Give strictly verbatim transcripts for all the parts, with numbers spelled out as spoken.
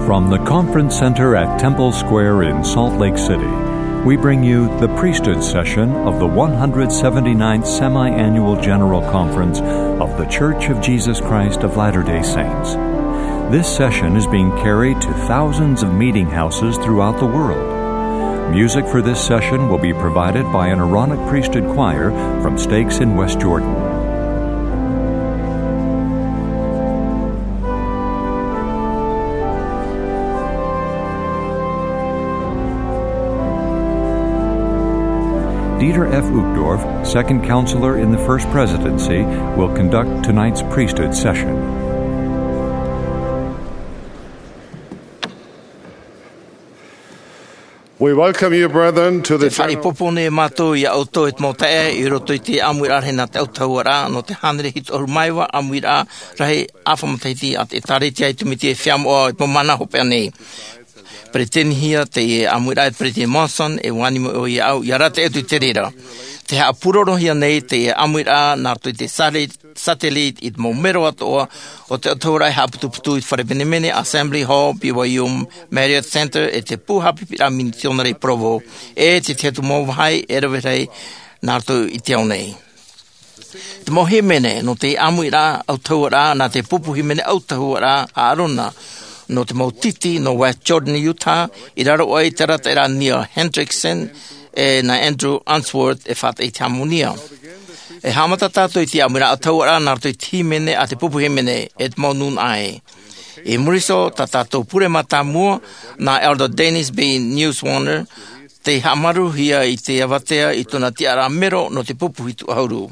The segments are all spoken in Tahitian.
From the Conference Center at Temple Square in Salt Lake City, we bring you the priesthood session of the one hundred seventy-ninth Semi-Annual General Conference of The Church of Jesus Christ of Latter-day Saints. This session is being carried to thousands of meeting houses throughout the world. Music for this session will be provided by an Aaronic Priesthood Choir from Stakes in West Jordan. Dieter F. Uchtdorf, Second Counselor in the First Presidency, will conduct tonight's priesthood session. We welcome you, brethren, to the general Faʻapopo nei mātou iā ʻoutou e te mau taeaʻe i roto i te ʻāmuiraʻa rahi nā te autahuʻaraʻa nō te hānere hitu ʻahuru mā iva ʻāmuiraʻa rahi ʻāfa matahiti a te ʻĒtārētia i te Mītia e Feiā Moʻa i te mau mahana hopeʻa nei. Peretitenihia teie ʻāmuiraʻa e Peretiteni Monson, e ʻua ani mai ʻoia iāʻu, ʻia rave atu i te reira. Tē haʻapūrorohia nei teie ʻāmuiraʻa nā roto i te sāre satellite i te mau mero atoʻa o te autahuʻaraʻa e haʻaputuputu i te fare menemene Assembly Hall, B Y U Marriott Center, e te pū haʻapiʻiraʻa misionare i Provo, e te tahi atu mau vāhi e rave rahi nā roto i te ao nei. Te mau hīmene nō te ʻāmuiraʻa autahuʻaraʻa nā te pupu hīmene autahuʻaraʻa a ʻĀrona, nō te mau titi nō West Jordan, Utah, i raro aʻe i te arataʻiraʻa a Neil Hendrickson e nā Andrew Unsworth e faʻataʻa i te hāmani. E haʻamata tātou i te ʻāmuiraʻa autahuʻaraʻa nā roto i te hīmene a te pupu hīmene e te mau nūnaʻa ē. I muri iho, tā tātou pure mātāmua, nā Elder Dennis B. Neuschwander, tē haʻamāuruhia i te avatea i tōna tiʻaraʻa mero nō te pupu hitu ʻahuru.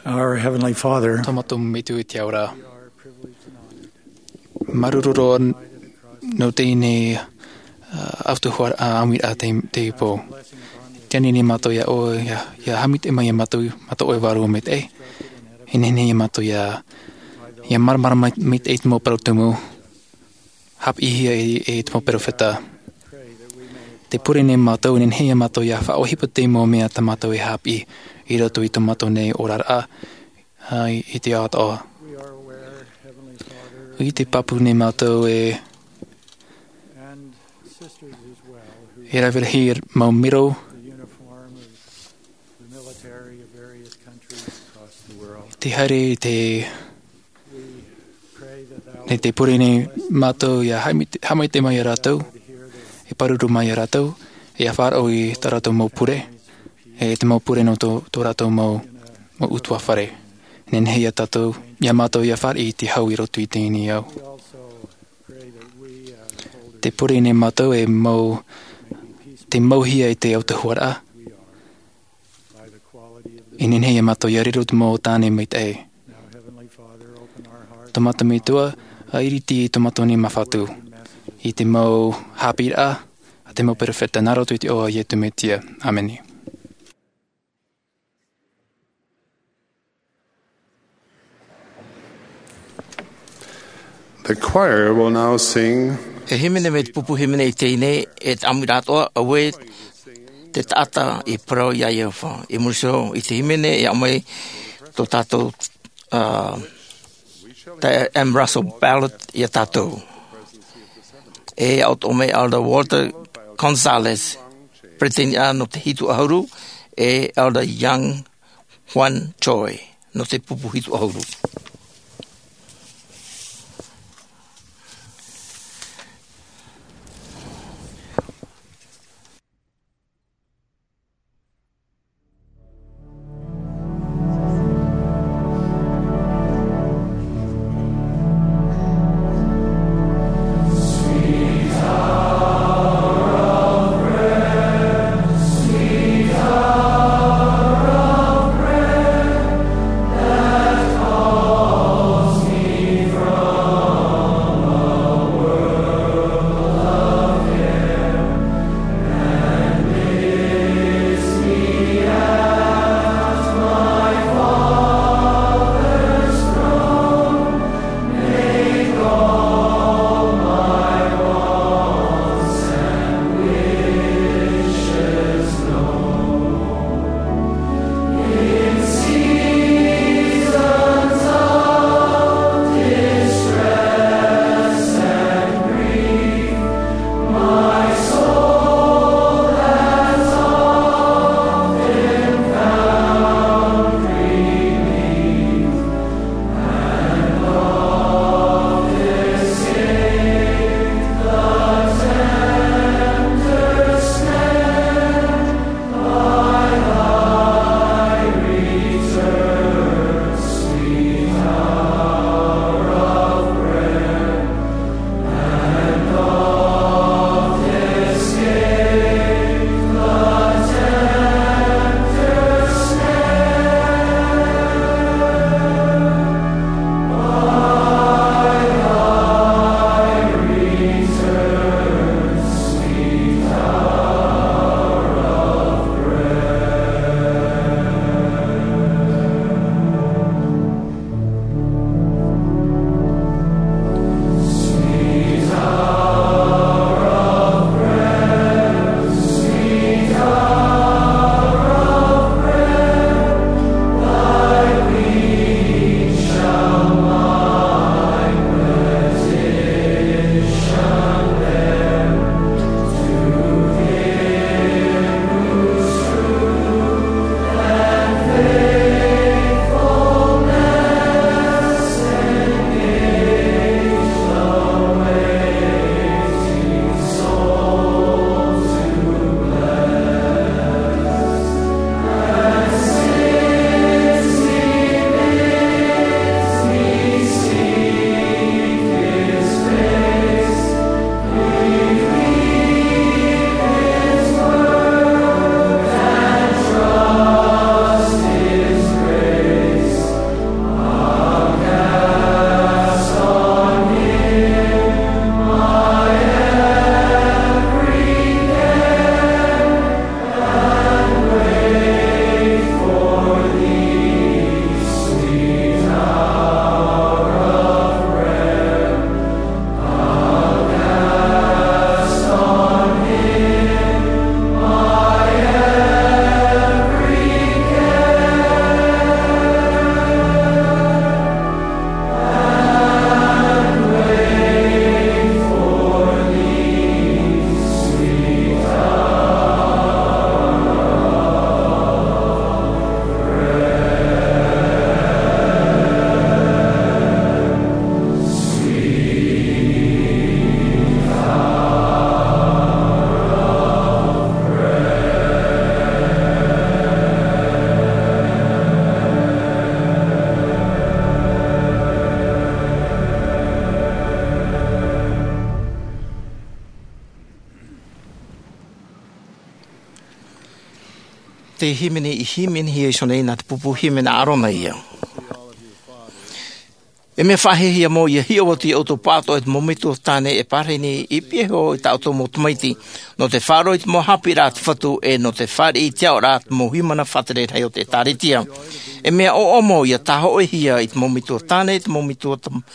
Our Heavenly Father, Tō mātou Metua i te ao ra. Māuruuru roa nō teie nei, uh, autahuʻaraʻa, uh, ʻāmuiraʻa te, te pō. Tē ani nei mātou iā ʻoe, ʻia, ʻia haʻamaitaʻi mai iā mātou, mātou ʻoe vārua maitaʻi. E nehenehe iā mātou ʻia, ʻia māramarama mai, maitaʻi i te mau parau tumu. hāpiʻihia e, e te mau perofeta. Tē pure nei mātou, e nehenehe ia mātou ia faʻaʻohipa te mau mea tā mātou e hāpiʻi i roto i tō mātou nei oraraʻa, ā, i, i te ao atoʻa. ʻIte pāpū nei mātou e, e rave rahi mau miro, tē haere i te, nei tē pure nei mātou ia haʻamaitaʻi, haʻamaitaʻi mai ia rātou, e pāruru mai ia rātou, ia faʻaroʻo i tā rātou mau pure, e te mau pure nō tō, tō rātou mau, mau ʻutuāfare. E nehenehe ia tātou, ia mātou ia fāriʻi i te hau i roto i teie nei ao. Tē pure nei mātou e mau, tē mauhia e te autahuʻaraʻa. E nehenehe ia mātou ia riro te mau tāne maitaʻi. Tō mātou Metua, ā, ʻiriti i tō mātou nei māfatu i te mau haʻapiʻiraʻa a te mau perofeta nā roto i te iʻoa o Iesu Mesia. ʻĀmene. The choir will now sing. E hīmene mai te pupu hīmene i teie nei, e te ʻāmuiraʻa atoʻa, Auē te taʻata e parau iā Iehova. I muri iho i te hīmene, e aʻo mai tō tātou, ā, Diane Russell Ballard ia tātou. E aʻo atoʻa mai Elder Walter Gonzalez, peretiteni nō te hitu ʻahuru, e Elder Young Hwan Choi, nō te pupu hitu ʻahuru. Hīmene i hīmenehia iho nei nā te pupu hīmene a Arona ia. E mea faʻahiahia mau ia hiʻo atu ia ʻoutou pāʻatoʻa i te mau metua tāne e pārahi nei i pīhaʻi iho i tā ʻoutou mau tamaiti, nō te faʻaroʻo i te mau haʻapiʻiraʻa a te Fatu, e nō te fāriʻi i te aʻoraʻa te mau hīmene faʻatere rahi o te ʻĒtārētia. E mea ʻoaʻoa mau ia tāhōʻēhia i te mau metua tāne, i te mau metua tam-,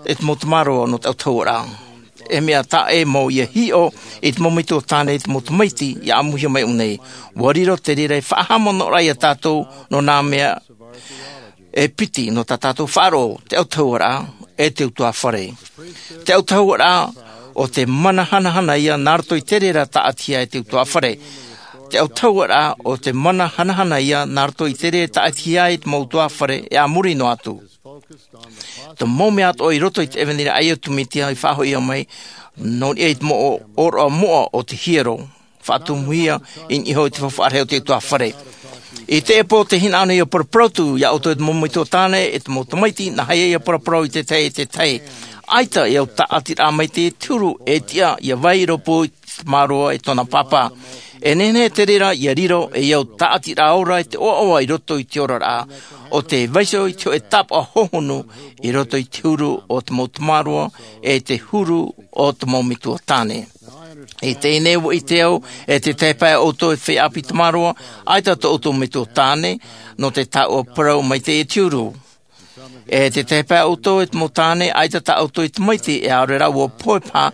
i te mau tamaroa nō te autahuʻaraʻa. E mea taʻa ʻē mau ia hiʻo i te mau metua tāne, i te mau tamaiti ia ʻāmuhia mai iho nei. ʻUa riro te reira ei faʻahaʻamanaʻoraʻa ia tātou nō nā mea e piti nō tā tātou faʻaroʻo, te autahuʻaraʻa, e te utuāfare. Te autahuʻaraʻa o te mana hanahana ia nā roto i te reira taʻatihia e te utuāfare. Te autahuʻaraʻa o te mana hanahana ia nā roto i te reira taʻatihia e te mau utuāfare e a muri noa atu. Te mau mea atoʻa i roto i te ʻevanelia a Iesu Mesia i faʻahoʻi mai, nō niʻa i te mau ʻōroʻa moʻa o te hiero, faʻatumuhia i niʻa iho i te faufaʻa rahi o te utuāfare. I teie pō tē hinaʻaro nei ia paraparau atu ia ʻoutou e te mau metua tāne, e te mau tamaiti, nā hea ia paraparau i te tahi, e te tahi. ʻAita e au tāʻatiraʻa maitaʻi te huru e tiʻa ia vai i rōpū i te tamaroa e tōna pāpā. E nehenehe te reira ia riro ei au tāʻatiraʻa ora e te ʻoaʻoa i roto i te oraraʻa, ʻo tē vaiiho i te hōʻē tāpaʻo hōhonu i roto i te huru o te mau tamaroa, e te huru o te mau metua tāne. I teie nei ʻua ʻite au, e te tahi pae ʻoutou e feiā ʻāpī tamaroa, ʻaita tō ʻoutou metua tāne, nō te taoʻa parau maitaʻi e te huru. E te tahi pae ʻoutou e te mau tāne, ʻaita tā ʻoutou e tamaiti, e ʻaore rā ʻua pohe paha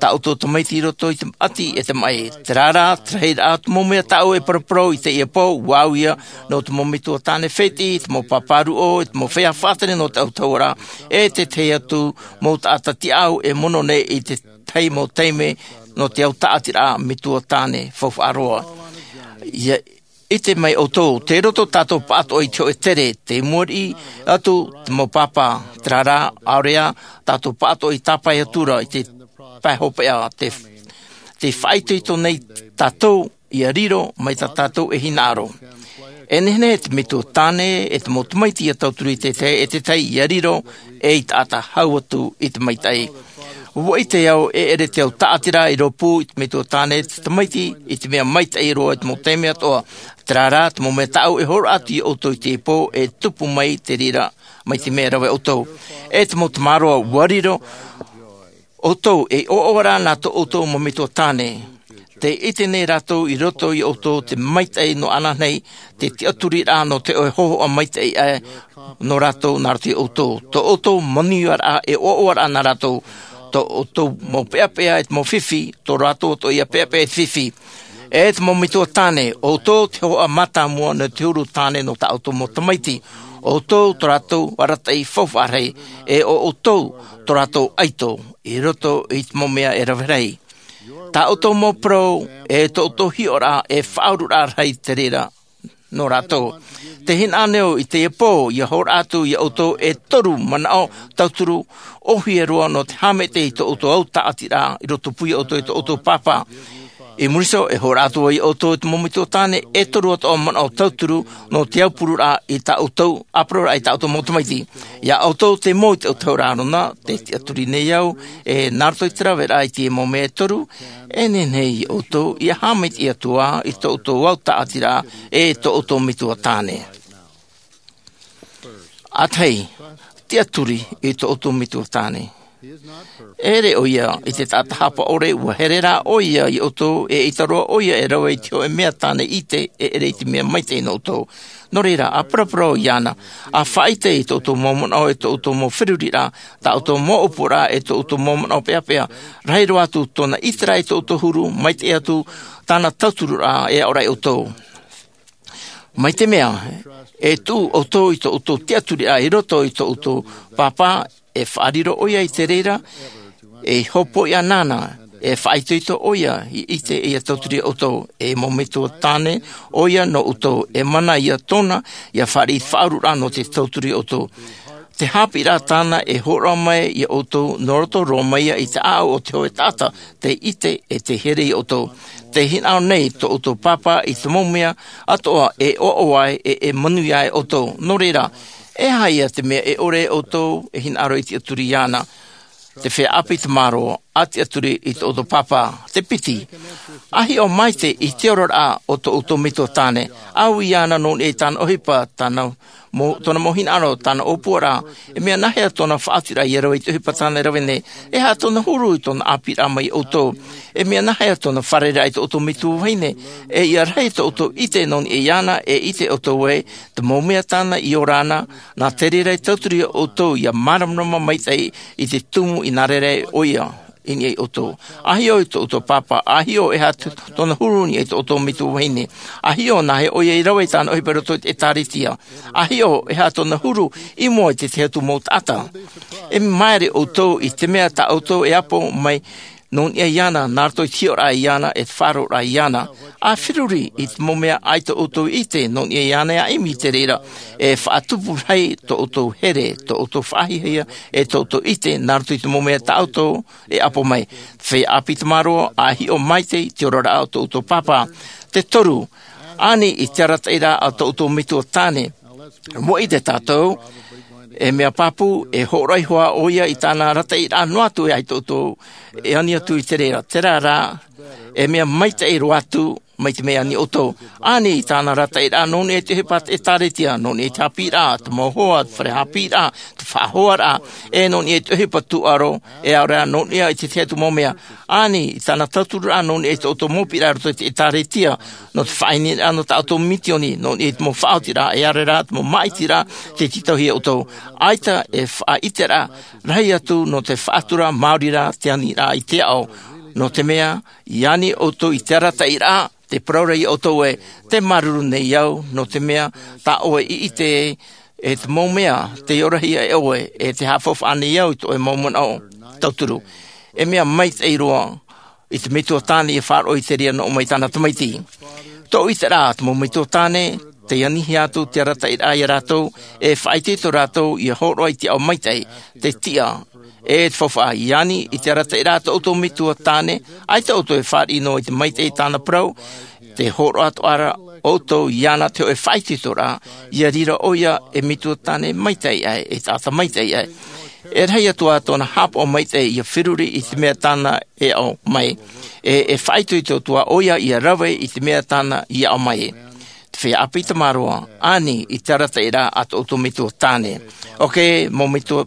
tā ʻoutou tamaiti i roto i te ʻati e te maʻi. Terā rā, te rahiraʻa o te mau mea tāʻu e paraparau i teie pō, ʻua au ia nō te mau metua tāne fētiʻi, te mau pāpā ruʻo, e te mau feiā faʻatere nō te autahuʻaraʻa, e te tahi atu mau taʻata tiʻaʻau e mono nei i te tahi mau taime nō te au tāʻatiraʻa metua tāne faufaʻa roa. Ia ʻite mai ʻoutou, tei roto tātou pāʻatoʻa i te hōʻē tere, tei mua riʻi atu te mau pāpā, terā rā, ʻaore rā, tātou pāʻatoʻa i tāpae atu ra i te pae hopeʻa, te, te faʻaitoito nei tātou, ia riro mai tā tātou e hinaʻaro. E nehenehe te metua tāne, e te mau tamaiti ia tauturu i te tahi, e te tahi ia riro, ei taʻata hau atu i te maitaʻi. ʻUa ʻite au, e ʻere te au tāʻatiraʻa i rōpū i te metua tāne, te tamaiti, i te mea maitaʻi roa i te mau taime atoʻa. Terā rā, te mau mea tāʻu e hōroʻa atu ia ʻoutou i teie pō, e tupu mai te reira, mai te mea e rave ʻoutou. E te mau tamaroa, ʻua riro ʻoutou ei ʻoaʻoaraʻa nā tō ʻoutou mau metua tāne. Tē ʻite nei rātou i roto ia ʻoutou te maitaʻi nō ananahi, te tiʻaturiraʻa nō te hōhoʻa maitaʻi aʻe nō rātou nā roto ia ʻoutou. Tō ʻoutou manuiaraʻa e ʻoaʻoaraʻa nā rātou. Tō ʻoutou mau peʻapeʻa e te mau fifi, tō rātou atoʻa ia peʻapeʻa e te fifi. E te mau metua tāne, ʻoutou te hōhoʻa mātāmua nō te huru tāne nō tā ʻoutou mau tamaiti. ʻOutou tō rātou arataʻi faufaʻa rahi, e ʻo ʻoutou tō rātou ʻaito i roto i te mau mea e rave rahi. Tā ʻoutou mau parau, e tō ʻoutou hiʻoraʻa, e faʻaururaʻa rahi te reira nō rātou. Tē hinaʻaro nei au i teie pō, ia hōroʻa atu ia ʻoutou e toru manaʻo tauturu ʻōhie roa nō te haʻamaitaʻi i tō ʻoutou au tāʻatiraʻa i rotopū ia ʻoutou e tō ʻoutou pāpā. I muri iho, e hōroʻa atu ia ʻoutou e te mau metua tāne, e toru atoʻa manaʻo tauturu nō te aupururaʻa i tā ʻoutou, ʻāparauraʻa i tā ʻoutou mau tamaiti. Ia ʻoutou te mau i te autahuʻaraʻa Arona, tē tiʻaturi nei au, e nā roto i te raveraʻa i teie mau mea e toru, e nehenehe ia ʻoutou ia haʻamaitaʻi atu ā i tō ʻoutou au tāʻatiraʻa, e tō ʻoutou metua tāne. ʻA tahi, tiʻaturi i tō ʻoutou metua tāne. E ʻere ʻoia i te taʻata haʻapaʻo ʻore, ʻua here rā ʻoia ia ʻoutou, e ʻaita roa ʻoia e rave i te hōʻē mea tāne ʻite, e ʻere i te mea maitaʻi nō ʻoutou. Nō reira, ʻa paraparau iāna, ʻa faʻaʻite i tō ʻoutou mau manaʻo, e tō ʻoutou mau feruriraʻa, tā ʻoutou mau ʻōpuaraʻa, e tō ʻoutou mau manaʻo peʻapeʻa, rahi roa atu tōna ʻiteraʻa i tō ʻoutou huru, maitaʻi atu tāna tautururaʻa e aʻoraʻa ia ʻoutou. Mai te mea, e tuʻu ʻoutou i tō ʻoutou tiʻaturiraʻa i roto i tō ʻoutou pāpā, e faʻariro ʻoia i te reira, e hōpoiʻa nāna, e faʻaitoito ʻoia i ʻite ia tauturu ia ʻoutou, e mau metua tāne ʻoia nō ʻoutou, e mana ia tōna, ia fāriʻi faʻaururaʻa nō te tauturu ia ʻoutou. Te haʻapiʻiraʻa tāna e hōroʻa mai ia ʻoutou, nō roto roa mai ia i te ʻāʻau o te hōʻē taʻata, tei ʻite e tei here ia ʻoutou. Tē hinaʻaro nei tō ʻoutou pāpā i te mau mea atoʻa e ʻoaʻoa ai, e, e manuia ai ʻoutou. Nō reira, e aha ia te mea e ʻore ʻoutou e hinaʻaro i tiʻaturi iāna? Te feiā ʻāpī tamaroa, ʻa tiʻaturi i tō ʻoutou pāpā. Te piti, ʻA hiʻo maitaʻi i te oraraʻa o tō ʻoutou metua tāne. ʻAui iāna nō niʻa i tāna ʻohipa, tāna mo tōna mau hinaʻaro, tāna ʻōpuaraʻa. E mea nāhea tōna faʻaotiraʻa ia rave i te ʻohipa tāna e rave nei? E aha tōna huru i tōna ʻāpīraʻa mai iā ʻoutou? E mea nāhea tōna fārereiraʻa i tō ʻoutou metua vahine? E ia rahi tō ʻoutou ʻite nō niʻa iāna, e ʻite ʻoutou ē te mau mea tāna i ora na, nā te reira e tauturu iā ʻoutou ia māramarama maitaʻi i te tumu i nā reira ʻoia i niʻa iā ʻoutou. ʻA hiʻo i tō ʻoutou pāpā, ʻa hiʻo e aha tōna huru i niʻa i tō ʻoutou metua vahine. ʻA hiʻo nāhea ʻoia i rave i tāna ʻohipa i roto i te ʻĒtārētia. ʻA hiʻo e aha tōna huru i mua i te tahi atu mau taʻata. E māere ʻoutou i te mea tā ʻoutou e ʻapo mai nō niʻa iāna, nā roto i te hiʻoraʻa iāna, e te faʻaroʻoraʻa iāna. ʻA feruri i te mau mea ʻaita ʻoutou i ʻite nō niʻa iāna, e ʻimi i te reira, e faʻatupu rahi tō ʻoutou here, tō ʻoutou faʻahiahia, e tō ʻoutou ʻite, nā roto i te mau mea tā ʻoutou e ʻapo mai. Te feiā ʻāpī tamāroa, ʻa hiʻo maitaʻi i te oraraʻa o tō ʻoutou pāpā. Te toru, ani i te arataʻiraʻa a tō ʻoutou metua tāne. Mea ʻite tātou, e mea pāpū, e hōroʻa iho ā ʻoia i tāna arataʻiraʻa noa atu e ai tō ʻoutou e ani atu i te reira. Terā rā, e mea maitaʻi roa atu mai te mea ani ʻoutou. Ani i tāna arataʻiraʻa nō niʻa i te ʻohipa a te ʻĒtārētia, nō niʻa i te haʻapiʻiraʻa, te mau hoa, te fare haʻapiʻiraʻa, te faʻahoaraʻa, e nō niʻa i te ʻohipa tūʻaro, e ʻaore rā nō niʻa i te tahi atu mau mea. Ani i tāna tautururaʻa nō niʻa i tō ʻoutou mau piʻiraʻa i roto i te ʻĒtārētia, nō te faʻaineineraʻa nō tā ʻoutou misiōni, nō niʻa i te mau faʻaotiraʻa, e ʻaore rā te mau māʻitiraʻa, tē tītauhia iā ʻoutou. ʻAita e faʻaʻiteraʻa rahi atu nō te faʻatura maori rā te aniraʻa i te ao, nō te mea, i ani ʻoutou i te arataʻiraʻa, te parau ra iā ʻoutou ē, tē māuruuru nei au, nō te mea, tā ʻoe i ʻite e te mau mea, tei orahia e ʻoe, e tē haʻafaufaʻa nei au i tō ʻoe mau manaʻo. Tauturu, e mea maitaʻi roa, i te metua tāne ia faʻaroʻo i te reira nō ʻō mai tāna tamaiti. Tōʻu ʻiteraʻa, te mau metua tāne, tei anihia atu te arataʻiraʻa iā rātou, e faʻaitoito rātou ia hōroʻa i te ao maitaʻi, te tiʻa, e te faufaʻa. I ani i te arataʻiraʻa tō ʻoutou metua tāne, ʻaita ʻoutou e fāriʻi noa i te maitaʻi i tāna parau, tē hōroʻa atoʻa ra ʻoutou iāna te hōʻē faʻaitoitoraʻa, ia riro ʻoia ei metua tāne maitaʻi aʻe, ei taʻata maitaʻi aʻe. E rahi atu ā tōna haʻapaʻo maitaʻi ia feruri i te mea tāna e aʻo mai, e, e faʻaitoito atu ā ʻoia ia rave i te mea tāna i aʻo mai. Te feiā ʻāpī tamāroa, ani i te arataʻiraʻa a tō ʻoutou metua tāne. ʻOkē, mau metua,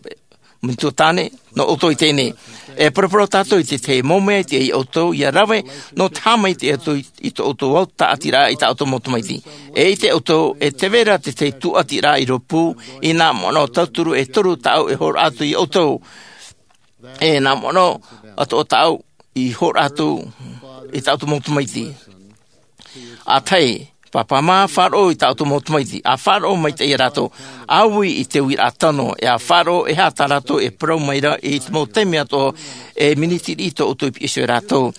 metua tāne, nō ʻoutou i teie nei. E paraparau tātou i te tahi mau mea i te, iā ʻoutou ia rave, nō te haʻamaitaʻi atu i, i tō ʻoutou au tāʻatiraʻa i tā ʻoutou mau tamaiti. E ʻite ʻoutou, e tē vai ra te tahi tūʻatiraʻa i rōpū, i nā manaʻo tauturu e toru tāʻu e hōroʻa atu iā ʻoutou. E nā manaʻo atoʻa tāʻu i hōroʻa atu i tā ʻoutou mau tamaiti. ʻA tahi, pāpā mā, faʻaroʻo i tā ʻoutou mau tamaiti, ʻa faʻaroʻo maitaʻi ia rātou, ʻa ui i te uiraʻa tano, e ʻa faʻaroʻo e aha tā rātou e parau mai ra i te mau taime atoʻa, e miniti riʻi tō ʻoutou i piʻi iho ia rātou.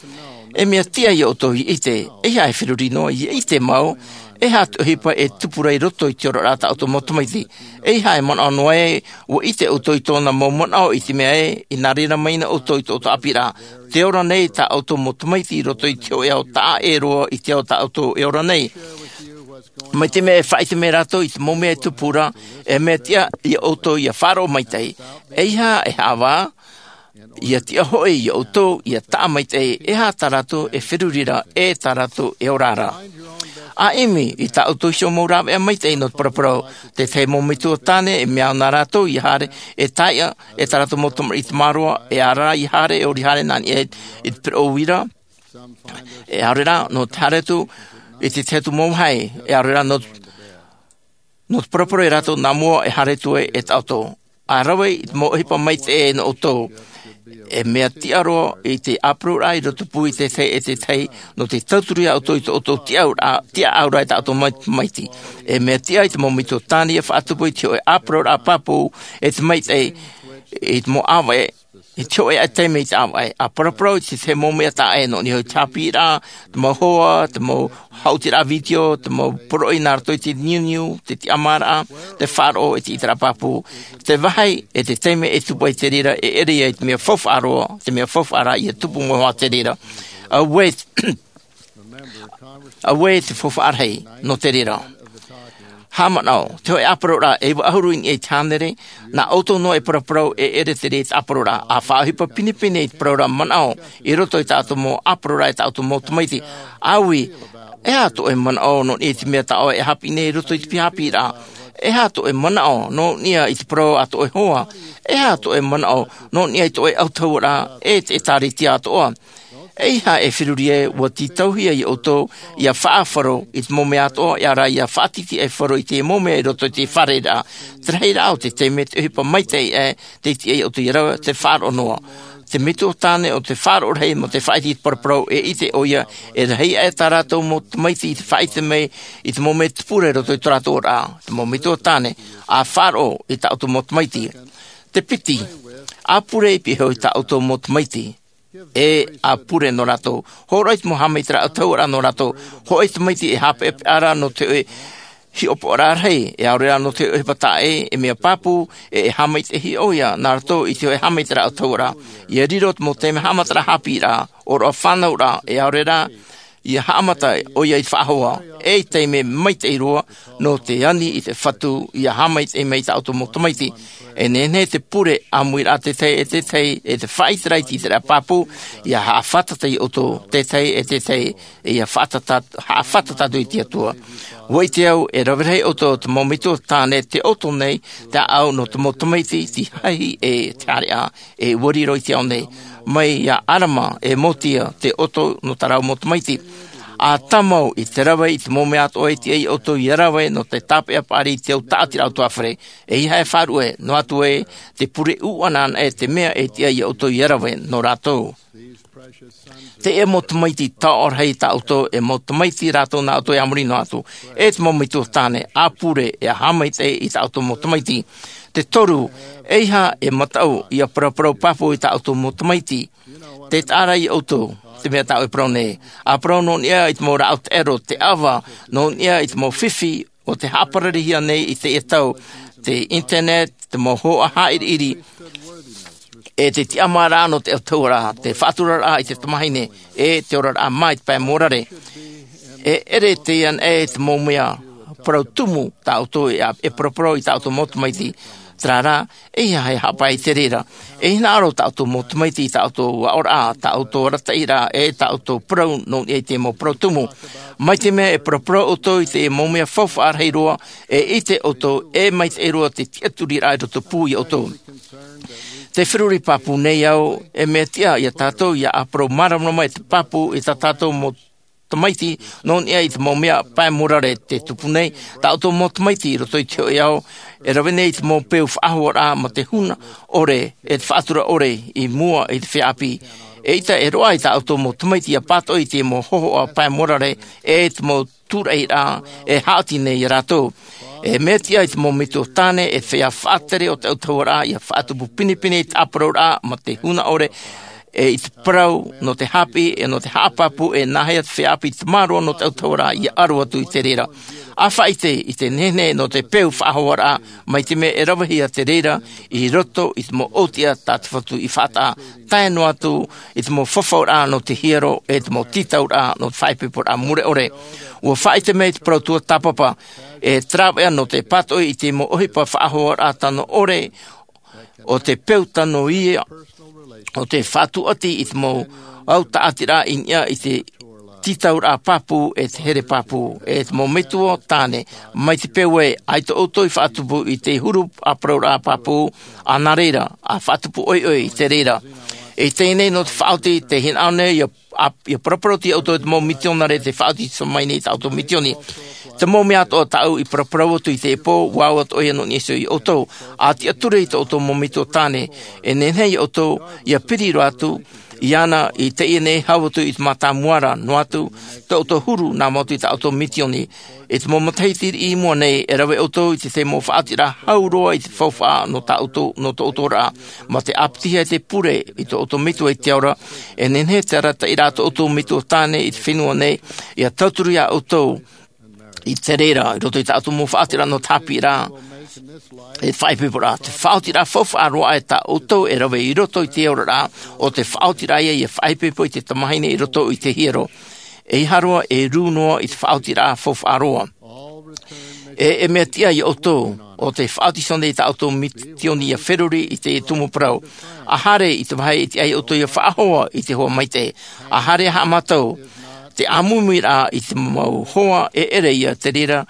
E mea tiʻa iā ʻoutou ia ʻite, eiaha e feruri noa ia ʻite mau, e aha te ʻohipa e tupu ra i roto i te oraraʻa tā ʻoutou mau tamaiti. Eiaha e manaʻo noa ē, ʻua ʻite ʻoutou i tōna mau manaʻo i te mea ē, i nā reira mai na ʻoutou i tō ʻoutou ʻāpīraʻa. Tē ora nei tā ʻoutou mau tamaiti i roto i te hōʻē ao taʻa ʻē roa i te ao tā ʻoutou e ora nei. Mai te mea e faʻaʻite mai rātou i te mau mea e tupu ra, e mea tiʻa iā ʻoutou ia faʻaroʻo maitaʻi. Eiaha e haʻavā, ia tiʻa hoʻi iā ʻoutou ia taʻa maitaʻi, e aha tā rātou e feruri ra, e tā rātou e ora ra. ʻA ʻimi i tā ʻoutou iho mau rāveʻa maitaʻi nō te paraparau, te tahi mau metua tāne, e mea au nā rātou ia haere, e taiʻa, e tā rātou mau tamariʻi tamāroa, e ara ia haere, e ʻori haere nā niʻa i te pereʻo uira, e ʻaore rā, nō te haere atu i te tahi atu mau vāhi, e ʻaore rā, nō, nō te paraparau ia rātou nā mua e haere atu ai e tā ʻoutou. ʻA rave i te mau ʻohipa maitaʻi nō ʻoutou. E mea tiʻa roa i te ʻāparuraʻa i roto pū i te tahi e te tahi, nō te tauturu iā ʻoutou i tō ʻoutou tiʻauraʻa, tiʻaʻauraʻa i tā ʻoutou mau tamaiti. E mea tiʻa i te mau metua tāne ia faʻatupu i te hōʻē ʻāparuraʻa pāpū, e te maitaʻi, i te mau ʻāvaʻe, i te hōʻē ʻaita taime i te ʻāvaʻe, ʻa paraparau i te tahi mau mea taʻa ʻē nō niʻa i te haʻapiʻiraʻa, te mau hoa, te mau haʻutiraʻa vitiō, te mau poroʻi nā roto i te niuniu, te tiʻamāraʻa, te faʻaroʻo, e te ʻiteraʻa pāpū. Te vāhi, e te taime e tupu ai te reira, e ʻere ia i te mea faufaʻa roa, te mea faufaʻa rā ia tupu mai hoʻi te reira. Auē, auē te faufaʻa rahi, nō te reira. Haʻamanaʻo, te hōʻē ʻāparauraʻa e vaʻu ʻahuru i niʻa i te hānere, nā ʻoutou noa e paraparau e ʻere te reira i te ʻāparauraʻa. ʻA faʻaʻohipa pinepine i te parauraʻa manaʻo i roto i tā ʻoutou mau ʻāparauraʻa e tā ʻoutou mau tamaiti. ʻĀui, e aha tō ʻoe manaʻo nō niʻa i te mea tā ʻoe e haʻapiʻi nei i roto i te pihaʻipoʻiraʻa? E aha tō ʻoe manaʻo nō niʻa i te parau a tō ʻoe hoa? E aha tō ʻoe manaʻo nō niʻa i tō ʻoe ʻautahuʻaraʻa e te ʻĒtārētia atoʻa? ʻEiaha e feruri ai, ʻua tītauhia iā ʻoutou ʻia faʻaʻāfaro i te mau mea atoʻa, ʻia ora ʻia faʻatītīʻaifaro i te mau mea i roto i te fārereiraʻa. Te rahiraʻa o te taime te ʻohipa maitaʻi aʻe, tē tiʻa iā ʻoutou ʻia rave, te faʻaroʻo noa. Te metua tāne ʻo te faʻaroʻo rahi mō te faʻaʻite i te paraparau, e ʻite ʻoia, e rahi aʻe tā rātou mau tamaiti i te faʻaʻite mai i te mau mea tupu ra i roto i tō rātou oraraʻa. Te mau metua tāne, ʻa faʻaroʻo i tā ʻoutou mau tamaiti. Te piti, ʻa pure i pihaʻi iho i tā ʻoutou mau tamaiti. E ʻa pure nō rātou. Hōroʻa i te mau haʻamaitaʻiraʻa ʻautahuʻaraʻa nō rātou. Hōʻē tamaiti e haʻapeʻapeʻa ra nō te hōʻē hiʻopoʻaraʻa rahi, e ʻaore rā nō te hōʻē ʻohipa taʻa ʻē, e mea pāpū, e, e haʻamaitaʻihia ʻoia nā roto i te hōʻē haʻamaitaʻiraʻa ʻautahuʻaraʻa. ʻIa riro te mau taime haʻamataraʻa haʻapiʻiraʻa, ʻōroʻa fānauraʻa, e ʻaore rā, ʻia haʻamata ʻoia i te faʻahoa, e i te taime maitaʻi roa, nō te ani i te Fatu, ʻia haʻamaitaʻi mai i tā ʻoutou mau tamaiti. E nehenehe te pure ʻāmuiraʻa tētahi e tētahi, e te faʻaʻiteraʻa i te ʻiteraʻa pāpū, ʻia haʻafātata iā ʻoutou tētahi e tētahi, e ʻia faʻatata-, haʻafātata atu i te Atua. ʻUa ʻite au, e rave rahi ʻoutou te mau metua tāne tē ʻoto nei te ʻāʻau nō te mau tamaiti, te hahi e te hareʻa, e ʻua riro i te ao nei. Mai iā ʻArama e Motia tē ʻoto nō tā rāua mau tamaiti. ʻA tāmau i te rave i te mau mea atoʻa e tiʻa iā ʻoutou ʻia rave nō te tāpeʻa paʻari i te au tāʻatiraʻa ʻautahuʻa fare. ʻEiaha e faʻaruʻe, noa atu ē, te pure ʻuʻana anaʻe te mea e tiʻa iā ʻoutou ʻia rave nō rātou. Teie mau tamaiti taoʻa rahi tā ʻoutou, e mau tamaiti rātou nā ʻoutou e a muri noa atu. E te mau metua tāne, ʻa pure, e haʻamaitaʻi i tā ʻoutou mau tamaiti. Te toru, ʻeiaha e mataʻu ʻia paraparau pāpū i tā ʻoutou mau tamaiti. Tē taʻa ra iā ʻoutou te mea tā ʻoe e parau nei. ʻA parau nō niʻa i te mau rāʻau taʻero, te ʻava, nō niʻa i te mau fifi, ʻo tē haʻapararihia nei i teie tau, te internet, te mau hōhoʻa haʻiriʻiri, e te tiʻamāraʻa nō te ʻautahuʻaraʻa, te faʻaturaraʻa i te tamahine, e te oraraʻa mā i te pae mōrare. E ʻere teie anaʻe te mau mea parau tumu tā ʻoutou e, e paraparau i tā ʻoutou mau tamaiti. Terā rā, ʻeiaha e haʻapae i te reira. E hinaʻaro tā ʻoutou mau tamaiti i tā ʻoutou aʻoraʻa, tā ʻoutou arataʻiraʻa, e tā ʻoutou parau nō niʻa i te mau parau tumu. Mai te mea e paraparau ʻoutou i te mau mea faufaʻa rahi roa, e ʻite ʻoutou e maitaʻi roa te tiʻaturiraʻa i roto pū iā ʻoutou. Tē feruri pāpū nei au, e mea tiʻa iā tātou ʻia ʻāparau māramarama i te pāpū i tā tātou mau tamaiti, nō niʻa i te mau mea pae mōrare tē tupu nei, tā ʻoutou mau tamaiti i roto i te hōʻē ao, e rave nei i te mau peu faʻahoaraʻa mā te huna ʻore, e te faʻatura ʻore i mua i te feiā ʻāpī. Eʻita e roaʻa i tā ʻoutou mau tamaiti ʻia pātoʻi i te mau hōhoʻa pae mōrare, e te mau tūraʻiraʻa e haʻati nei iā rātou. E mea tiʻa i te mau metua tāne, e te feiā faʻatere o te ʻautahuʻaraʻa, ʻia faʻatupu pinepine i te ʻāparauraʻa mā te huna ʻore, e i te parau nō te haʻapiʻi, e nō te haʻapāpū, e nāhea te feiā ʻāpī i te tamaroa nō te ʻautahuʻaraʻa ʻia aro atu i te reira. ʻA faʻaʻite i te nehenehe nō te peu faʻahoaraʻa, mai te mea e ravehia te reira i roto i te mau ʻōtiʻa tā te Fatu i faʻataʻa, tae noa atu i te mau fafauraʻa nō te hiero, e te mau tītauraʻa nō te faʻaipoiporaʻa mure ʻore. ʻUa faʻaʻite mai te parau tuatāpapa, e te rāveʻa nō te pātoʻi i te mau ʻohipa faʻahoaraʻa tano ʻore, ʻo te peu tano ia, ʻo te faʻatuati i te mau au tāʻatiraʻa i niʻa i te tītauraʻa pāpū, e te here pāpū, e te mau metua tāne, mai te peu ē, ʻaita ʻoutou i faʻatupu i te huru ʻāparauraʻa pāpū, ʻa nā reira, ʻa faʻatupu ʻoiʻoi i te reira. E teie nei nō te faʻaoti, tē hinaʻaro nei ʻia, ʻa, ʻia paraparau atu iā ʻoutou te mau mitionare tē faʻaoti i te tamahine i tā ʻoutou mitioni. Te mau mea atoʻa tāʻu i paraparau atu i teie pō, ʻua au atoʻa ia nō niʻa iho iā ʻoutou. ʻA tiʻaturi i tō ʻoutou mau metua tāne, e nehenehe iā ʻoutou ʻia piri roa atu iāna i teie nei hau atu i te mātāmua ra, noa atu tō ʻoutou huru nā mua atu i tā ʻoutou mitioni. I te mau matahiti riʻi i mua nei, e rave ʻoutou i te, te mau faʻaotiraʻa hau roa i te faufaʻa nō tā ʻoutou, nō tō ʻoutou oraraʻa. Mā te ʻāpitihia e te pure i tō ʻoutou metua i te ao ra, e nehenehe te arataʻiraʻa tō ʻoutou metua tāne i te fenua nei, ʻia tauturu iā ʻoutou i te reira, i roto i tā ʻoutou mau faʻaotiraʻa nō te haʻapiʻiraʻa, e faʻaipoiporaʻa. Te faʻaotiraʻa faufaʻa roa aʻe tā ʻoutou e rave i roto i te oraraʻa, ʻo te faʻaotiraʻa ia ʻia faʻaipoipo i te tamahine i roto i te hiero. ʻEiaha roa e rū noa i te faʻaotiraʻa faufaʻa roa. E e mea tiʻa iā ʻoutou o te faʻaʻotiso nei tā ʻoutou mitioni ia feruri i te tumu parau. A haere i te vāhi e tiʻa iā ʻoutou ia faʻahoa i te hoa maitaʻi. A haere haʻamātau te ʻāmuimui rā i te mau hoa e ʻere ia te reira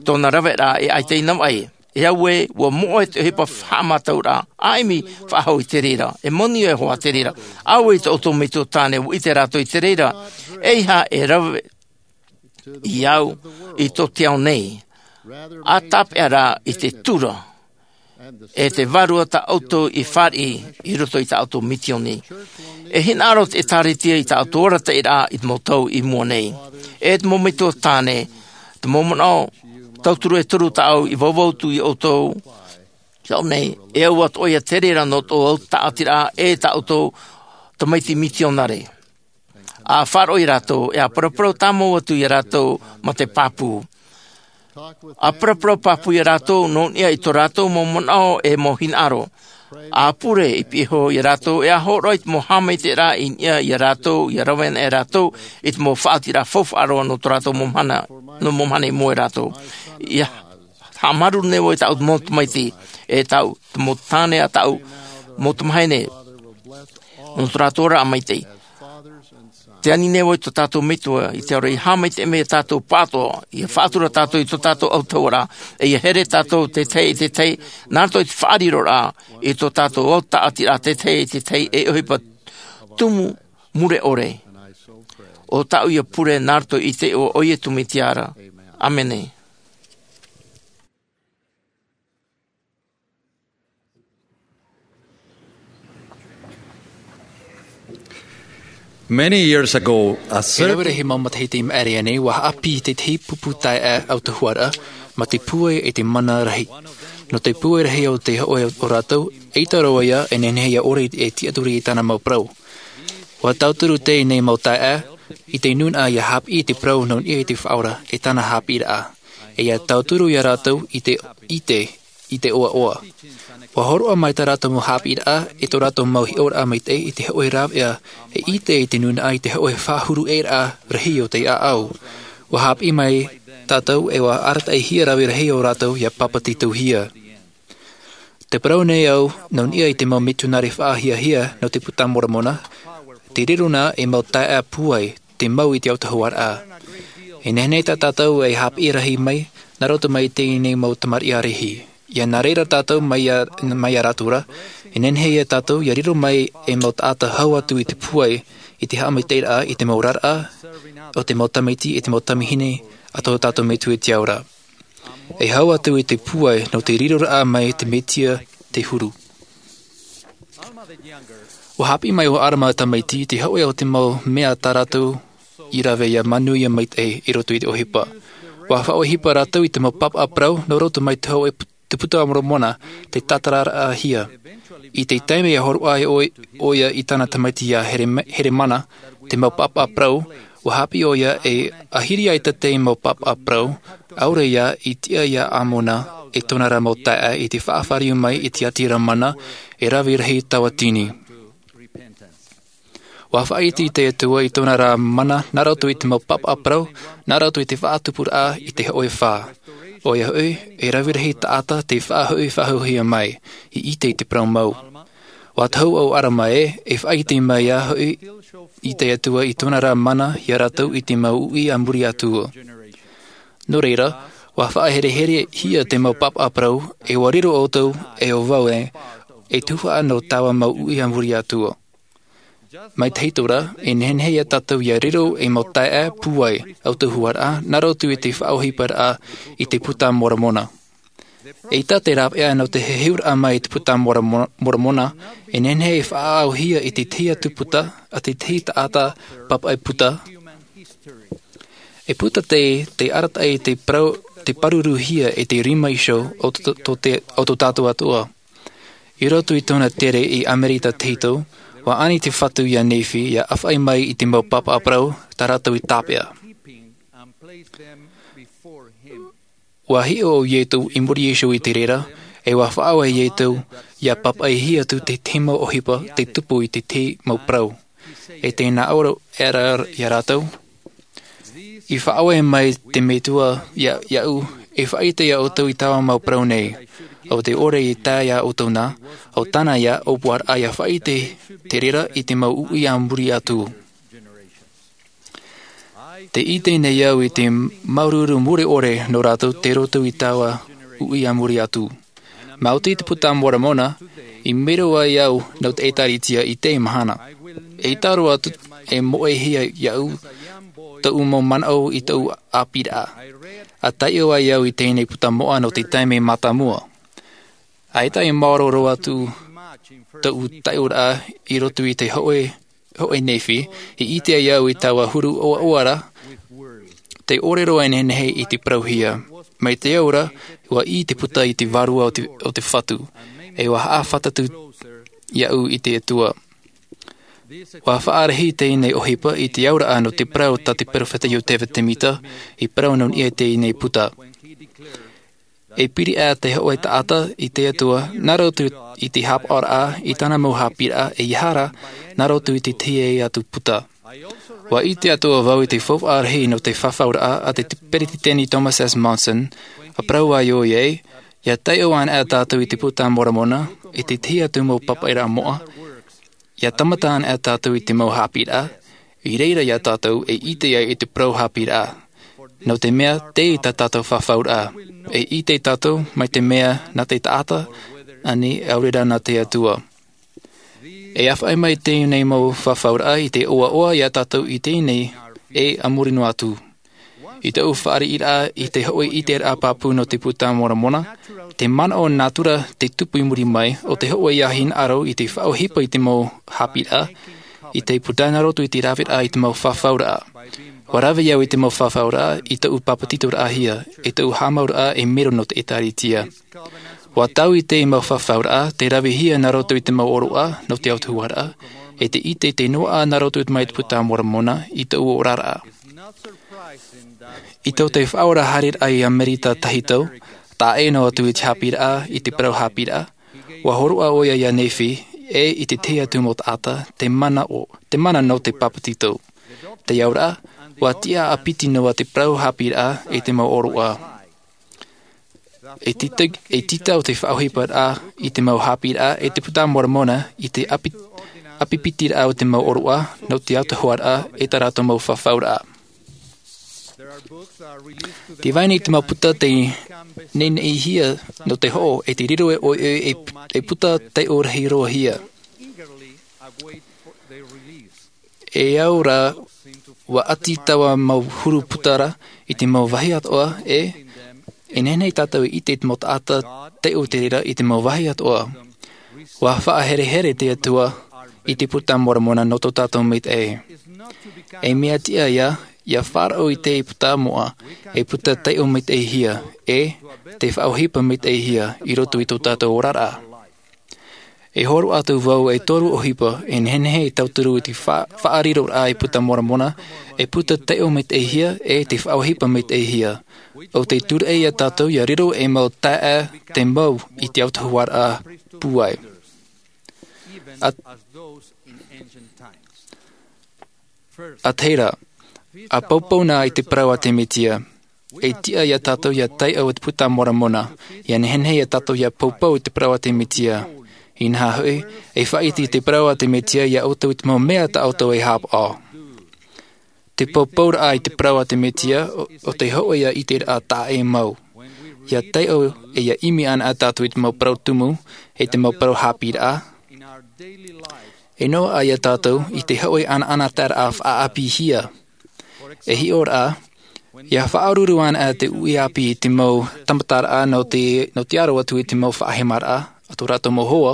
tōna raveraʻa e ʻaita i navaʻi. E au ē ua moʻe te ʻohipa haʻamātau rā ʻaimi faʻahou i te reira e moni e hoa te reira. Au ē i tō ʻoutou metua tāne ua ʻite rātou i te reira. E iha e rave i au i tō te ao nei. A tāpeʻa rā i te tura e te vārua tā ʻoutou i fāriʻi i roto i tā ʻoutou mitioni. E hinaʻaro te ʻēkālesia i tā ʻoutou arataʻiraʻa i te mau tau i mua nei. E te mau metua tāne te mau manaʻo tauturu e toru tāʻau i vauvau atu iā ʻoutou. Tau nei e au atu ʻoia te reira nō tō ʻoutou tāʻatiraʻa e tā ʻoutou tamaiti mitionare. A faʻaroʻo iā rātou e a paraparau tāmau atu iā rātou ma te pāpū. A paraparau pāpū iā rātou nō niʻa i tō rātou mau manaʻo e mau hinaʻaro. A pure i piʻi iho iā rātou e a hōroʻa i te mau haʻamaitaʻiraʻa i niʻa iā rātou ia rave ana e rātou i te mau faʻaotiraʻa faufaʻa roa nō tō rātou mau mahana nō mau mahana i mua iā rātou. Ia haʻamāuruuru nei vau i tāʻu mau tamaiti e tāʻu mau tāne a tāʻu mau tamahine nō tō rātou oraraʻa maitaʻi. Te ani nei vau i tō tātou metua i te aroha ia haʻamaitaʻi mai iā tātou pāʻatoʻa ia faʻatura tātou i tō tātou autahuʻaraʻa e ia here tātou te tahi i te tahi nā roto i te faʻariroraʻa i tō tātou au tāʻatiraʻa te tahi i te tahi e ʻohipa tumu mure ʻore. O tāʻu ia pure nā roto i te iʻoa o iesu mesia. ʻĀmene. Many years ago, a e rave certain rahi mau matahiti i maʻiri aʻe nei ua haʻapiʻi tētahi pupu taeaʻe autahuʻaraʻa ma te pūai e te mana rahi. Nō te pūai rahi o te hoʻe o rātou ʻaita roa ia e nehenehe ia ʻore e tiʻaturi i tāna mau parau. Ua tauturu teie nei mau taeaʻe i te nūnaʻa ia haʻapiʻi i te parau nō niʻa i te faʻaora e tāna haʻapiʻiraʻa e ia tauturu iā rātou i te ʻite i te ʻoaʻoa. Ua hōroʻa mai tā rātou mau haʻapiʻiraʻa e tō rātou mau hiʻoraʻa maitaʻi i te hoʻe rāveʻa e ʻite i te nūnaʻa i te hoʻe faʻahuruʻeraʻa rahi o te ʻāʻau. Ua haʻapiʻi mai tātou e ua arataʻihia rave rahi o rātou ia papetitohia. Te parau nei au nō niʻa i te mau mitionare faʻahiahia nō te puta a moromona te riro nā e mau taeaʻe pūai te mau i te autahuʻaraʻa. E nehenehe tā tātou e haʻapiʻi rahi mai nā roto mai i teie nei mau tamariʻi ʻārehi. Ia nā reira tātou mai iā rātou ra e nehenehe ia tātou ia riro mai e mau taʻata hau atu i te pūai i te haʻamaitaʻiraʻa i te mau oraraʻa o te mau tamaiti e te mau tamahine a tō tātou metua i te ao ra. E hau atu i te pūai nō te riroraʻa mai te mesia te huru. Ua haʻapiʻi mai ʻo arama tamaiti i te hoʻe o te mau mea tā rātou i rave ia manuia maitaʻi i roto i te ʻohipa. Ua faʻaʻohipa rātou i te mau pāpaʻa parau nō roto mai te hoʻe te puta a moromona te tātararaʻahia. I te taime ia hōroʻa ai ʻoia i tāna tamaiti iā heremana te mau pāpaʻa parau ua haʻapiʻi ʻoia e ahiri ai tētahi mau pāpaʻa parau ʻaore ia i tiʻa iā ʻamona e tōna rā mau taeaʻe i te faʻafāriu mai i te ʻāti ʻamona e rave rahi tauatini. Ua faʻaʻite te atua i tōna rā mana nā roto i te mau pāpaʻa parau nā roto i te faʻatupuraʻa i te hoʻe fā. ʻOia hoʻi e rave rahi taʻata te faʻahoʻi faʻahouhia mai i ʻite i te parau mau. Ua tahu ʻo arama ē e faʻaʻite mai ā hoʻi i te atua i tōna rā mana iā rātou i te mau uʻi a muri atu. Nō reira ua faʻahereherehia te mau pāpaʻa parau e ua riro ʻoutou e ʻo vau ē e tuhaʻa nō taua mau uʻi a muri atu. Mai te hitora e nehenehe iā tātou ia riro e mau taeaʻe pūai autahuʻaraʻa nā roto i te faʻaʻohiparaʻa i te puta a moromona. ʻEita te rāveʻa nō te heheuraʻa mai i te puta a moromona e nehenehe e faʻaʻauhia i te tahi atu puta a te tahi taʻata pāpaʻi puta. E puta te arataʻi te pāruruhia e te rima iho o tō tātou atua. I roto i tōna tere i amerika tahito ua ani te fatu iā nephi ia ʻāfaʻi mai i te mau pāpaʻa parau tā rātou i tāpeʻa. Ua hiʻo ʻo iesu i muri iho i te reira e ua faʻaʻau ʻo iesu ia pāpaʻihia atu te tahi mau ʻohipa te tupu i te tahi mau parau. E tēnā ʻaore ʻera iā rātou i faʻaʻau mai te metua iāʻu E faʻaʻite iā ʻoutou i taua mau parau nei. ʻO te ʻore i tae iā ʻoutou na, ʻo tāna ia ʻōpuaraʻa ia faʻaʻite te reira i te mau uʻi a muri atu. Tē ʻite nei au i te māuruuru mure ʻore nō rātou tei roto i taua uʻi a muri atu. Maoti te Puta Moromona, i mero ai au nō te ʻĒtārētia i teie mahana. E taro atu, e moʻehia iāʻu tōʻu mau manaʻo i tōʻu ʻāpīraʻa. A taiʻo ai au i teie puta moʻa nō te taime mātāmua. ʻAita e māoro roa atu tōʻu taiʻoraʻa i roto i te hōʻē, hōʻē Nephi, i ʻite ai au i taua huru ʻoaʻoa ra, tē ʻore roa e nehenehe i te parauhia. Mai te au ra, ʻua ʻī te puta i te vārua o te, o te Fatu, e ʻua haʻafātata iāʻu i te Atua. ʻUa faʻarahi teie ʻohipa i te auraʻa nō te parau tā te peropheta Iosepha Semita, i parau nō niʻa i teie puta. E piri ā te hōʻē taʻata i te Atua, nā roto i te haʻapaʻoraʻa i tāna mau haʻapiʻiraʻa, ʻeiaha rā, nā roto i te tahi atu puta. ʻUa ʻite atoʻa vau i te faufaʻa rahi nō te fafauraʻa a te peresideni Thomas S. Monson, ʻa parau ai ʻoia, ʻia taiʻo ana tātou i te Puta Moromona, i te tahi atu mau pāpaʻiraʻa moʻa, ʻia tāmata ana tātou i te mau haʻapiʻiraʻa, i reira ia tātou e ʻite ai i te parau haʻapiʻiraʻa. Nō te mea, tei tā tātou fafauraʻa. E ʻite tātou, mai te mea nā te taʻata, ānei, ʻaore rā nā te Atua. E ʻāfaʻi mai teie mau fafauraʻa i te ʻoaʻoa ia tātou i teie, e a muri noa atu. I tōʻu fāriʻiraʻa i te hōʻē ʻiteraʻa pāpū nō te Puta Moromona, te manaʻo nātura te tupu i muri mai, ʻo te hōʻē ia hinaʻaro i te faʻaʻohipa i te mau haʻapiʻiraʻa, i te puta nā roto i te raveraʻa i te mau fafauraʻa. ʻUa rave au i te mau fafauraʻa i tōʻu pāpetitoraʻahia, e tōʻu haʻamauraʻa e mero nō te ʻĒtārētia. ʻUa taui teie mau fafauraʻa, tē ravehia nā roto i te mau ʻōroʻa nō te autahuʻaraʻa, e te ʻite tē noaʻa nā roto mai te Puta Moromona i tōʻu oraraʻa. I tō te Faʻaora haereraʻa i Amerika tahito, taʻa ʻē noa atu i te haʻapiʻiraʻa, i te parau haʻapiʻiraʻa, ʻua hōroʻa ʻoia ia Nephi, e i te tahi atu mau taʻata, te mana ʻo, te mana nō te pāpetito. Te auraʻa, ʻua tiʻa ʻāpiti noa te parau haʻapiʻiraʻa i te mau ʻōroʻa. E tita, e tita o te faʻaʻohiparaʻa i te mau haʻapiʻiraʻa e te Puta Moromona i te ʻapi-, ʻāpipitiraʻa o te mau ʻōroʻa nō te autahuʻaraʻa e tā rātou mau fafauraʻa. Tē vai nei te mau puta tei neneʻihia nō te hoʻo e te riro e ʻoe e, e puta taiʻo rahi roa hia. E au rā, ʻua ʻati taua mau huru puta ra i te mau vāhi atoʻa, e, e nehenehe tātou e ʻite i te mau taʻata taiʻo te reira i te mau vāhi atoʻa. ʻUa faʻaherehere te Atua i te Puta Moromona nō tō tātou maitaʻi. E mea tiʻa ia, ʻia faʻaroʻo i te puta moʻa, e puta taiʻo maitaʻihia, e te faʻaʻohipa maitaʻihia i roto i tō tātou oraraʻa. E hōroʻa atu vau e toru ʻohipa, e nehenehe e tauturu i te fa-, faʻariroraʻa i te Puta Moromona, e puta taiʻo maitaʻihia, e te faʻaʻohipa maitaʻihia. ʻO tē tūraʻi ia tātou ʻia riro ei mau taeaʻe te mau i te autahuʻaraʻa pūai. A, a te reira, ʻa poupou na i te parau a te Mesia. E tiʻa ia tātou ʻia taiʻo i te Puta Moromona, ʻia nehenehe ia tātou ʻia poupou i te parau a te Mesia. Inaha hoʻi, e faʻaʻite i te parau a te Mesia ia ʻoutou i te mau mea tā ʻoutou e haʻapaʻo. Te poupouraʻa i te parau a te Mesia, ʻo, ʻo te hōʻē ia ʻiteraʻa taʻa ʻē mau. ʻIa taiʻo e ʻia ʻimi ana tātou i te mau parau tumu, e te mau parau haʻapiʻiraʻa. E noaʻa ia tātou i te hōʻē ʻanaʻanataeraʻa faʻaʻāpīhia. E hiʻo ra, ʻia faʻaruru ana te uʻi ʻāpī i te mau tāmataraʻa nō te, nō te aro atu i te mau faʻahemaraʻa, a tō rātou mau hoa.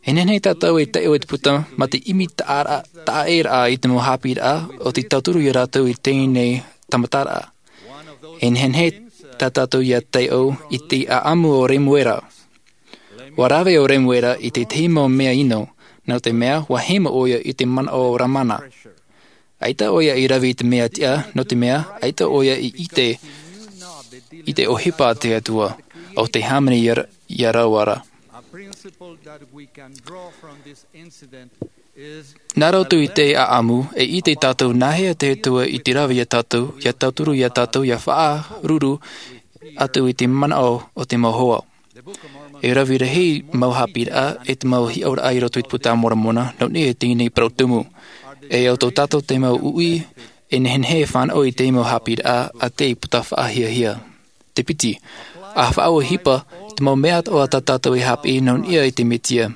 E nehenehe tātou e taiʻo i te puta, mā te ʻimi taʻa-, taʻa ʻē ra i te mau haʻapiʻiraʻa, ʻo tē tauturu ia rātou i teie tāmataraʻa. E nehenehe tā tātou ʻia taiʻo i te ʻāʻamu o Remuera. ʻUa rave ʻo Remuera i te tahi mau mea ʻino, nō te mea, ʻua hemo ʻoia i te manaʻo o Lamana. ʻAita ʻoia i rave i te mea tiʻa, nō te mea, ʻaita ʻoia i ʻite, i te ʻohipa a te Atua, ʻo te hāmani ia, ia rāua ra. Nā roto i te ʻāʻamu, e ʻite tātou nāhea te Atua i te rave ia tātou, ʻia tauturu ia tātou, ʻia faʻaruru, atu i te manaʻo o te mau hoa. E rave rahi mau haʻapiʻiraʻa e te mau hiʻoraʻa i roto i te Puta a Moromona nō niʻa i teie nei parau tumu. E au tō tātou te mau uʻi e nehenehe e fānaʻo i te mau haʻapiʻiraʻa a te puta faʻahiahia. Te piti, a faʻaʻohipa te mau mea atoʻa tā tātou e haʻapiʻi nō niʻa i te Mesia.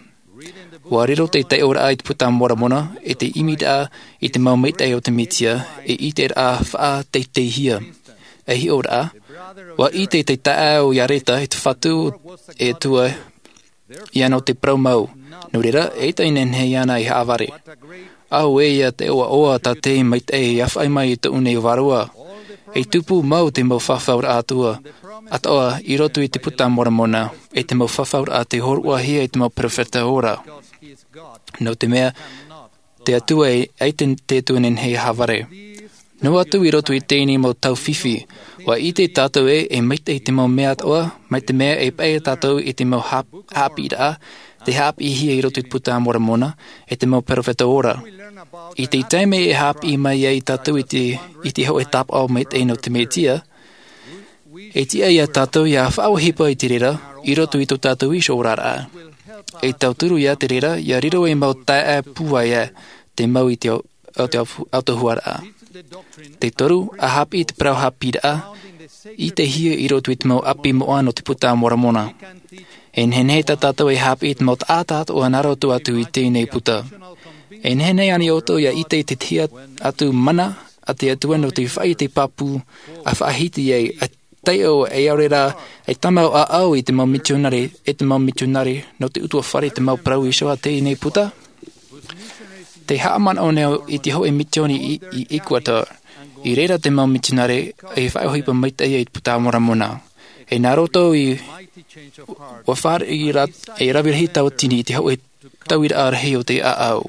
Ua riro te taiʻoraʻa i te Puta a Moromona e te ʻimiraʻa i te mau maitaʻi o te Mesia, e ʻiteraʻa faʻateiteihia. E hiʻoraʻa, ua ʻite te taeaʻe o Iareta i te Fatu e Atua ia nō te parau mau. Nō reira, eʻita e nehenehe ana e haʻavare. Auē ia te ʻoaʻoa tā te maitaʻi e faʻaʻī mai i tōʻu nei vārua. E tupu mau te mau fafauraʻa atoʻa, atoʻa i roto i te Puta a Moromona, e te mau fafauraʻa tei hōroʻahia e te mau perofeta ora. Nō te mea, te Atua e, ʻaita te Atua e nehenehe e haʻavare. Noa atu i roto i teie nei mau tau fifi, ua ʻite tātou ē, e maitaʻi te mau mea atoʻa, mai te mea e paʻi tātou i te mau hāp-, haʻapiʻiraʻa tei haʻapiʻihia i roto i te Puta a Moromona, e te mau perofeta ora. I te taime e haʻapiʻi mai ai tātou i te, i te hōʻē tāpaʻo maitaʻi nō te Mesia, e tiʻa ia tātou ia faʻaʻohipa i te reira i roto i tō tātou iho oraraʻa. E tauturu ia te reira, ia riro ei mau taeaʻe pūai ā te mau i te au-, au-, te au-, autahuʻaraʻa. Te toru, a haʻapiʻi te parau haʻapiʻiraʻa, ʻitehia i roto i te mau ʻāpī moʻa nō te Puta a Moromona. E nehenehe tā tātou e haʻapiʻi te mau taʻata atoʻa nā roto atu i teie nei puta. E nehenehe ānei ʻoutou ia ʻite i te tahi atu mana a te Atua nō te faʻaʻite pāpū, a faʻahiti ai, a taiʻo, e ʻaore rā, e tāmau ʻāʻau i te mau mitionare, e te mau mitionare nō te ʻutuāfare, te mau parau iho a teie nei puta? Tē haʻamanaʻo nei au i te hōʻē mitioni i, i Ecuador. I reira te mau mitionare e faʻaʻohipa maitaʻi i te Puta a Moromona. E nā roto i, ua fāriʻi ra-, e rave rahi tauatini i te hōʻē tauiraʻa rahi o te ʻāʻau.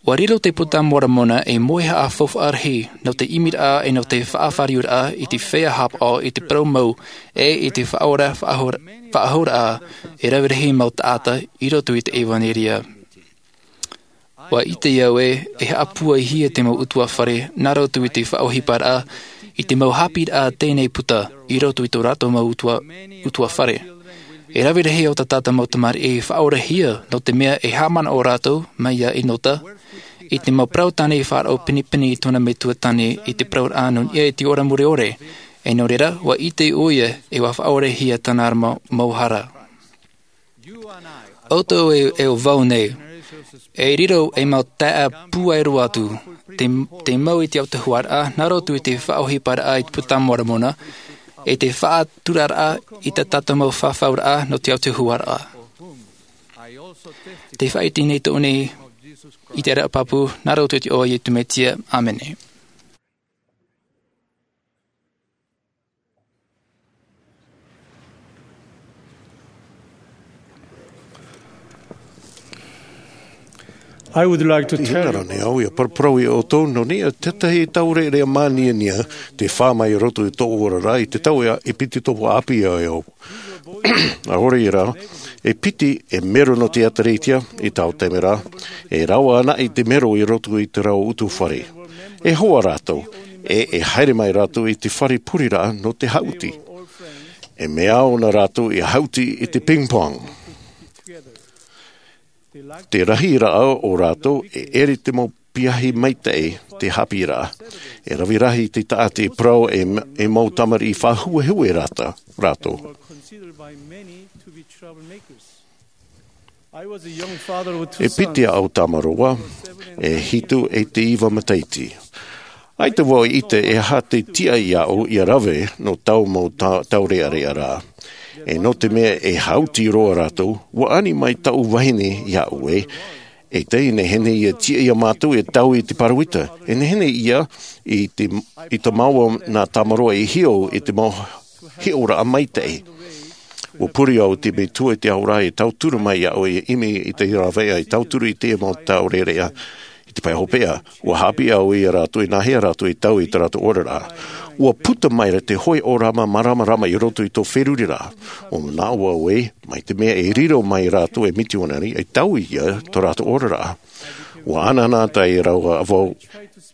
Ua riro te Puta a Moromona ei moʻe haʻafaufaʻa rahi nō te ʻimiraʻa e nō te faʻafāriuraʻa i te feiā haʻapaʻo i te parau mau e i te faʻaora-, faʻahora-, faʻahouraʻa e rave rahi mau taʻata i roto i te ʻevaneria. Ua ʻite au ē, e haʻapūaihia te mau ʻutuāfare nā roto i te faʻaʻohiparaʻa i te mau haʻapiʻiraʻa a teie nei puta i roto i tō rātou mau ʻutua-, ʻutuāfare. E rave rahi o tā tātou mau tamariʻi e faʻaorahia, nō te mea e haʻamanaʻo rātou, mai iā ʻEnota, i te mau parau tāne i faʻaroʻo pinepine i tōna metua tāne i te parauraʻa nō niʻa i te ora mure ʻore, e nō reira, ua ʻite ʻoia, e ua faʻaorahia tāna mau, mau hara. ʻOutou e, e ʻo vau nei, e riro ei mau taeaʻe pūai roa atu, tei, tei mau i te autahuʻaraʻa, nā roto i te faʻaʻohiparaʻa i te Puta a Moromona, e te faʻaturaraʻa i tā tātou mau fafauraʻa nō te autahuʻaraʻa. Tē faʻaʻite nei tōʻu nei i te ʻēraʻa pāpū, nā roto i te iʻoa o Iesu Mesia. ʻĀmene. I would like to I tell hanga you nei au ia paraparau iā ʻoutou nō niʻa i tētahi taureʻareʻa māniania tē fā mai i roto i tōʻu oraraʻa i te tau e piti tōʻu ʻāpī iā ʻoutou. ʻAore rā, e piti e mero nō te ʻĒtārētia i taua taime ra, e rave anaʻe te mero i roto i te rau ʻutuāfare. E hoa rātou, e, e haere mai rātou i te fare pureraʻa nō te haʻuti. E mea au nā rātou ia haʻuti i te ping pong. Te rahiraʻa o rātou e ʻere te mau piahi maitaʻi te haʻapiʻiraʻa. E rave rahi te taʻata e parau e, e mau tamariʻi faʻahuehue rātou, rātou. E piti ʻāʻau tāmarō au, e hitu e te iva matahiti. ʻAita vau i ʻite e aha te tiʻa iāʻu ia rave nō taua mau ta-, taureʻareʻa ra. E nō te mea e haʻuti roa rātou, ua ani mai taʻu vahine iāʻu ē, e tei nehenehe ia tiʻa iā mātou e taui i te pāroita. E nehenehe ia i te, i te mau nā tāmarō e hiʻo i te mau hiʻoraʻa maitaʻi. Ua pure au i te Metua i te ao ra e tauturu mai iāʻu ia ʻimi i te rāveʻa e tauturu i te mau taureʻareʻa i te pae hopeʻa. Ua haʻapiʻi au iā rātou e nāhea rātou e taui i tā rātou oraraʻa. Ua puta mai ra te hōʻē ʻōrama māramarama i roto i tō feruriraʻa. Ua manaʻo au ē, mai te mea e riro mai rātou e mitionare, e taui ia tō rātou oraraʻa. Ua anaanatae rāua vau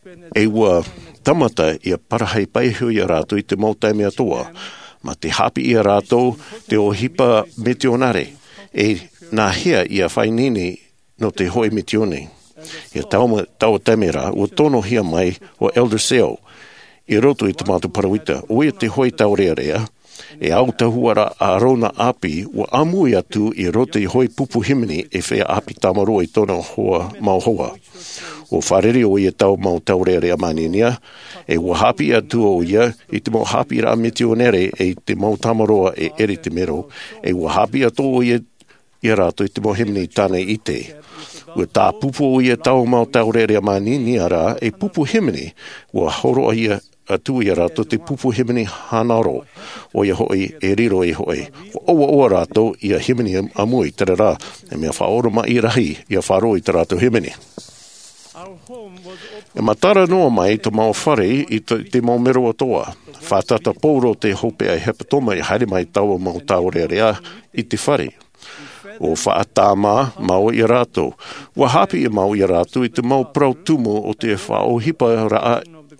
E ua tāmata ia parahi paiho ia rātou i te mau taime atoʻa, ma te hāpiʻi ia rātou te ʻohipa mitionare, e nāhea ia faʻaineine nō te hoʻi mitione. Ia taua taime rā, ua tonohia mai ʻo Elder Sale i roto i te mātou parauita, ʻo ia te hoʻi taurearea, e au tahua ra a rōna ʻāpī, ua ʻāmui atu i roto i te hoʻi pupu hīmene e feiā ʻāpī tāmāroa i tōna hoa, mau hoa. Ua fārerei ʻo ia taua mau taurearea māniania, e ua hāpiʻi atu ʻo ia i te mau hāpiʻiraʻa mitionare e i te mau tāmāroa e ʻere i te mero, e ua hāpiʻi atu ʻo ia ia rātou i te mau hīmene i tāna i ʻite. Ua tāpupu ʻo ia taua mau taurearea māniania ra e pupu hīmene, ua hōroʻa ia atu ia rātou te pupu hīmene hānaro, ʻo ia hoʻi e riro e hoʻi. Ua ʻoaʻoa rātou ia hīmene ʻāmui, terā rā, e mea faʻaoromaʻi rahi ia faʻaroʻo i tā rātou hīmene. E matara noa mai tō mau fare i te, te mau mero atoʻa. Fātata Paulo te hopeʻa hepetoma i haere mai taua mau taurearea i te fare. Ua faʻatāmā mau ia rātou. Ua hāpiʻi mau ia rātou i te mau parau tumu o te faʻaʻohiparaʻa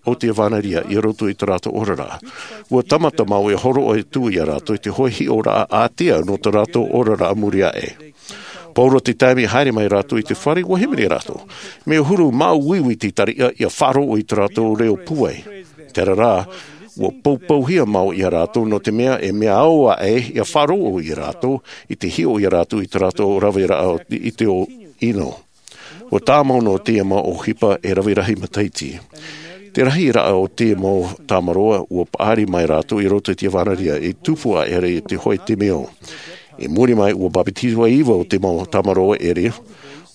o te ʻevanelia i roto i tā rātou oraraʻa. Ua tāmata mau e hōroʻa atu ia rātou i te hoʻi hiʻoraʻa ātea nō tā rātou oraraʻa muri aʻe. Pauroa te taime i haere mai rātou i te fare, ua hīmene rātou. Mea huru māuiui te tariʻa ia faʻaroʻo i tā rātou reo pūai. Terā rā, ua poupouhia mau ia rātou nō te mea e mea ao aʻe ia faʻaroʻo ia rātou i te hiʻo ia rātou i tā rātou raveraʻa i te ʻino. Ua tāmau noa te mau ʻohipa e rave rahi matahiti. Te rahiraʻa o te mau tāmāroa ua paʻari mai rātou i roto i te ʻevanelia e tupu aʻera i te hoʻi te meo. I muri mai ua bāpetizo e iva o te mau tāmāroa ʻere,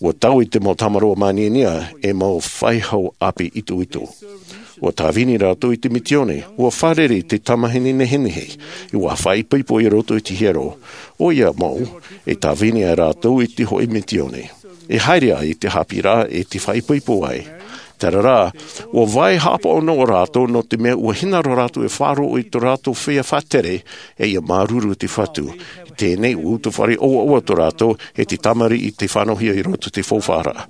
ua taui te mau tāmāroa māniania e mau faʻehau ʻāpī itoito. Ua tāvini rātou i te mitione, ua fārerei te tamahine nehenehe, ua faʻaipoipo i roto i te hiero. ʻO ia mau, e tāvini ai rātou i te hoʻi mitione. E haere ai te hāpiʻiraʻa e te faʻaipoipo ai. Terā rā, ua vai hāpaʻo noa rātou nō te mea ua hinaʻaro rātou e faʻaroʻo i tō rātou feiā faʻatere, e ia māuruuru te Fatu. Teie nei ua utuafare ʻoaʻoa tō rātou e te tamariʻi i te fānauhia i roto i te faufaʻaraʻa.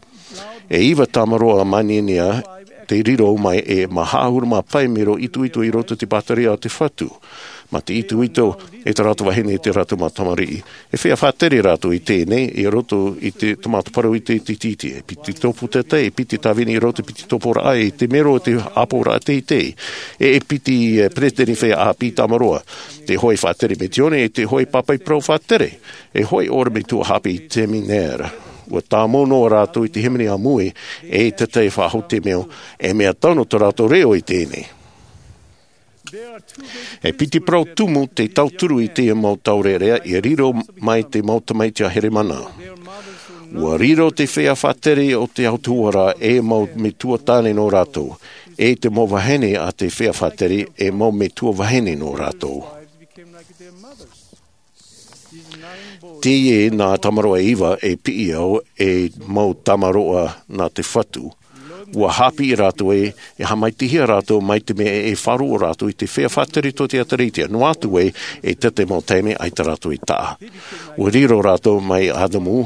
E iva tāmāroa māniania te riro mai e mā haʻahuru mā pae mero itoito i roto i te pātireia a te Fatu. Mā te itoito e tā rātou vahine e tā rātou mau tamariʻi. E feiā faʻatere rātou i teie nei, i roto i te, te mau parauʻite tītī. E piti tōpū teitei, e piti tāvini i roto i te piti tōpūraʻa, e te mero o te ʻāpoʻoraʻa teitei. E, e piti, e, peresideni feiā ʻāpī tāmāroa. Te hoʻi faʻatere mitione, e te hoʻi pāpaʻi parau faʻatere. E hoʻi ʻōrani metua hāpī i seminare. Ua tāmau noa rātou i te hīmene ʻāmui, e te tahi faʻahou te meo, e mea tano tō rātou reo i teie nei. E piti parau tumu te tauturu i te mau taurearea i riro mai te mau tamaiti a Heremana. Ua riro te feiā faʻatere o te autahuʻaraʻa e mau metua tāne nō rātou, e te mau vahine a te feiā faʻatere e mau metua vahine nō rātou. Teie nā tāmāroa e iva e piʻi au e mau tāmāroa nā te Fatu. Ua hāpiʻi rātou ē, e haʻamaitaʻihia rātou mai te mea e faʻaroʻo rātou i te feiā faʻatere tō te ʻĒtārētia, noa atu ē, e tō te mau taime ʻaita rātou i taʻa. Ua riro rātou mai ʻAdamu,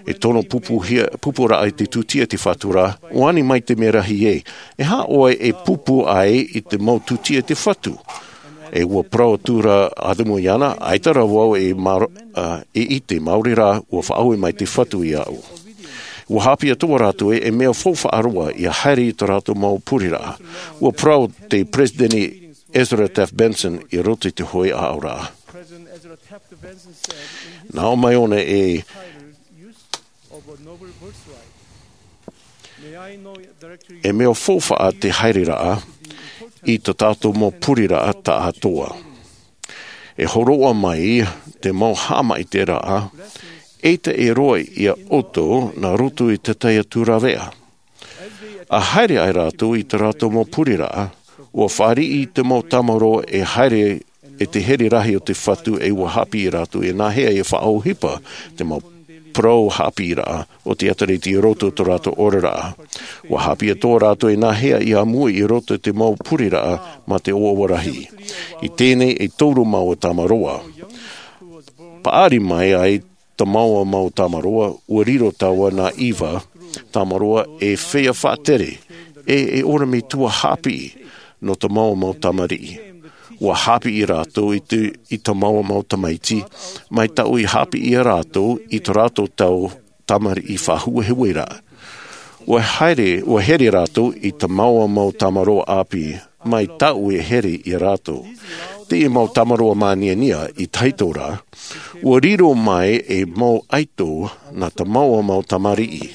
e tono pupuhia, pupuraʻa i te tūtia te Fatu ra, ʻua ani mai te mea rahi ē, e aha ʻoe e pupu ai i te mau tūtia te Fatu? E ua parau atu ra ʻAdamu iāna, ʻaita rā vau e mar-, a, e ʻite, maori rā, ua faʻaue mai te Fatu iāʻu. Ua hāpiʻi atoʻa rātou ē, e mea faufaʻa roa ia haere i tō rātou mau pureraʻa. Ua parau te Peresideni Ezra Taft Benson i roto i te hoʻi aʻoraʻa. Nā ʻō mai ʻōna e E mea faufaʻa te haereraʻa i tō tātou mau pureraʻa taʻatoʻa. E hōroʻa mai te mau haʻamaitaʻiraʻa, ʻeita e roaʻa ia ʻoutou nā roto i te tahi atu rāveʻa. ʻA haere ai rātou i tō rātou mau pureraʻa, ʻua fāriʻi te mau tāmāroa e haere e te here rahi o te Fatu e ʻua hāpiʻi rātou e nāhea e faʻaʻohipa te mau parau hāpiʻiraʻa o te ʻĒtārētia i roto i tō rātou oraraʻa. ʻUa hāpiʻi atoʻa rātou e nāhea ia ʻāmui i roto i te mau pureraʻa mā te ʻoaʻoa rahi. I teie nei e toru mau tāmāroa. Paʻari mai ai te mau, mau tāmāroa, ʻua riro taua nā ʻIva tāmāroa e feiā faʻatere, e e ora me tua haʻapiʻi nō te mau mau tamariʻi. Ua haʻapiʻi rātou i te i te mau mau tamaiti mai taʻu i haʻapiʻi ia rātou i tō rātou tau tamariʻi faʻahuehue ra. Ua haere ua here rātou i te mau mau tamaroa ʻāpī mai taʻu e here ia rātou. Te mau tamaroa māniania i tahito ra, ua riro mai e mau ʻaito nā te mau mau tamariʻi.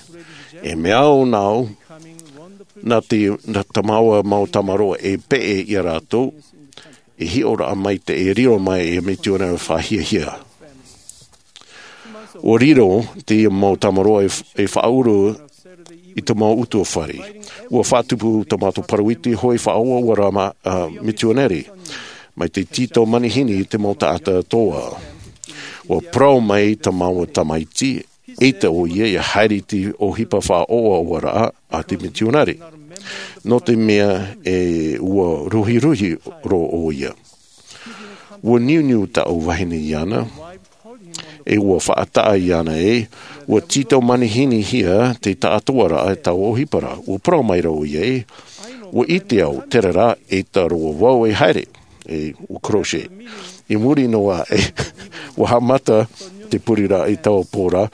E mea au nāu nā te nā te mau mau tamaroa e peʻe ia rātou e hiʻoraʻa mai te e riro mai e mitionare faʻahiahia. Ua riro te mau tamaroa e faʻauru i te mau utuafare. Ua faʻatupu te mau parau iti hoi faʻaoa ua rā ma mitionare mai te tito manihini i te mau taʻata toa. Ua parau mai te mau tamaiti e te ʻoia ia haere i te ʻohipa faʻaoa ua rā a te mitionare nō te mea e ua ruhiruhi rō ʻoia. Ua niuniu taʻu vahine iāna e ua faʻataʻa iāna e ua tito manihinihia te taʻatoaraʻa e tau ʻohipa ra. Ua parau mai rā ʻoia e ua ʻite au terā rā e taro vau e haere e ua crochet. I muri noa e ua haʻamata te puriraʻa i taua pō ra.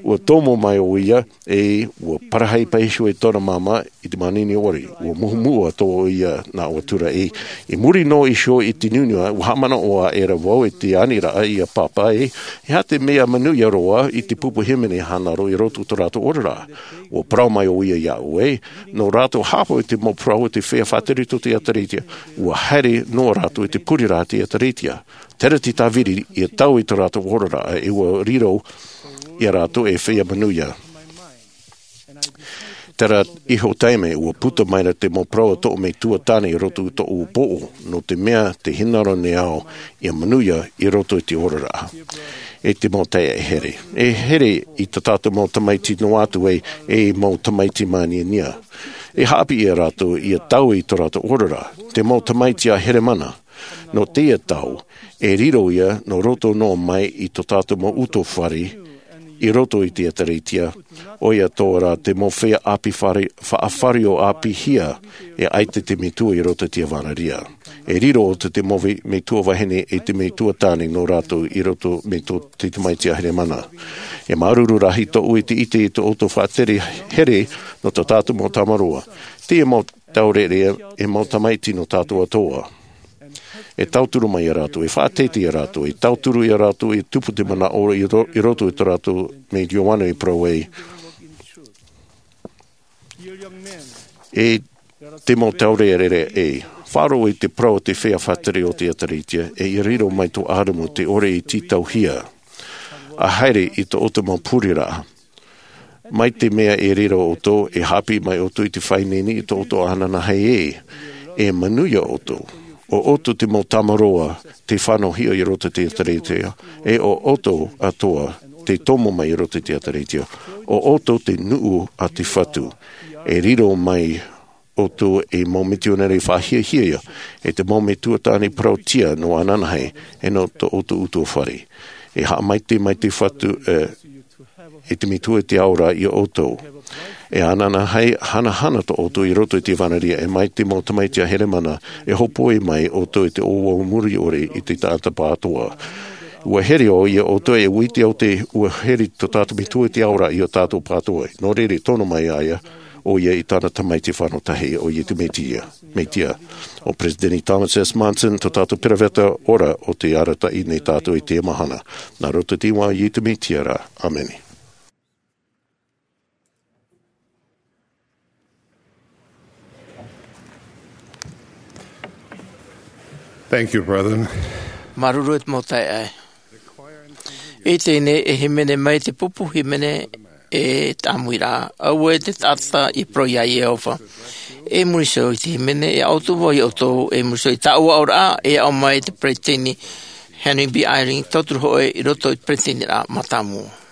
Ua tomo mai ʻoia e ua parahi paʻi iho e tōna māmā i te manini ʻore. Ua muhumuhu atoʻa ʻoia nā ʻoe tura e i muri noa iho i te niuniu ua haʻamanaʻo aʻera vau e te aniraʻa ia pāpā e e aha te mea manuia roa i te pupu hīmene hānaro i roto i tō rātou oraraʻa. Ua parau mai ʻoia iāʻu e nō rātou haʻapaʻo i te mau parau o te feiā faʻatere tō te ʻēkālesia ua haere noa rātou i te puriraʻa a te ʻēkālesia. Terā te tāviri ia tau i tō rātou oraraʻa e ua riro ia rātou e feiā manuia. Terā iho taime ua puta mai ra te mau parau a tōʻu metua tāne i roto i tōʻu pōʻo nō te mea te hinaʻaro nei au ia manuia i roto i te oraraʻa. E te mau taeaʻe here e here i tā tātou mau tamaiti noa atu e e mau tamaiti māniania e haʻapiʻi ia rātou ia tau i tō rātou oraraʻa. Te mau tamaiti a heremana nō teie tau e riro ia nō roto noa mai i tō tātou mau utuafare i roto i te ʻēkālesia. ʻOia atoʻa rā te mau feiā ʻāpī faʻafārio ʻāpīhia e ʻaita te metua i roto i te ʻāvaneria. E riro ʻoutou te mau metua vahine e te metua tāne nō rātou i roto mai tō te tamaiti a heremana. E māuruuru rahi tōʻu i te ʻite i tō ʻoutou faʻatere here nō tō tātou mau tamaroa. Teie mau taureʻareʻa e mau tamaiti nō tātou atoʻa. E tauturu mai ia rātou e faʻateitei ia rātou e tauturu ia rātou e tupu te manaʻo i roto i tō rātou mai ioane i parau ai e te mau taureʻareʻa e faʻaroʻo i te parau o te feiā faʻatere o te ʻēkālesia e ia riro mai tō ʻarumu te ʻore i tītauhia a haere i tō ʻoutou mau puriraʻa. Mai te mea e riro ʻoutou e haʻapiʻi mai ʻoutou i te faʻaineine i tō ʻoutou ananahi e e manuia ʻoutou. ʻO ʻoutou te mau tamaroa te fānauhia i roto i te ʻēkālesia e ʻo ʻoutou atoʻa te tomo mai i roto i te ʻēkālesia. ʻO ʻoutou te nuʻu a te fatu e riro mai ʻoutou e mau mitionare faʻahiahia e te mau metua tāne parauʻtiʻa nō ananahi e nō tō ʻoutou utuafare. E haʻamaitaʻi mai te fatu e te metua i te ao ra ia ʻoutou. E ananahi hanahana tō ʻoutou i roto i te ʻāvaneria e mai te mau tamaiti a heremana e hōpoi mai ʻoutou i te ʻōuau muri ʻore i te taʻata pātoa. Ua here ʻoia ia ʻoutou e ua ʻite au te ua here tō tātou metua i te ao ra ia tātou pātoa nō reira tono mai ai ʻoia i tāna tamaiti fānau tahi ʻoia i te mesia. Mesia. ʻO peresideni thomas s monson tō tātou peropheta ora o te arataʻi nei tātou i te mahana. Nā roto i te iʻoa o iesu mesia ra. ʻĀmene. Thank you, brother. Māuruuru e te mau taeaʻe. I teie nei e hīmene mai te pupu hīmene e tāmui ra. Aue te taʻata i parau iā iehova. E muri iho i te hīmene e aʻo atu vau iā ʻoutou e muri iho i tāʻu aʻoraʻa e aʻo mai te peresideni henry b eyring tauturu hoʻi i roto i te peresideni ra mātāmua.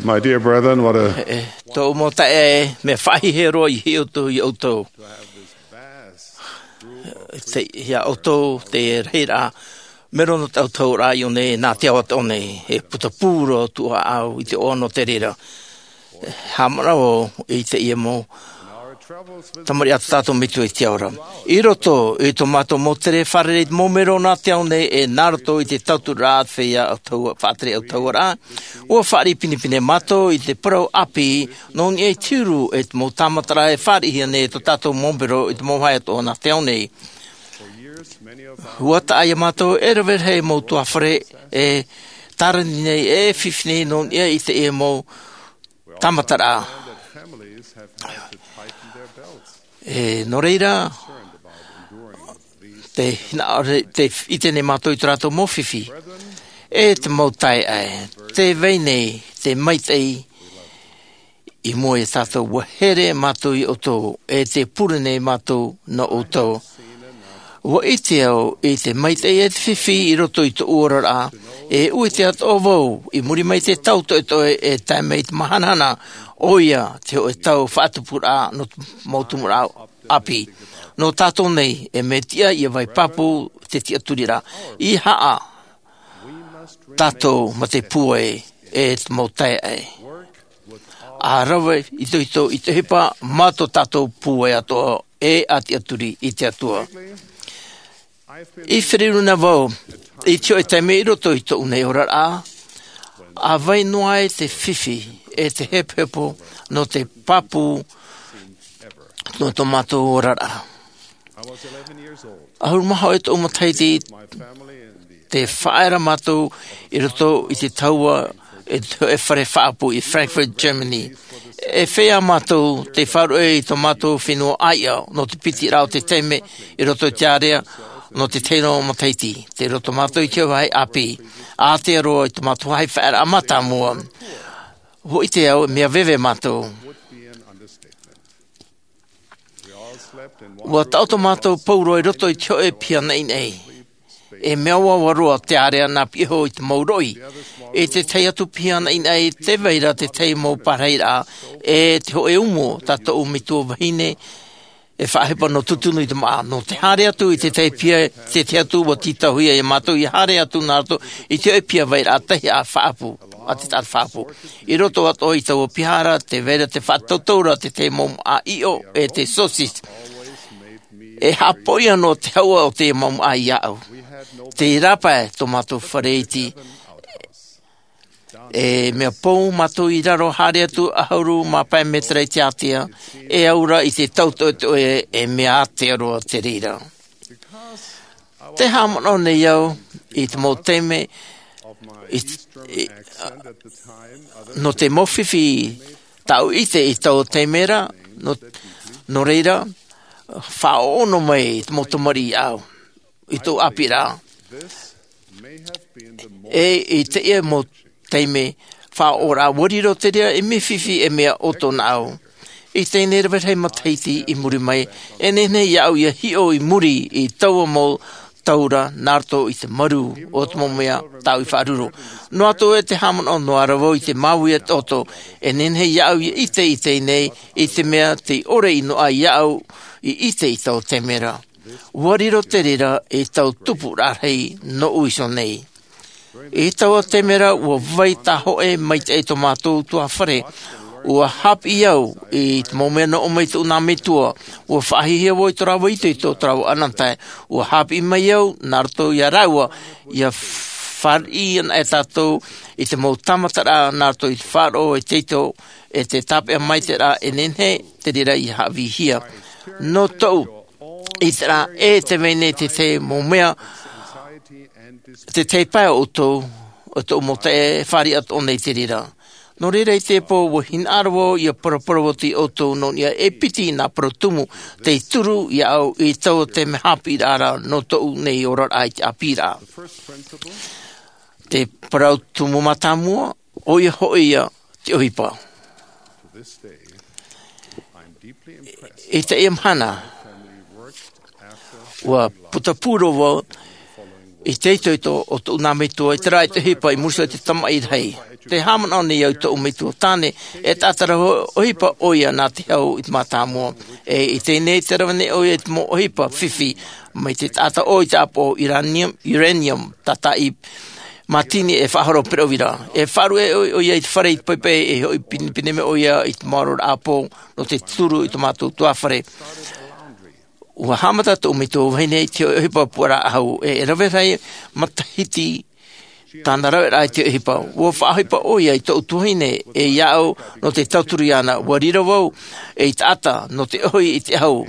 My dear brethren, what a E, tōʻu mau taeaʻe, mea faʻahiahia roa i hiʻo atu iā ʻoutou. Te, iā ʻoutou te rahiraʻa, mero nō te autahuʻaraʻa i ʻō nei, nā te ao atoʻa nei, e putapū roa tōʻu ʻāʻau i te ʻoaʻoa nō te reira. Haʻamanaʻo i teie mau tamariʻi a tō tātou Metua i te ao ra. I roto i tō mātou mau tere fārerei mau mero nā te ao nei, e nā roto i te tauturu a te feiā autahu-, faʻatere autahuʻaraʻa, ʻua fāriʻi pinepine mātou i te parau ʻāpī, nō niʻa i te huru e te mau tāmataraʻa e fāriʻihia nei e tō tātou mau mero i te mau vāhi atoʻa nā te ao nei. ʻUa taʻa iā mātou e rave rahi mau tuahine e tārani nei, e fifi nei nō niʻa i teie mau tāmataraʻa. E, nō reira, te hinaʻaro, te ʻite nei mātou i tō rātou mau fifi. E te mau taeaʻe, tē vai nei te maitaʻi i mua iā tātou, ʻua here mātou iā ʻoutou, e tē pure nei mātou nō ʻoutou. ʻUa ʻite au i te maitaʻi e te fifi i roto i tōʻu oraraʻa, e ʻua ʻite atoʻa vau, i muri mai i te tau toʻetoʻe e tae mai i te mahanahana, ʻoia te hōʻē tau faʻatupuraʻa nō te mau tupuraʻa ʻāpī. Nō tātou nei, e mea tiʻa ʻia vai pāpū te tiʻaturiraʻa. ʻEiaha tātou mā te pūai e te mau taeaʻe. ʻA rave itoito i te ʻohipa mā tō tātou pūai atoʻa e ʻa tiʻaturi i te Atua. I feruri na vau i te hōʻē taime i roto i tōʻu nei oraraʻa, ʻa vai noa ai te fifi e te hepohepo nō te pāpū nō tō mātou oraraʻa. ʻAhuru mā hōʻē tōʻu matahiti, tē faʻaea ra mātou i roto i te tahua e te hōʻē fare faʻaʻapu i Frankfurt, Germany. E feiā mātou tei faʻaruʻe i tō mātou fenua ʻāiʻa nō te piti raʻa o te taime i roto i te ārea nō te tahi noa matahiti. Tei roto mātou i te vāhi ʻāpī, ʻātea roa i tō mātou vāhi faʻaearaʻa mātāmua. ʻUa ʻite au, mea veve mātou. ʻUa taʻoto mātou pauroa i roto i te hōʻē piha naʻinaʻi. E mea ʻoaʻoa roa te ārea nā piʻi iho i te mau roʻi. I te tahi atu piha naʻinaʻi, tē vai ra te tahi mau parahiraʻa, e te hōʻē umu tā tōʻu metua vahine, e faʻaʻohipa nō tūtunu i te māʻa. Nō te haere atu i te tahi piha, te tahi atu ʻua tītauhia iā mātou ʻia haere atu nā roto i te hōʻē piha vairaʻa tahi ʻa faʻaʻapu, ʻa te taʻata faʻaʻapu. I roto atoʻa i taua piha ra, tē vai ra te faʻatautau ra te tahi mau māʻa ʻiʻo e te saucisse. E haʻapoʻia noa te hauʻa o te mau māʻa iāʻu. Tei rāpae tō mātou fare iti. E mea pou mātou i raro, haere atu ʻahuru mā pae mētera i te ātea, e aura i te tau toʻetoʻe, e mea ātea roa te reira. Tē haʻamanaʻo nei au i te mau taime, i, i, nō te mau fifi tāʻu ʻite i taua taime ra, nō, nō reira, faʻaʻono mai te mau tamariʻi iāʻu i tōʻu ʻāpīraʻa. E i teie mau taime faʻaʻoraʻa, ʻua riro te reira ei mea fifi, ei mea ʻoto nāʻu. I teie nei rave rahi matahiti i muri mai, e nehenehe iāʻu ʻia hiʻo i muri i taua mau tau ra nā roto i te marū o te mau mea tāʻu i faʻaruru. Noa atu e tē haʻamanaʻo noa ra vau i te māuiui atoʻa, e nehenehe iāʻu ʻia ʻite i teie nei, i te mea tei ʻore ʻino aʻe iāʻu i ʻite i taua taime ra. ʻUa riro te reira ei tau tupuraʻa rahi nōʻu iho nei. I taua taime ra, ʻua vai tāhōʻē maitaʻi tō mātou tuahine. ʻUa haʻapiʻi au i te mau mea nō ʻō mai tōʻu nā metua, ʻua faʻahiahia vau i tō rāua itoito, tō rāua ananahi. ʻUa haʻapiʻi mai au nā roto iā rāua, ʻia fāriʻi ana e tātou i te mau tāmataraʻa nā roto i te faʻaroʻo e te itoito, e te tāpeʻa maitaʻi ra, e nehenehe te reira ʻia haʻavīhia. Nō tōʻu ʻiteraʻa, e tē vai nei te tahi mau mea, te tahi pae o ʻoutou, o tōʻu mau taeaʻe, e fāriʻi atoʻa nei te reira. Nō reira i teie pō, ʻua hinaʻaro vau ʻia paraparau atu iā ʻoutou nō niʻa e piti nā parau tumu tei turu iāʻu i taua taime haʻapiʻiraʻa ra nō tōʻu nei oraraʻa i te ʻāpīraʻa. Te parau tumu mātāmua, ʻoia hoʻi ia te ʻohipa. I teie mahana, ʻua putapū roa vau i te itoito o tōʻu nā metua, i te reira te ʻohipa i muri iho i te tamaʻi rahi. Tē haʻamanaʻo nei au i tōʻu metua tāne, e taʻata ra ʻohipa ʻoia nā te hau i te mātāmua. E i teie nei te rave nei ʻoia i te mau ʻohipa fifi, mai te taʻata ʻō i te ʻāpoʻo uranium, uranium, tātaʻi mātini e faʻahoro pereʻoʻo ra. E faʻaruʻe ʻoia, ʻoia i te fare i te paepae, e hoʻi pinepine mai ʻoia i te maoro ra ʻāpō, nō te turu i tō mātou tuāfare. ʻUa haʻamata tōʻu metua vahine i te hōʻē ʻohipa puaraʻa ʻahu, e, e rave rahi matahiti tāna raveraʻa i te ʻohipa. ʻUa faʻaʻohipa ʻoia i tōʻu tuahine, e iāʻu nō te tauturu iāna. ʻUa riro vau ei taʻata nō te ʻohi i te ʻahu.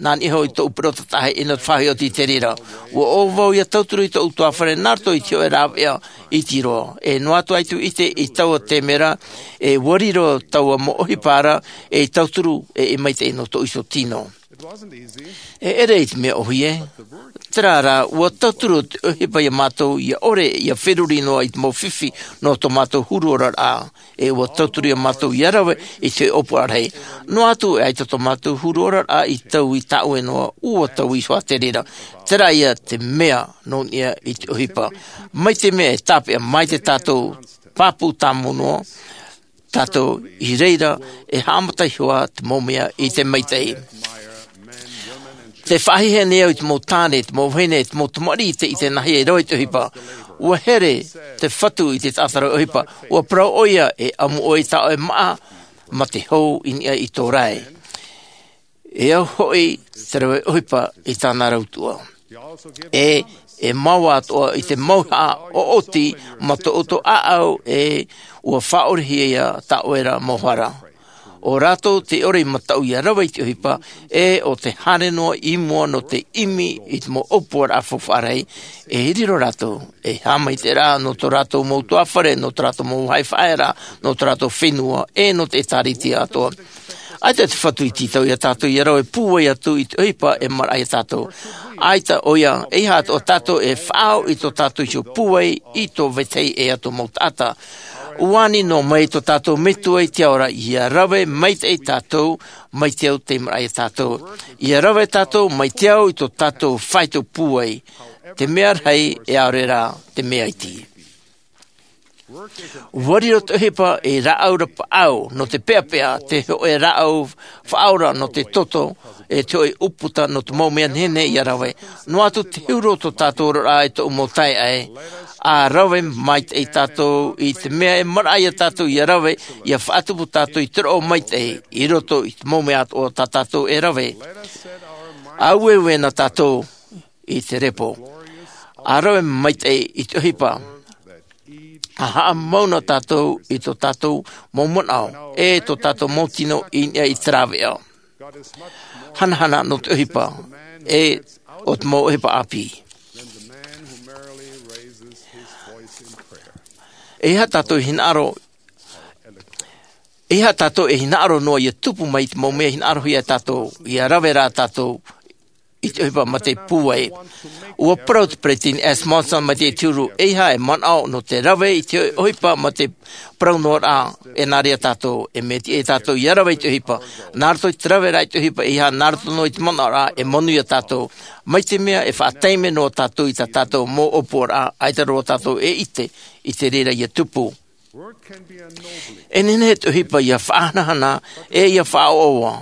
Nā niʻa iho i tōʻu perota taʻahi, e nō te faʻaʻohipa i te reira. ʻUa ʻō vau ʻia tauturu i tōʻu tuāfare nā roto i te hōʻē rāveʻa iti roa. E noa atu ʻaita i ʻite i taua taime ra, e ʻua riro taua mau ʻohipa ra, ei tauturu, e, e maitaʻi nō tōʻu iho tino. E ʻere i te mea ʻōhie, terā rā, ʻua tauturu te ʻohipa iā mātou ʻia ʻore, ʻia feruri noa i te mau fifi nō tō mātou huru oraraʻa. E ʻua tauturu iā mātou ʻia rave i te ʻōpuaraʻa rahi. Noa atu e ʻaita tō mātou huru oraraʻa i taui tāʻue noa, ʻua taui iho ā te reira. Terā ïa te mea nō niʻa i te ʻohipa. Mai te mea e tāpeʻa mai te tātou pāpū tāmau noa, tātou i reira e haʻamata iho ā te mau mea i te maitaʻi. Tē faʻahiahia nei au i te mau tāne, te mau vahine, te mau tamariʻi i te, i te nāhea e rave i te ʻohipa. ʻUa here te Fatu i te taʻata rave ʻohipa. ʻUa parau ʻoia, e ʻamu ʻoe i tā ʻoe māʻa, mā te hou i niʻa i tō rae. E au hoʻi te rave ʻohipa i tāna rautuʻa. E, e mau atoʻa i te mauhaʻa ʻoʻoti mā tō ʻoutou ʻāʻau, e ʻua faʻaʻorehia tā ʻoe ra mau hara. ʻO rātou tē ʻore i mataʻu ʻia rave i te ʻohipa, e ʻo te haere noa i mua nō te ʻimi i te mau ʻōpuaraʻa faufaʻa rahi, e riro rātou ei haʻamaitaʻiraʻa nō tō rātou mau tuāfare, nō tō rātou mau vāhi faʻaearaʻa, nō tō rātou fenua, e nō te ʻēkālesia atoʻa. ʻAita te Fatu i tītau iā tātou ʻia rave pūai atu i te ʻohipa e maraʻa iā tātou. ʻAita ʻoia, ʻeiaha atoʻa tātou e faʻaau i tō tātou iho pūai i tō vetahi ʻē atu mau taʻata. ʻUa ani noa mai tō tātou Metua i te ao ra ʻia rave maitaʻi tātou, mai te au tei maraʻa iā tātou. ʻIa rave tātou mai te ao i tō tātou faito pūai. Te mea rahi e ʻaore rā te mea iti. ʻUa riro te ʻohipa ei rāʻau rapaʻau nō te peʻapeʻa, te hōʻē rāʻau faʻaora nō te toto, e te hōʻē ʻūputa nō te mau mea nehenehe ʻia rave. Noa atu te huru o tō tātou oraraʻa e tōʻu mau taeaʻe, ʻa rave maitaʻi tātou i te mea e maraʻa iā tātou ʻia rave, ʻia faʻatupu tātou i te roʻo maitaʻi, i roto i te mau mea atoʻa tā tātou e rave. ʻA ueue na tātou i te repo. ʻA rave maitaʻi i te ʻohipa. ʻA haʻamau na tātou i tō tātou mau manaʻo, e tō tātou mau tino i niʻa i te rāveʻa. Hanahana nō te ʻohipa, e ʻo te mau ʻohipa ʻāpī. ʻEiaha tātou e hinaʻaro, ʻeiaha tātou e hinaʻaro noa ʻia tupu mai te mau mea hinaʻarohia e tātou, ʻia rave rā tātou i te ʻohipa mā te pūai. ʻUa parau te Peresideni Thomas S. Monson mai te huru, ʻeiaha e manaʻo nō te rave i te ʻohipa mā te parau noa rā, e nā reira tātou, e mea tiʻa iā tātou ʻia rave i te ʻohipa. Nā roto i te rave rā i te ʻohipa, ʻeiaha nā roto noa i te manaʻo rā, e manuia tātou. Mai te mea e faʻataime noa tātou i tā tātou mau ʻōpuaraʻa, ʻaita roa tātou e ʻite i te reira ʻia tupu. E nehenehe te ʻohipa ʻia faʻahanahana, e ʻia faʻaʻoaʻoa.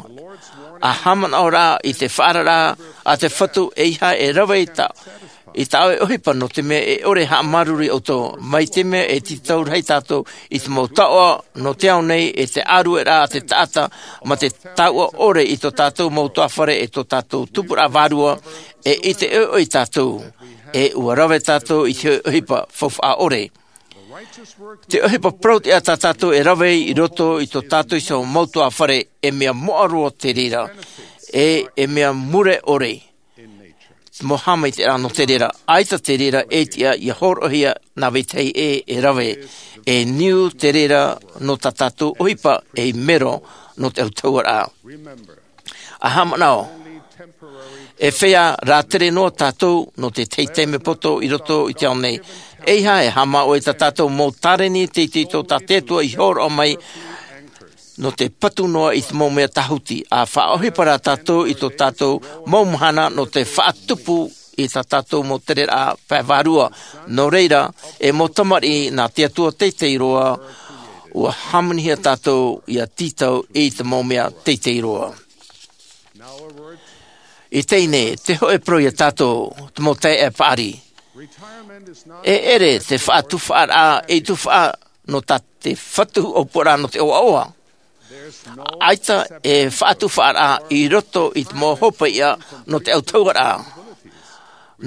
ʻA haʻamanaʻo rā i te faʻaararaʻa a te Fatu, ʻeiaha e rave i tā, i tā ʻoe ʻohipa nō te mea e ʻore e haʻamāuruuru iā ʻoutou. Mai te mea e tītau rahi tātou i te mau taoʻa nō te ao nei, e te ʻārueraʻa a te taʻata, mā te taoʻa ʻore i tō tātou mau tuāfare, e tō tātou tupuraʻa vārua, e ʻite ʻoiʻoi tātou, e ʻua rave tātou i te ʻohipa faufaʻa ʻore. Te ʻohipa parau tiʻa tā tātou e rave i roto i tō tātou iho mau tuāfare, e mea moʻa roa te reira, e, e mea mure ʻore. Te mau haʻamaitaʻiraʻa nō te reira, ʻaita te reira e tiʻa ʻia hōroʻahia nā vetahi ʻē e rave, e niu te reira nō tā tātou ʻohipa ei mero nō te autahuʻaraʻa. ʻA haʻamanaʻo, e feiā rātere noa tātou nō te tahi taime poto i roto i te ao nei. ʻEiaha e haʻamā ʻoe i tā tātou mau tāreni teitei tō tā te Atua i hōroʻa mai nō te patu noa i te mau mea tāhuti, ʻa faʻaʻohipa rā tātou i tō tātou mau mahana nō te faʻatupu i tā tātou mau tereraʻa pae vārua. Nō reira, e mau tamariʻi nā te Atua teitei roa, ua hāmanihia tātou ia tītau i te mau mea teitei roa. I teie nei, te hōʻē parau ia tātou, te mau taeaʻe paʻari. E ʻere te faʻatufaʻaraʻa ei tufaʻa nō tā te Fatu ʻōpuaraʻa nō te ʻoaʻoa. ʻAita e faʻatufaʻaraʻa i roto i te mau hopeʻa nō te ʻautauaraʻa.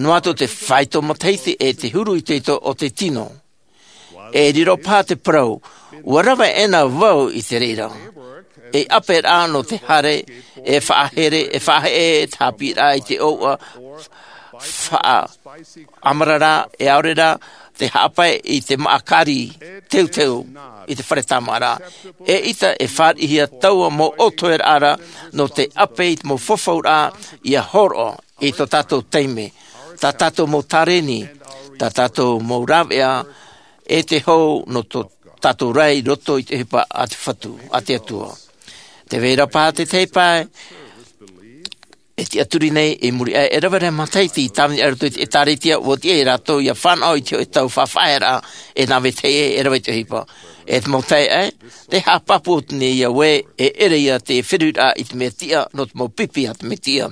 Noa atu te faito matahiti e te huru itoito o te tino. E riro paha te parau, ua rave ʻena vau i te reira. E ʻāpeʻaraʻa nō te haere, e faʻahere, e faʻaheʻe te haʻapiʻiraʻa i te ʻōuʻa, faʻaʻamarara, e ʻaore rā te haʻapae i te māʻakari teuteu i te fare tāmāʻaraʻa. E ʻita e fāriʻihia taua mau ʻōtoeraʻa ra nō te ʻape i te mau fafauraʻa ia hōroʻa i tō tātou taime, tā tātou mau tāreni, tā tātou mau rāveʻa, e te hou nō tō tātou ra i roto i te ʻohipa a te Fatu, a te Atua. Tē vai ra paha te tahi pae e tiʻaturi nei i muri aʻe, e rave rahi matahiti i tāvini aʻe i roto i te ʻĒtārētia, ʻua tiʻa ia rātou ia fānaʻo i te hōʻē tau faʻafaʻaearaʻa e nā vetahi e rave i te ʻohipa. E te mau taeaʻe, tē haʻapāpū atu nei au ē, e ʻere ia te feruriraʻa i te mea tiʻa nō te mau pipi a te Mesia.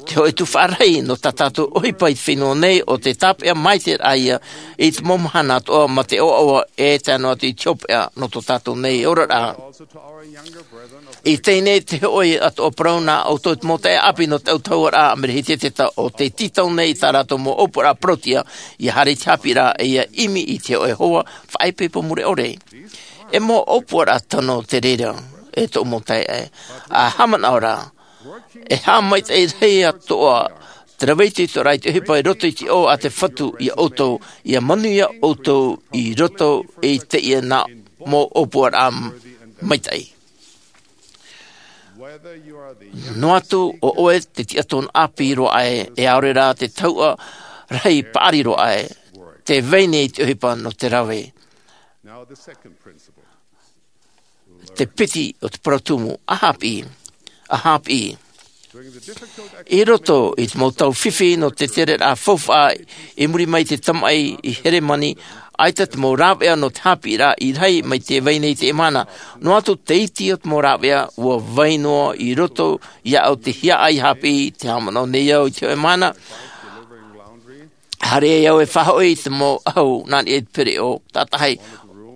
Te hōʻē tufaʻa rahi nō tā tātou ʻohipa i te fenua nei ʻo te tāpeʻa maitaʻi ia i te mau mahana atoʻa mā te ʻoaʻoa e tae noa atu i te hopeʻa nō tō tātou nei oraraʻa. I teie nei te hōʻē atoʻa parau nā ʻoutou te mau taeaʻe ʻāpī nō te ʻautauaraʻa Amerika Hieteta ʻo tē tītau nei i tā rātou mau ʻōpuaraʻa parauʻtiʻa, ia haere i te haʻapiʻiraʻa e ia ʻimi i te hōʻē hoa faʻaipoipo mure ʻore. E mau ʻōpuaraʻa tano te reira, e tōʻu mau taeaʻe, ʻa haʻamanaʻo ra, e haʻamaitaʻi rahi atoʻa te rave itoitoraʻa i te ʻohipa i roto i te ʻō a te Fatu ia ʻoutou, ia manuia ʻoutou i roto i teie nā mau ʻōpuaraʻa maitaʻi. Noa atu ʻo ʻoe te tiʻatōna ʻāpī roa ʻē, e ʻaore rā te tahuʻa rahi paʻari roa ʻē, tē vai nei te ʻohipa nō te rave. Te piti o te parau tumu, ʻa hāpiʻi, ʻa hāpiʻi. I roto i te mau tau fifi nō te tereraʻa faufaʻa i muri mai i te tamaʻi i Heremani, ʻaita te mau rāveʻa nō te haʻapiʻiraʻa i rahi mai tē vai nei i teie mahana. Noa atu te iti o te mau rāveʻa ʻua vai noa i roto iāʻu te hiaʻai hāpiʻi, tē haʻamanaʻo nei au i te hōʻē mahana. Haere ai au e faʻahoʻi i te mau ʻahu nā niʻa i te pereʻoʻo tātaʻi,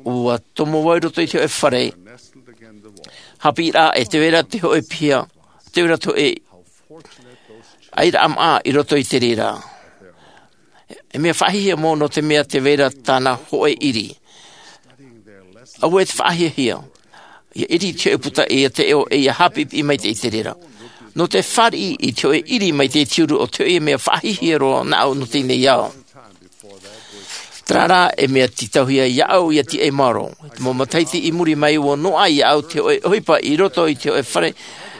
ʻua tomo vau i roto i te hōʻē fare. Haʻapiʻiraʻa e tē vai ra te hōʻē piha, tē vai ra te hōʻē ʻairaʻa maʻa i roto i te reira. E mea faʻahiahia mau nō te mea tē vai ra tāna hōʻē ʻiri. ʻAuē te faʻahiahia. Ia ʻiri i te hōʻē puta ia taiʻo e ia haʻapiʻipiʻi maitaʻi i te reira. Nō te fāriʻi i te hōʻē ʻiri mai te tiuru o te hōʻē mea faʻahiahia roa nāʻu nō teie nei ao. Terā rā e mea tītauhia iāʻu ia tiʻa i maoro. Te mau matahiti i muri mai ʻua noaʻa iāʻu te hōʻē ʻohipa i roto i te hōʻē fare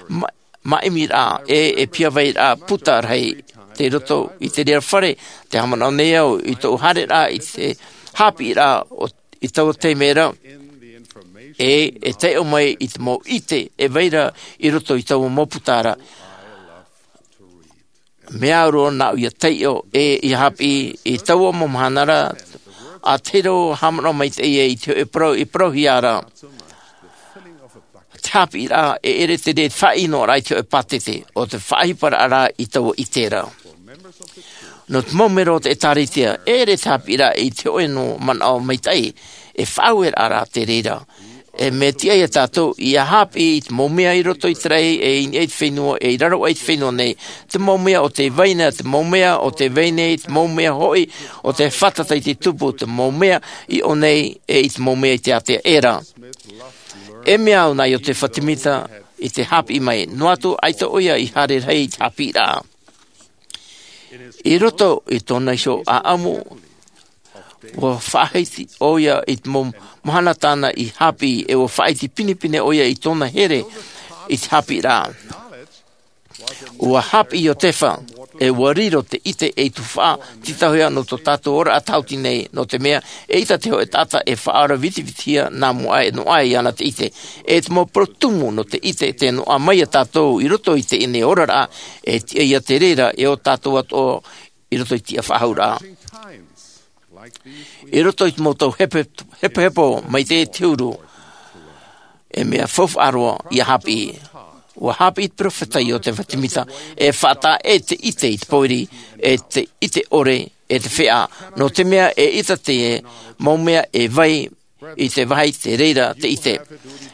ma-, māʻimiraʻa e, e piha vai ra puta rahi tei roto i te reira fare, tē haʻamanaʻo nei au i tōʻu haereraʻa i te haʻapiʻiraʻa o, i taua taime ra, e, e taiʻo mai i te mau ʻite e vai ra i roto i taua mau puta ra. Mea au roa nāʻu ia taiʻo e ia haʻapiʻi i taua mau mahana ra, ʻa tahi roa haʻamanaʻo maitaʻi i te hōʻē parau i parauhia ra. Te haʻapiʻiraʻa e ʻere te reira te faʻaʻinoraʻa i te hōʻē pātete, ʻo te faʻaʻohiparaʻa rā i taua ʻite ra. Nō te mau melo o te ʻĒtārētia, e ʻere te haʻapiʻiraʻa i te hōʻē noa manaʻo maitaʻi, e faʻaueraʻa rā te reira. E mea tiʻa ia tātou ia haʻapiʻi i te mau mea i roto i te raʻi, e i niʻa i te fenua, e i raro aʻe i te fenua nei. Te mau mea o tē vai nei, te mau mea o tē vai nei, te mau mea hoʻi o tē fātata i te tupu, te mau mea i ʻō nei, e i te mau mea i te ātea ʻē ra. E mea au nā Iosepha Semita i te haʻapiʻi mai, noa atu ʻaita ʻoia i haere rahi i te haʻapiʻiraʻa. I roto i tōna iho ʻāʻamu, ʻua faʻaʻite ʻoia i te mau mahana tāna i haʻapiʻi, e ʻua faʻaʻite pinepine ʻoia i tōna here i te haʻapiʻiraʻa. ʻUa haʻapiʻi Iosepha, e ua riro te ʻite ei tuhaʻa tītauhia nō tō tātou ora tāhuti nei, nō te mea e ʻita te hōʻē taʻata e faʻaora vitivitihia nā mua aʻe noa aʻe iāna te ʻite. E te mau parau tumu nō te ʻite te noaʻa mai iā tātou i roto i teie nei oraraʻa, e tiʻa ia te reira e ō tātou atoʻa i roto i tiʻa faʻahou ra. I roto i te mau tau hepohepo mai te huru, e mea faufaʻa roa ia hāpiʻi. Ua hāpiʻi te peropheta iosepha semita e faʻataʻa ʻē te ʻite i te pōiri, e te ʻite ʻore, e te feʻa, nō te mea e ʻita te mau mea e vai i te vāhi te reira te ʻite.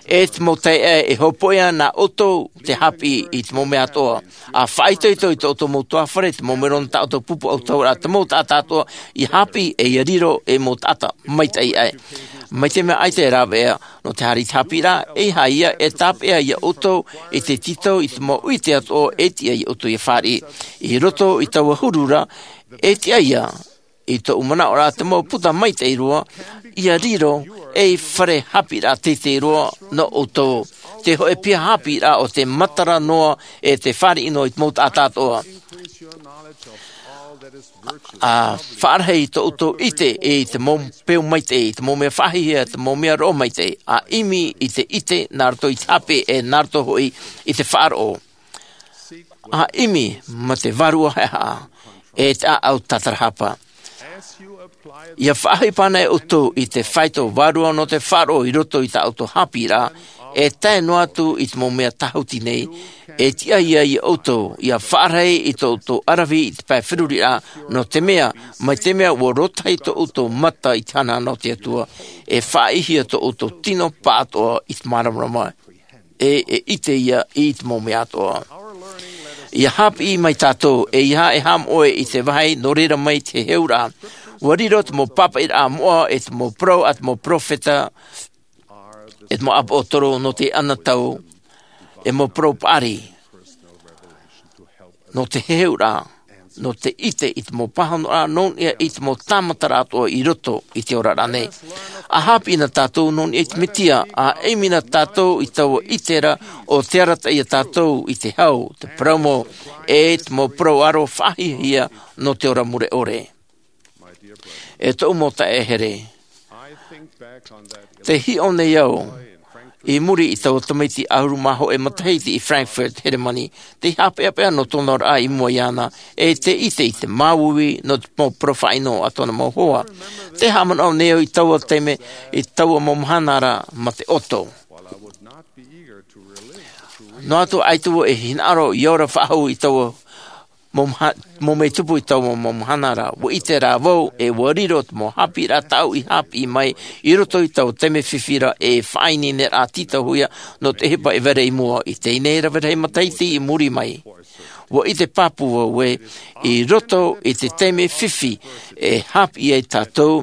E te mau taeaʻe, e hopoiʻa nā ʻoutou te hāpiʻi i te mau mea atoʻa. A faʻaitoito i tō ʻoutou mau tuahine, te mau mero nō tā ʻoutou pupu ʻautahuʻa, te mau taʻata atoʻa ia hāpiʻi e ia riro ei mau taʻata maitaʻi aʻe. Mai te mea ʻaita e rāveʻa nō te haere i te hāpiʻiraʻa, e haere ia e tāpeʻa iā ʻoutou i te tītau i te mau ʻite atoʻa e tiʻa iā ʻoutou ia fāriʻi i roto i taua huru ra. E tiʻa ia i tōʻu manaʻo ra te mau puta maitaʻi roa ia riro ei fare hāpiʻiraʻa teitei roa nō ʻoutou. Te hōʻē piha hāpiʻiraʻa o te matara noa e te fāriʻi noa i te mau taʻata atoʻa. A faʻarahi i tō ʻoutou ʻite i te mau peu maitaʻi, i te mau mea faʻahiahia, te mau mea roʻo maitaʻi, a ʻimi i te ʻite nā roto i te hāpiʻi e nā roto hoʻi i te faʻaroʻo. A ʻimi mā te vārua haʻehaʻa e te ʻāʻau tātarahapa. Ia faʻaʻohipa ana ʻoutou i te faito vārua nō te faʻaroʻo i roto i tā ʻoutou hāpiʻiraʻa, e tae noa atu i te mau mea tāhuti nei, e tiʻa ia iā ʻoutou ia faʻarahi i tō ʻoutou ʻaravihi i te pae feruriraʻa, nō te mea mai te mea ua rōtahi tō ʻoutou mata i te hanahana o te Atua, e faʻaʻitehia tō ʻoutou tino pāʻatoʻa i te māramarama, e e ʻite ia i te mau mea atoʻa. Ia hāpiʻi mai tātou e ia e haʻamoʻe i te vāhi nō reira mai te heheuraʻa. Ua riro te mau pāpaʻiraʻa moʻa e te mau parau a te mau peropheta, e te mau ʻāpoʻotoro nō te anotau, e mau parau paʻari nō te heheuraʻa, nō te ʻite i te mau pāhonoraʻa nō niʻa i te mau tāmataraʻa atoʻa i roto i te oraraʻa nei. A hāpiʻi na tātou nō niʻa i te mesia, a ʻimi na tātou i taua ʻite ra o te arataʻi iā tātou i te hau, te parau mau, e te mau parau aro faʻahiahia nō te ora mure ʻore. E tōʻu mau taeaʻe here, te hiʻo nei au i muri i taua tamaiti ʻahuru mā hōʻē matahiti i Frankfurt, Heremani, tei haʻapeʻapeʻa nō tōna oraraʻa i mua iāna, e tei ʻite i te māuiui nō te mau parau faʻaʻino a tōna mau hoa. Te haʻamanaʻo nei au i taua taime, i taua mau mahana ra mā te ʻoto. Noa atu ʻaita vau e hinaʻaro ia ora faʻahou i taua mau maha-, mau mea tupu i taua mau mahana ra, ua ʻite rā vau e ua riro te mau hāpiʻiraʻa tāʻu i hāpiʻi mai i roto i taua taime fifi ra, e faʻaineineraʻa tītauhia nō te ʻohipa e vai ra i mua i teie nei rave rahi matahiti i muri mai. Ua ʻite pāpū vau ē, i roto i te taime fifi e hāpiʻi ai tātou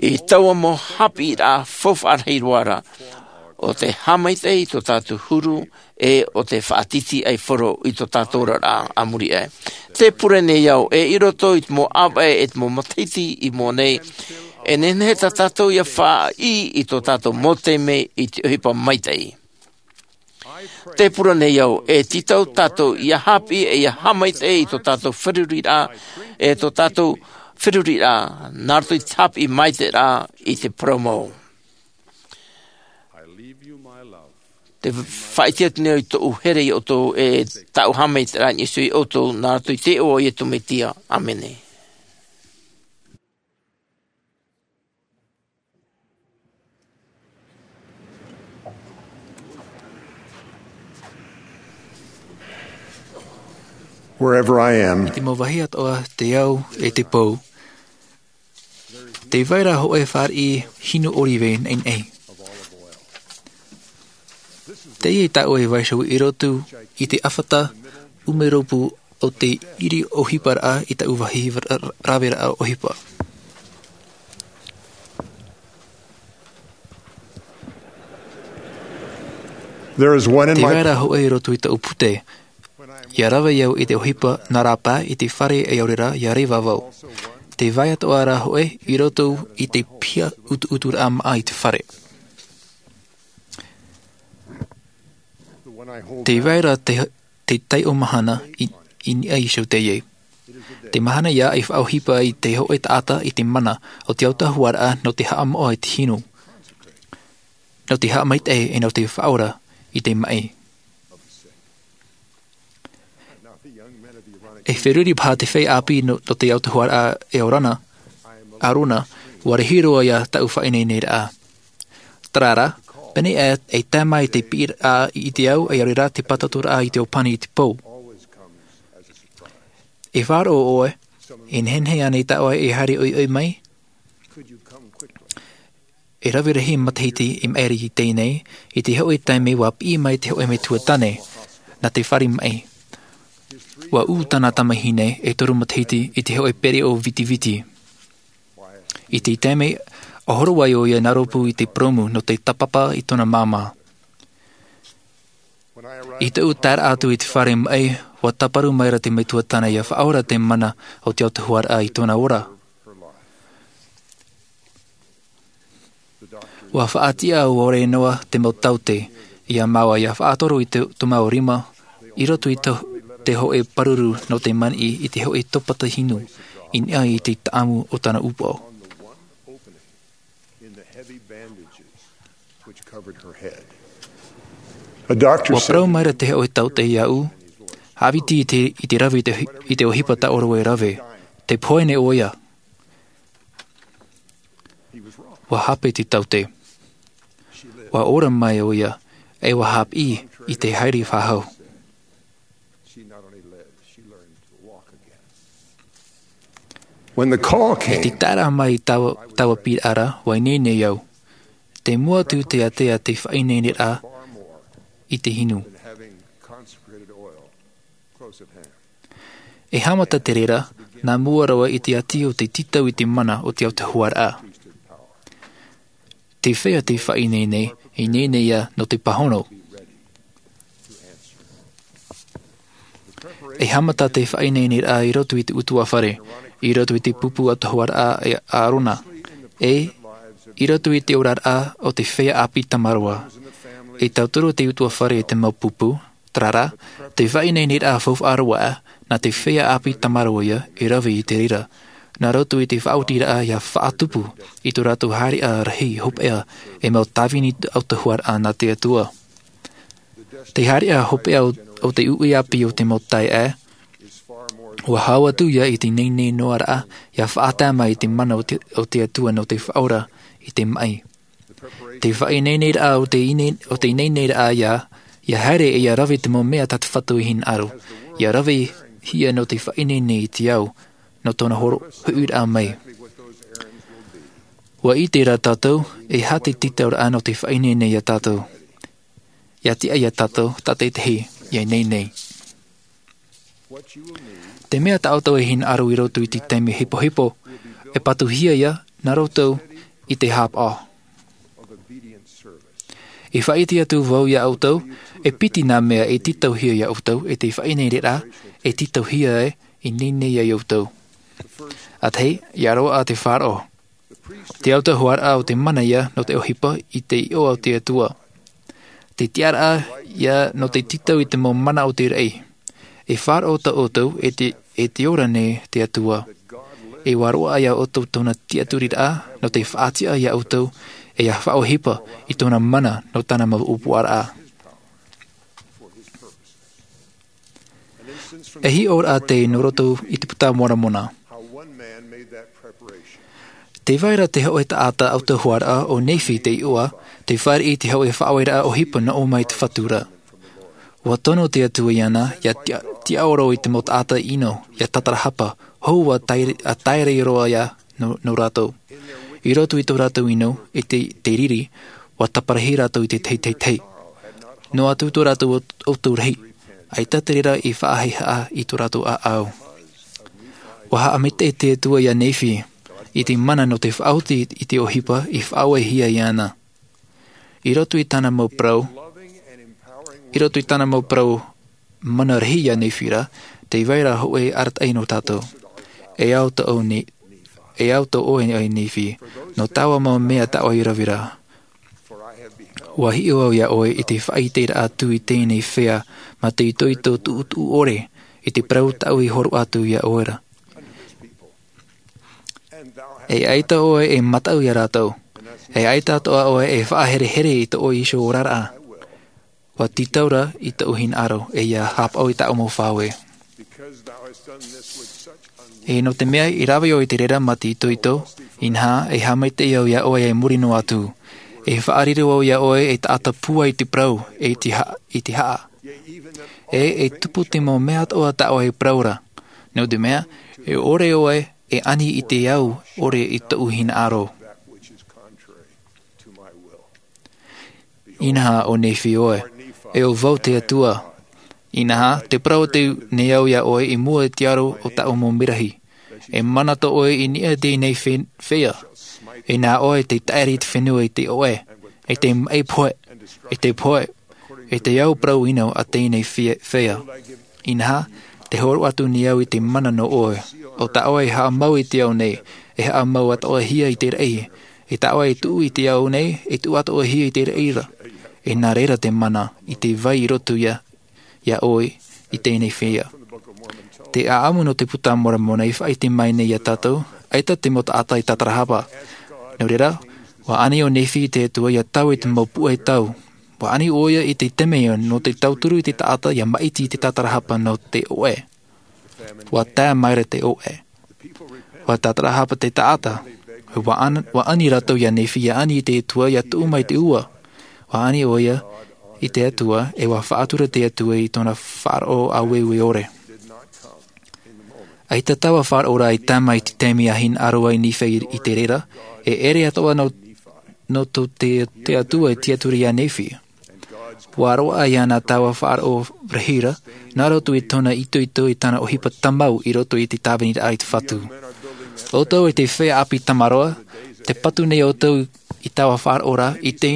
i taua mau hāpiʻiraʻa faufaʻa rahi roa ra, ʻo te haʻamaitaʻi i tō tātou huru, e ʻo te faʻatītīʻaifaro i tō tātou oraraʻa a muri aʻe. Te pure nei au ē, i roto i te mau ʻāvaʻe e te mau matahiti i mua nei, e nehenehe tā tātou ia faʻaʻī i tō tātou mau taime i te ʻohipa maitaʻi. Te pure nei au e tītau tātou ia hāpiʻi e ia haʻamaitaʻi i tō tātou feruriraʻa, e tō tātou feruriraʻa nā roto i te hāpiʻi maitaʻiraʻa i te parau mau. Te faʻaʻite atu nei au i tōʻu here iā ʻoutou, e tāʻu haʻamaitaʻiraʻa i niʻa iho iā ʻoutou, nā roto i te iʻoa o Iesu Mesia. ʻĀmene. Wherever I am, te mau vāhi atoʻa te au e te pou, tē vai ra hōʻē fāriʻi hinu ʻōrive naʻinaʻi. Teie tāʻu e vaiiho i roto i te ʻāfata ʻumeropu o te ʻiri ʻohiparaʻa i tāʻu vāhi ra-, ra-, raveraʻa ʻohipa. There is one in my... Tē vai ra hōʻē i roto i tāʻu pute. ʻIa rave au i te ʻohipa nā rāpae i te fare e ʻaore rā ʻia reva vau. Tē vai atoʻa ra hōʻē i roto i te piha utuuturaʻa māʻa i te fare. Tē vai ra te, te taiʻo mahana i, i niʻa iho teie. Te mahana ia e faʻaʻohipa i te hoʻe taʻata i te mana o te autahuʻaraʻa nō te haʻamoʻa i te hinu, nō te haʻamaitaʻi e nō te faʻaora i te maʻi. E feruri paha te feiā ʻāpī nō te autahuʻaraʻa e ʻarona, ʻarona, ua rahi roa ia taʻu faʻaineineraʻa. Tarara, pēnei e tae mai te piʻiraʻa i te au e ʻaore rā te pātotōraʻa i te ʻōpani i te pou. E faʻaroʻo ʻoe, e nehenehe ānei tāʻoe e haere ʻoiʻoi mai? E rave rahi matahiti i maʻiri i teie nei, i te hoʻe taime ua piʻi mai te hoʻe metua tāne nā te fare maʻi. Ua ū tāna tamahine e toru matahiti i te hoʻe pereʻoʻo vitiviti. I te taime ʻa horo ai ʻoia nā rōpū i te purōmu nō te tāpapa i tōna māmā. I tōʻu taeraʻa atu i te fare maʻi, ua tāparu mai ra te metua tāne ia faʻaora te mana o te autahuʻaraʻa i tōna ora. Ua faʻatiʻa ʻore noa te mau taote ia māua ia faʻatoro i te, tō māua rima i roto i te, te hoʻe pāruru nō te maniʻi i te hoʻe topata hinu i niʻa i te taʻamu o tāna ʻūpoʻo. Ua parau mai ra te hoʻe taote iāʻu, haʻaviti i te, i te rave i te, i te ʻohipa tāʻoro e rave. Te pohe nei ʻoia. Ua hape te taote. Ua ora mai ʻoia, e ua haʻapiʻi i te haere faʻahou. When the call came, i te taeraʻa mai i taua, taua piʻiraʻa, ua ineine au. Te mua atu te ātea te faʻaineineraʻa i te hinu. E haʻamata te reira, nā mua roa i te ati o te tītau i te mana o te autahuʻaraʻa. Te feiā te faʻaineine, e ineine ia nō te pāhono. E haʻamata te faʻaineineraʻa i roto i te ʻutuāfare, i roto i te pupu autahuʻaraʻa e ʻarona, e i roto i te oraraʻa o te feiā ʻāpī tamaroa. E tauturu te ʻutuāfare i te mau pupu, tarara, te faʻaineineraʻa faufaʻa roa, nā te feiā ʻāpī tamaroa ia, e rave i te reira. Nā roto i te faʻaotiraʻa ia faʻatupu i tō rātou haereʻa rahi hopeʻa e mau tāvini autahuʻaraʻa nā te Atua. Te haereʻa hopeʻa o, o te uʻi ʻāpī o te mau taeaʻe, ua hau atu ia i te ineine noa raʻa, ia faʻatae mai i te mana o te, o te Atua nō te faʻaora i te maʻi. Te faʻaineineraʻa o te ine-, o te ineineraʻa ia, ia haere e ia rave te mau mea tā te Fatu i hinaʻaro. Ia ravehia nō te faʻaineine i te ao, nō tōna horo-, huʻiraʻa mai. Ua ʻite rā tātou, e aha te tītauraʻa nō te faʻaineine ia tātou. Ia tiʻa ia tātou, tātaitahi, ia ineine. Te mea tā ʻoutou e hinaʻaro i roto i te taime hepohepo, e patuhia ia, nā roto i te hāpaʻo. E faʻaʻite atu vau ia ʻoutou, e piti nā mea e tītauhia ia ʻoutou, e te faʻaineineraʻa, e tītauhia e, e ineine ia ʻoutou. ʻA tahi, ia roaʻa te faʻaroʻo. Te autahuʻaraʻa o te mana ia nō te ʻohipa i te iʻoa o te Atua. Te tiʻaraʻa ia nō te tītau i te mau mana o te raʻi. E faʻaroʻo tā ʻoutou e te, e te ora nei te Atua. E ua roaʻa ia ʻoutou tōna tiʻaturiraʻa nō te faʻatiʻa ia ʻoutou e ia faʻaʻohipa i tōna mana nō tāna mau ʻōpuaraʻa. E hiʻoraʻa tei nō roto i te Puta Moramona. Tē vai ra te hōʻē taʻata autahuʻaraʻa ʻo Nephi te iʻoa, tē fāriʻi i te hōʻē faʻaoreraʻa ʻohipa nō ʻō mai te Fatu ra. ʻUa tono te Atua iāna, ia tiʻa-, tiʻaoro i te mau taʻata ʻino, ia tātarahapa, hou ʻa taere-, ʻa taere roa ia nō, nō rātou. I roto i tō rātou ʻino, i te, te riri, ʻua taparahi rātou i te teitei. Noa atu tō rātou ʻo-, ʻoutou rahi, ʻaita te reira i faʻahaʻehaʻa i tō rātou ʻāʻau. ʻUa haʻamaitaʻi te Atua ia Nephi, i te mana nō te faʻaoti i te ʻohipa i faʻaorehia iāna. I roto i tāna mau parau, i roto i tāna mau parau mana rahi ia Nephi ra, tē vai ra hōʻē arataʻi nō tātou. E ao tō ʻoe Ne-, e ao tō ʻoe ʻo Nephi, nō taua mau mea tā ʻoe i rave ra. ʻUa hiʻo au ia ʻoe i te faʻaʻiteraʻa atu i teie nei feiā, mā te itoito tuʻutuʻu ʻore, i te parau tāʻu i hōroʻa atu iā ʻoe ra. E ʻaita ʻoe e mataʻu iā rātou, e ʻaita atoʻa ʻoe e faʻaherehere i tō ʻoe iho oraraʻa. Ua tītau ra i tōʻu hinaʻaro e ia haʻapaʻo i tāʻu mau faʻaue. E nō te mea i rave ʻoe i te reira mā te itoito, inaha e haʻamaitaʻi au iā ʻoe i muri noa atu. E faʻariro au iā ʻoe e taʻata pūai i te parau, e i te ha-, i te haʻa. E, e tupu te mau mea atoʻa tā ʻoe e parau ra. Nō te mea, e ʻore ʻoe e ani i te au ʻore i tōʻu hinaʻaro. Inaha ʻo Nephi ʻoe, e ʻo vau te Atua. Inaha, tē parau atu nei au iā ʻoe i mua i te aro o tāʻu mau merahi. E mana tō ʻoe i niʻa i teie fe-, feiā. E nā ʻoe tei taʻiri i te fenua i te ʻoʻe, e tei maʻi pohe, e tei pohe, e tei au parau ʻino a teie fe-, feiā. Inaha, tē hōroʻa atu nei au i te mana nō ʻoe. ʻO tā ʻoe e haʻamau i te ao nei, e haʻamau atoʻahia i te raʻi. E tā ʻoe e tuʻu i te ao nei, e tuʻu atoʻahia i te raʻi ra. E nā reira te mana i te vai i roto iā, iā ʻoe i teie feiā. Te ʻāʻamu nō te Puta a Moromona i faʻaʻite mai nei iā tātou, ʻaita te mau taʻata i tātarahapa. Nō reira, ua ani ʻo Nephi i te Atua ia taui i te mau puʻe tau. Ua ani ʻoia i te taime nō te tauturu i te taʻata ia maʻiti i te tātarahapa nō te ʻoʻe. Ua tae mai ra te ʻoʻe. Ua tātarahapa te taʻata. Ua an-, ua ani rātou iā Nephi ia ani i te Atua ia tuʻu mai te ua. Ua ani ʻoia i te Atua, e ua faʻatura te Atua i tōna faʻaroʻo āueue ʻore. ʻAita taua faʻaroʻo ra i tae mai i te taime i hinaʻaro ai Nephi i te reira, e ʻere atoʻa nō, nō tō te, te Atua e tiʻaturi iā Nephi. Ua roaʻa iāna taua faʻaroʻo rahi ra, nā roto i tōna itoito i tāna ʻohipa tāmau i roto i te tāviniraʻa i te Fatu. ʻOutou e te feiā ʻāpī tamaroa, tē patu nei ʻoutou i taua faʻaroʻo ra, i te,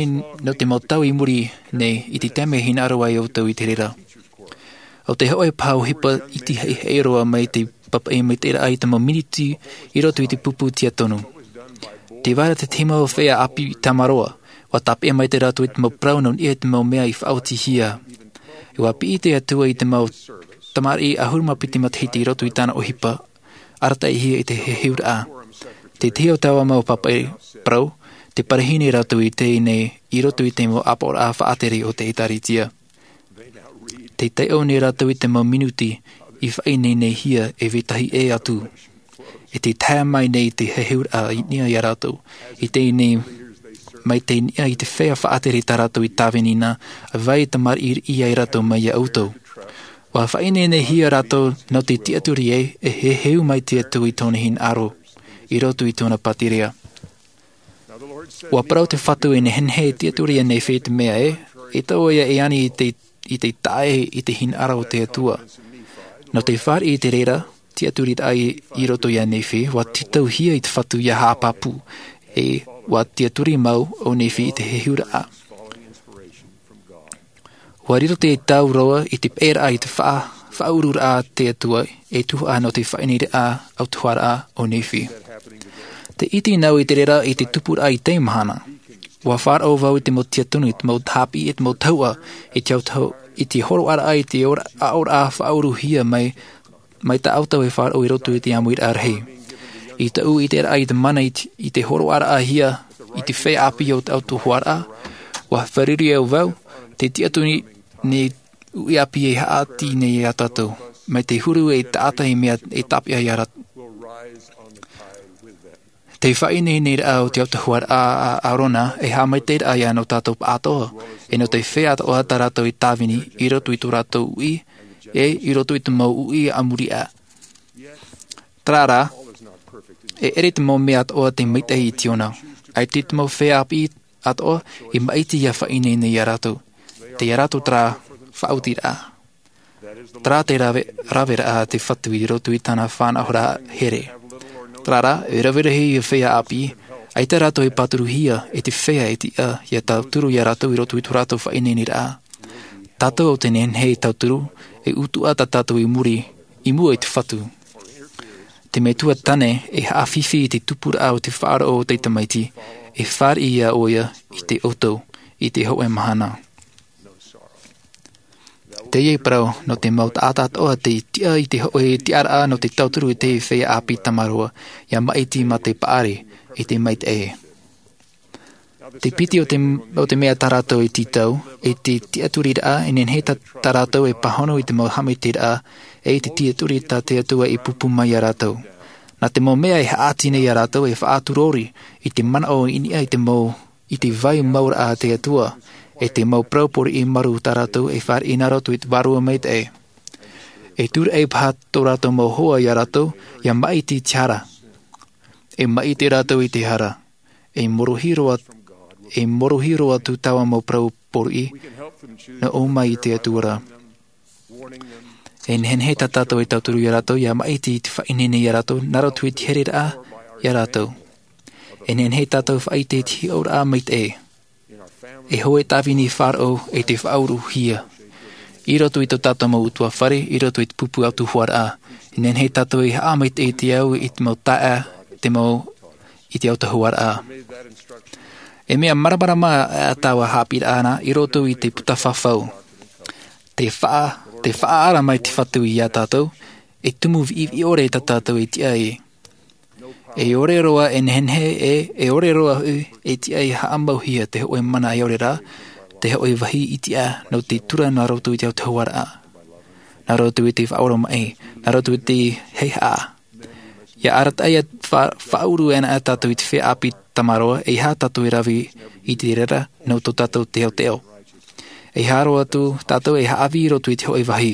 nō te mau tau i muri nei, i te taime e hinaʻaro ai ʻoutou i te reira. ʻO te hōʻē paʻi ʻohipa iti haʻihaʻi roa mai te papaʻi maitaʻiraʻa i te mau minuti i roto i te pupu tiatonu. Tē vai ra te tahi mau feiā ʻāpī tamaroa, ua tāpeʻa maitaʻi rātou i te mau parau nō niʻa i te mau mea i faʻaotihia. E ua piʻi te Atua i te mau tamariʻi ʻahuru mā piti matahiti i roto i tāna ʻohipa, arataʻihia i te heheuraʻa. Te tahi o taua mau papaʻi parau, tē parahine rātou i teie nei i roto i te mau ʻāpoʻoraʻa faʻatere o te ʻĒtārētia. Tē taiʻo nei rātou i te mau minuti i faʻaineine hia e vetahi ʻē atu. E tē tae mai nei te heheuraʻa i niʻa iā rātou, i teie nei mai te niʻa i te feiā faʻatere tā rātou i tāvini na, ʻa vai tamariʻi ai rātou mai iā ʻoutou. Ua faʻaineine hia rātou nō te tiʻaturi ē, e heheu mai te Atua i tōna hinaʻaro, i roto i tōna pātireia. Ua parau te Fatu e nehenehe e tiʻaturi iā Nephi i te mea ē, e tō ia e ani i te, i te taʻa ʻē i te hinaʻaro o te Atua. Nō te fāriʻi i te reira, tiʻaturiraʻa i, i roto iā Nephi, ua tītauhia i te Fatu ia haʻapāpū, e ua tiʻaturi mau ʻo Nephi i te heheuraʻa. Ua riro te tau roa i te peʻeraʻa i te faʻa-, faʻauruuraʻa a te Atua, e tuhaʻa nō te faʻaineineraʻa autahuʻaraʻa o Nephi. Tē ʻite nei au i te reira i te tupuraʻa i teie mahana. Ua faʻaroʻo vau i te mau tiatonu, i te mau tāpiʻi, i te mau tahuʻa, i te autahu-, i te hōroʻaraʻa, i te ora-, aʻoraʻa faʻauruhia mai, mai tā ʻoutou e faʻaroʻo i roto i te ʻāmuiraʻa rahi. I tōʻu ʻiteraʻa i te mana i te, i te hōroʻaraʻahia i te feiā ʻāpī o te autahuʻaraʻa, ua fārerei au vau, te tiʻaturi nei uʻi ʻāpī e haʻati nei iā tātou, mai te huru e taʻata i mea e tāpeʻa iā rātou. Te faʻaineineraʻa o te autahuʻaraʻa a ʻĀrona, e haʻamaitaʻiraʻa ia nō tātou pāʻatoʻa, e nō te feiā atoʻa tā rātou i tāvini, i roto i tō rātou uʻi, e i roto i te mau uʻi a muri aʻe. Terā rā, e ʻere te mau mea atoʻa te maitaʻi i te ʻona. ʻAita te mau feiā ʻāpī atoʻa, i maʻiti ia faʻaineine iā rātou. Tei iā rātou terā faʻaotiraʻa. Terā te rave-, raveraʻa a te Fatu i roto i tāna faʻanahoraʻa here. Terā rā, e rave rahi ia feiā ʻāpī, ʻaita rātou e pāturuhia, e te feiā e tiʻa, ia tauturu iā rātou i roto i tō rātou faʻaineineraʻa. Tātou ʻo tē nehenehe e tauturu, e utuʻa tā tātou i muri, i mua i te Fatu. Te Metua Tāne, e haʻafifi i te tupuraʻa o te Faʻaroʻo o te Tamaiti, e fāriʻi iā ʻoia i te ʻoutou, i te hōʻē mahana. Teie parau nō te mau taʻata atoʻa te tiʻa i te hoʻē tiʻaraʻa nō te tauturu i te feiā ʻāpī tamaroa, ia maʻiti mā te paʻari i te maitaʻi. Te piti o te, o te mea tā rātou e tītau, e te tiʻaturiraʻa, e nehenehe tā, tā rātou e pāhono i te mau haʻamaitaʻiraʻa, e i te tiʻaturi tā te Atua i pūpū mai iā rātou. Nā te mau mea e haʻati nei iā rātou e faʻaturori i te manaʻo i niʻa i te mau, i te vai mauraʻa a te Atua, e te mau parau pōriʻi marū tā rātou e fāriʻi nā roto i te Vārua Maitaʻi. E tūraʻi paha tō rātou mau hoa iā rātou, ia maʻiti te hara. E maʻiti rātou i te hara. E morohi roa, e morohi roa atu taua mau parau pōriʻi, nō ʻō mai i te Atua ra. E nehenehe tā tātou e tauturu iā rātou, ia maʻiti i te faʻaineine iā rātou, nā roto i te hereraʻa iā rātou. E nehenehe tātou faʻaʻite i te hiʻoraʻa maitaʻi. E hōʻē tāvini faʻaroʻo e te faʻauruhia. I roto i tō tātou mau ʻutuāfare, i roto i te pupu autahuʻaraʻa. E nehenehe tātou e haʻamaitaʻi i te au, i te mau taeaʻe, te mau i te autahuʻaraʻa. E mea māramarama ā taua haʻapiʻiraʻa nā, i roto i te puta fafau. Te faʻa, te faʻaara mai te Fatu iā tātou, e tumu viʻiviʻi ʻore tā tātou e tiʻa ai. E ʻore roa e nehenehe e, e ʻore roa hoʻi e tiʻa e haʻamauhia te hōʻē mana e ʻore rā, te hōʻē vāhi i tiʻa nō te tura nā roto i te autahuʻaraʻa. Nā roto i te faʻaoromaʻi, nā roto i te heihaʻa. Ia arataʻi ia fa-, faʻauru anaʻe tātou i te feiā ʻāpī tamaroa, eiaha tātou e rave i te reira nō tō tātou teoteo. Eiaha roa atu tātou e haʻavī i roto i te hōʻē vāhi,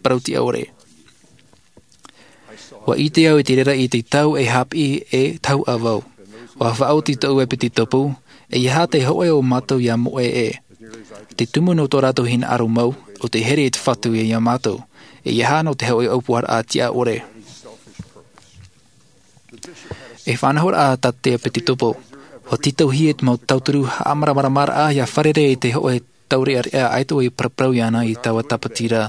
parau tiʻa ʻore. ʻUa ʻite au i te reira i te tau e haʻapiʻi e tahuʻa vau. ʻUa faʻaoti tōʻu ʻepitetopo, eiaha te hōʻē o mātou ia moʻe ē. Te tumu nō tō rātou hinaʻaro mau, ʻo te here i te Fatu iā mātou. Eiaha nō te hōʻē ʻōpuaraʻa tiʻa ʻore. E faʻanahoraʻa tā te ʻepitetopo. ʻUa tītauhia te mau tauturu haʻamāramaramaraʻa ia fārerei i te hōʻē taureʻareʻa ʻaita e paraparau iāna i taua tāpati ra.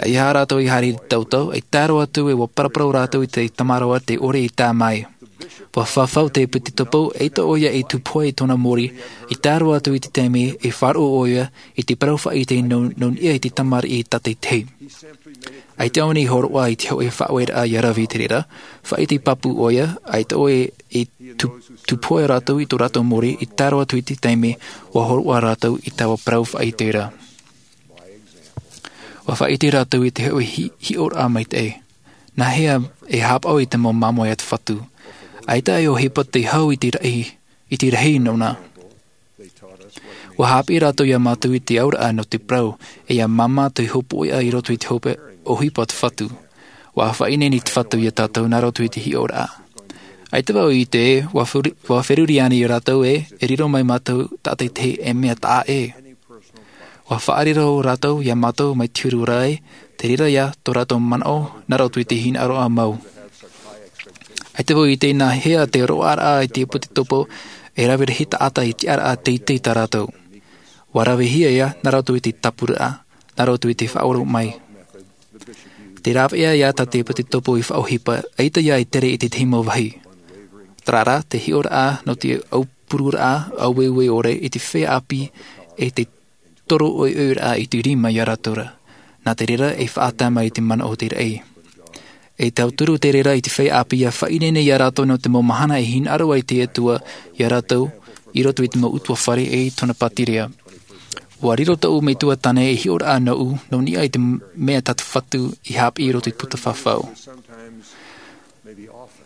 Eiaha rātou i haere i te tautau, e tae roa atu e ʻua paraparau rātou i te tamaroa te ʻore i tae mai. ʻUa fafau te ʻepitetopo, eʻita ʻoia e tūpohe i tōna mōrī, i tae roa atu i te taime e faʻaroʻo ʻoia i te parau faʻaʻite nō, nō niʻa i te tamariʻi tātaʻitahi. ʻAita ʻōna i hōroʻa i te hōʻē faʻaueraʻa ia rave i te reira, faʻaʻite pāpū ʻoia, ʻaita ʻoia e tū-, tūpohe rātou i tō rātou mōrī, i tae roa atu i te taime ʻua hōroʻa rātou i taua parau faʻaʻite ra. ʻUa faʻaʻite rātou i te hōʻē hi-, hiʻoraʻa maitaʻi. Nāhea e haʻapaʻo i te mau māmoe a te Fatu. ʻAita e ʻohipa te hau i te rahi, i te rahi nōna. ʻUa haʻapiʻi rātou iā mātou i te auraʻa nō te parau, e ia māmā te hōpoiʻa i roto i te hope ʻohipa a te Fatu. ʻUa faʻaineine te Fatu iā tātou nā roto i te hiʻoraʻa. ʻAita vau i ʻite, ʻua feri-, ʻua feruri ānei rātou ē, e riro mai mātou tātaʻitahi e mea taʻa ʻē. ʻUa faʻariro rātou iā mātou mai te huru ra ē, te reira ïa tō rātou manaʻo, nā roto i te hinaʻaroraʻa mau. ʻAita vau i ʻite nāhea te roaraʻa i te ʻepitetopo, e rave rahi taʻata i te tiʻaraʻa teitei tā rātou. ʻUa ravehia ïa, nā roto i te tāpuraʻa, nā roto i te faʻaoromaʻi. Te rāveʻa ïa tā te ʻepitetopo i faʻaʻohipa, ʻaita ïa e tere i te tahi mau vāhi. Terā rā, te hiʻoraʻa nō te aupururaʻa, aueue ʻore i te feiā ʻāpī, e te toro ʻoiʻoiraʻa i te rima iā rātou ra. Nā te reira e faʻatae mai i te manaʻo o te raʻi. E tauturu te reira i te feiā ʻāpī ʻia faʻaineine iā rātou nō te mau mahana e hinaʻaro ai te Atua iā rātou, i roto i te mau ʻutuāfare e i tōna pātireia. ʻUa riro tōʻu metua tāne ei hiʻoraʻa nōʻu, nō niʻa i te mea tā te Fatu i haʻapiʻi i roto i te puta fafau.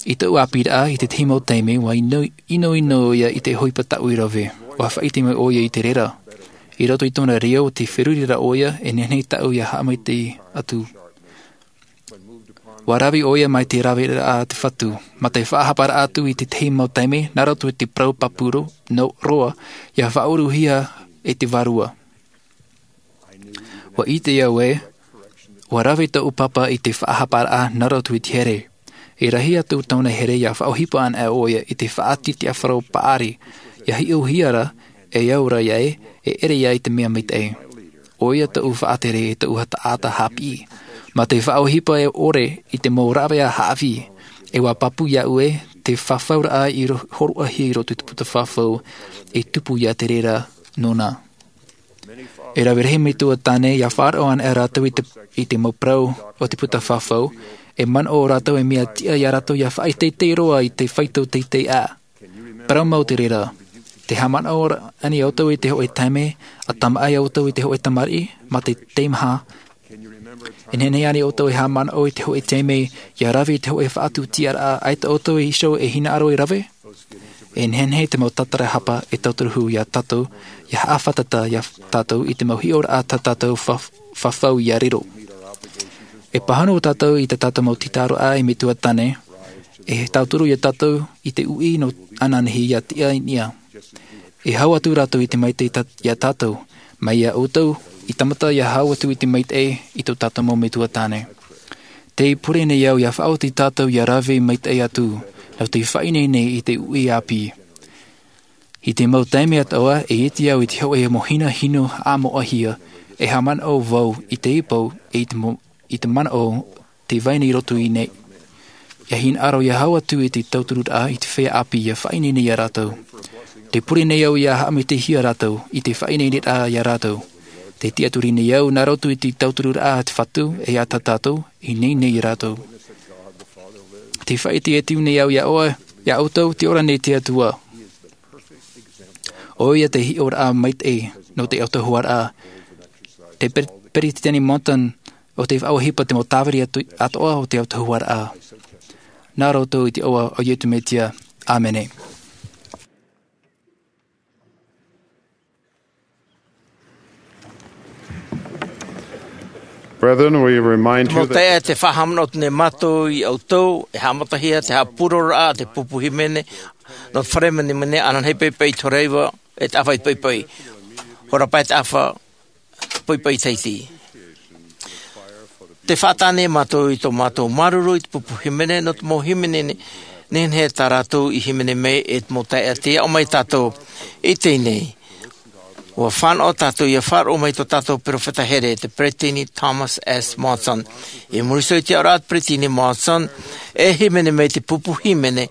I tōʻu ʻāpīraʻa, i te tahi mau taime, ʻua ʻino, ʻinoʻino ïa i te ʻohipa tāʻu i rave. ʻUa faʻaʻite mai ʻoia i te reira. I roto i tōna reo, tē feruri ra ʻoia, e nehenehe tāʻu ʻia haʻamaitaʻi atu. ʻUa rave ʻoia mai te raveraʻa a te Fatu, mā te faʻahaparaʻa atu i te tahi mau taime, nā roto i te parau pāpū nō roa, ʻia faʻauruhia e te Vārua. ʻUa ʻite au ē, ʻua rave tōʻu pāpā i te faʻahaparaʻa nā roto i te here. E rahi atu tōna here ʻia faʻaʻohipa anaʻe ʻoia i te faʻatitiʻafaro paʻari, ʻia hiʻohia ra, e au ra ïa ē, e ʻere ïa i te mea maitaʻi. ʻOia tōʻu faʻatere e tōʻu taʻata haʻapiʻi. Mā te faʻaʻohipa e ʻore i te mau rāveʻa haʻavī, e ʻua pāpū iāʻu ē, te fafauraʻa i ro-, hōroʻahia i roto i te puta fafau, e tupu ïa te reira nōna. E rave rahi metua tāne ia faʻaroʻo ana rātou i te, i te mau parau o te puta fafau. E manaʻo rātou e mea tiʻa ia rātou ia faʻateitei roa i te faito teitei ʻā. Parau mau te reira. Te haʻamanaʻo ānei ʻoutou i te hoʻē taime a tamaʻa ai ʻoutou i te hoʻē tamariʻi mā te teimaha? E nehenehe ānei ʻoutou e haʻamanaʻo i te hoʻē taime ia rave i te hoʻē faʻatupu tiʻaraʻa ʻaita ʻoutou e iho e hinaʻaro e rave? E nehenehe te mau tātarahapa e tauturu hou ia tātou ia haʻafātata ia tātou i te mau hiʻoraʻa tā tātou fafau ia riro. E pāhono tātou i tā tātou mau tītauhia e metua tāne e tauturu ia tātou i te uʻi nō ananahi ia tiʻa i niʻa. E hau atu rātou i te maitaʻi ia tātou mai ia ʻoutou i tāmata ia hau atu i te maitaʻi i tō tātou mau metua tāne. Tei pure nei au ia faʻaoti tātou ia rave maitaʻi atu nō te faʻaineine i te uʻi ʻāpī. I te mau taime atoʻa e ʻite au i te hoʻē mau hina hinu haʻamoʻahia e haʻamanaʻo vau i te ipau e i te manaʻo te vai nei roto i nei. Ia hinaʻaro ia hau atu i te tautururaʻa i te feiā ʻāpī ia faʻaineine ia rātou. Te pure nei au ia haʻamitihia rātou i te faʻaineineraʻa ia rātou. Te tiʻaturi nei au nā roto i te tautururaʻa a te fatu e a tā tātou i nei nei ia rātou. Te faʻaite e tiʻa nei au ia ʻoutou te ora nei te atua. ʻO ia te hiʻoraʻa maitaʻi nō te autahuʻaraʻa. Te peretiteni monson o te faʻaʻohipa te mau tāviri atoʻa o te autahuʻaraʻa. Nā roto i te iʻoa o iesu mesia, ʻāmene. Brethren, we remind you that e te faʻahaʻamanaʻo atu nei mātou i ʻoutou e haʻamatahia te haʻapūroroʻa a te pupu hīmene nō te fare menemene ananahi paipai i te hora iva e te ʻāfa i te paipai. Hora pae te ʻāfa paipai tahiti. Te faʻatāne mātou i tō mātou māuruuru i te pupu hīmene nō te mau hīmene nehenehe tā rātou i hīmene mai e te mau taeaʻe te aʻo mai tātou i teie nei. Ua fānaʻo tātou ia faʻaroʻo mai tō tātou peropheta here te peretiteni thomas s monson. I muri iho i te aʻoraʻa a te peretiteni monson e hīmene mai te pupu hīmene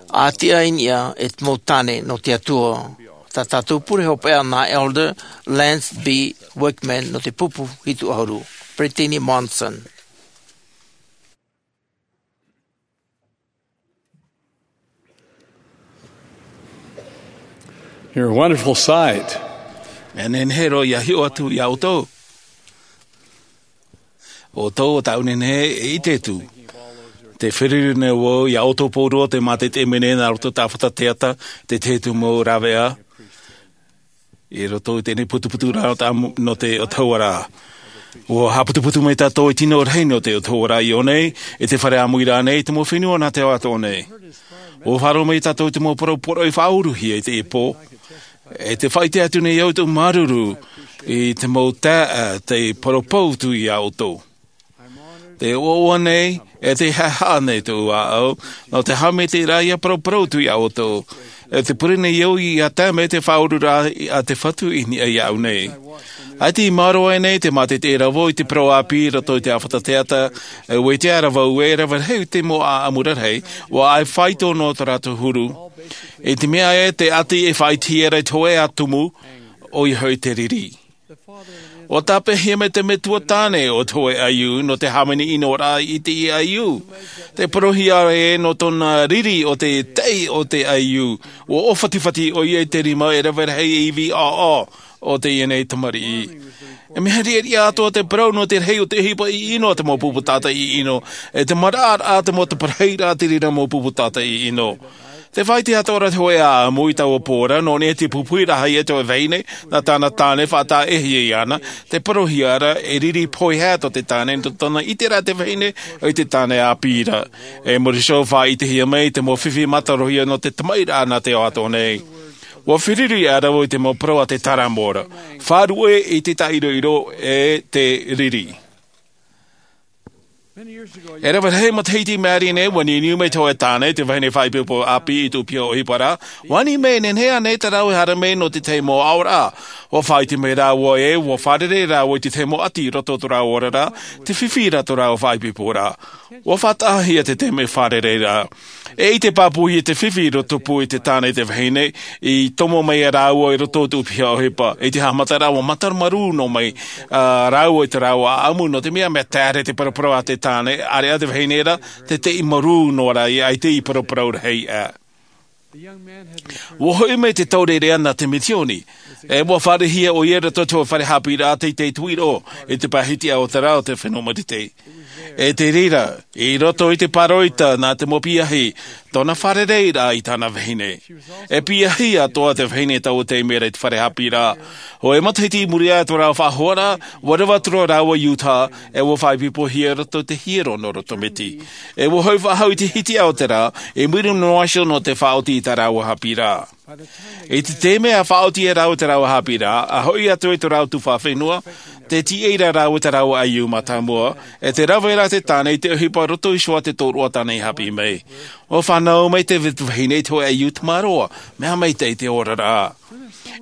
a tiʻa i niʻa e te mau tāne nō te atua. Tā tātou pure hopeʻa nā elder lance b wickman nō te pupu hitu ʻahuru. Peretiteni monson. You're a wonderful sight. Mea nehenehe roa ia hiʻo atu ia ʻoutou. ʻO ʻoutou o tāʻu nehenehe e ʻite atu. Te feruri nei vau ia ʻoutou pauroa te mātaʻitaʻi mai nei nā roto i te ʻāfata teata te tahi atu mau rāveʻa i roto i teie nei putuputu rā nō te autahuʻaraʻa. Ua haʻaputuputu mai tātou i te tino rahi nō te autahuʻaraʻa i ʻō nei i te fare ʻāmui rā nei i te mau fenua nā te ao atoʻa nei. Ua faʻaroʻo mai tātou i te mau parau poroʻi faʻauruhia i teie pō. E te faʻaʻite atu nei au i tōʻu māuruuru i te mau taeaʻe te parau pautu ia ʻoutou. Te ʻoaʻoa nei e te haʻehaʻa nei tōʻu ʻāʻau nō te haʻamaitaʻiraʻa ia parauparau atu ia ʻoutou. E te pure nei au ia tae mai te faʻaururaʻa a te fatu i niʻa ia ʻu nei. ʻAita i maoro ai nei te mātaʻitaʻi rā vau i te parau ʻāpī i roto i te ʻāfata teata. E ua ʻite ʻara vau e rave rahi te mau ʻaʻamu rarahi ua ʻaʻe faito nō tō rātou huru. I te mea ē te ʻati e faʻaʻitehia ra i te hoʻe ʻā tumu ʻoia hoʻi te riri. Ua tāpeʻahia mai te metua tāne o te hoʻe ʻaiū nō te hāmani ʻino rā i te ʻaiū. Te parauhia ē nō tōna riri o te taʻi o te ʻaiū ua ʻōfatifati ʻoia i te rima e rave rahi e ivi ʻāʻā o teie nei tamariʻi. E mea riʻariʻa atoʻa te parau nō te rahi o te ʻohipa ʻino a te mau pupu tātaʻi ʻino e te maraʻaraʻa te mau taparahiraʻa te reira mau pupu tātaʻi ʻino. Te faʻaʻite atoʻa ra te hoʻe ʻaʻamu i taua pō ra nō niʻa i te pupuhiraʻa ia te hoʻe vahine nā tāna tāne faʻataʻehia iāna. Te parauhia ra e riri pohe atu te tāne nō tōna ʻiteraʻa te vahine i te tāne ʻāpī ra. E muri iho faʻaʻitehia mai te mau fifi mātarohia nō te tamaʻiraʻa nā te ao atoʻa nei. Ua feruri ʻara vau i te mau parau a te taramo ra faʻaruʻe i te taʻiroʻiro e te riri. E rave rahi matahiti maori nei ua niuniu mai te hoʻe tāne te vahine faʻaipoipo ʻāpī i tō piha ʻohipa ra. Ua ani mai e nehenehe ānei tā rāua e haere mai nō te tahi mau aʻoraʻa. Ua faʻaʻite mai rāua ē ua fārerei rāua i te tahi mau ʻati i roto o tō rāua oraraʻa te fifi ra tō rāua faʻaipoipo ra. Ua faʻataʻahia te tahi mau fārereiraʻa. E i te pāpū i te fifi i roto pū i te tāne i te vahine, i tomo mai a rāua i roto o te ʻūpiha ʻohipa. I te haʻamata rā ua mātaro marū nō mai a rāua i te rāua ʻaʻamu nō te mea mea taere te paraparau a te tāne ʻāreʻa te vahine rā, te teʻi marū nō rā i ʻaita i paraparau rahi ʻā. Ua hoʻi mai te taureʻareʻa nā te mitioni, e ua fārerei ʻoia i roto i te fare hāpiʻiraʻa teitei tuiroʻo i te pahiti a o te rā o te fenua marite. E te reira, i roto i te pāroita nā te mau piahi tōna fārereiraʻa i tāna vahine. E piahi atoʻa te vahine taua taime ra i te fare hāpiʻiraʻa. Hōʻē matahiti i muri aʻe i tō rāua faʻahoaraʻa, ua reva atu rāua i Utah, e ua faʻaipoipohia i roto i te hiero nō roto miti. E ua hoʻi faʻahou i te hitiʻa o te rā, i muri noa iho nō te faʻaoti i tā rāua hāpiʻiraʻa. I te taime a faʻaoti e rāua i tā rāua hāpiʻiraʻa, a hoʻi atu i tō rāua tuhaʻa fenua, te tiʻa ra rāua i tā rāua ʻaiū mātāmua, e te rave ra te tāne i te ʻohipa roto iho ā te tōroʻa tāne i hāpiʻi mai. Ua fānau mai te vahine i te hōʻē ʻaiū tamaroa, mea maitaʻi te oraraʻa.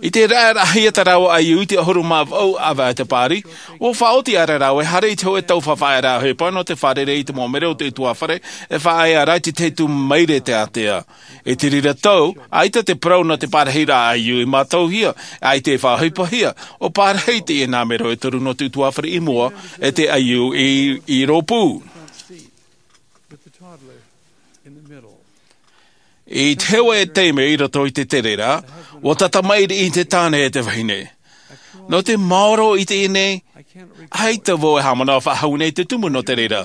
I te raʻarahia tā rāua ʻaiū i te ʻahuru mā vaʻu ʻāvaʻe te pāri, ua faʻaoti aʻera rāua e haere i te hōʻē taufafaʻaraʻa ʻohipa nō te fārerei i te mau mero o te ʻutuāfare, e faʻaea ra i te tahi tū maire te ātea. I te reira tau, ʻaita te parau nō te parahiraʻa ʻaiū i mātauhia, ʻaita e faʻaʻohipahia, ua parahi teie nā mero e toru nō te ʻutuāfare i mua, e te ʻaiū i, i rōpū. I te hōʻē taime i roto i te tere ra, ua tata maʻiri i te tāne e te vahine. Nō te maoro i teie nei, ʻaita vau e haʻamanaʻo faʻahou nei te tumu nō te reira.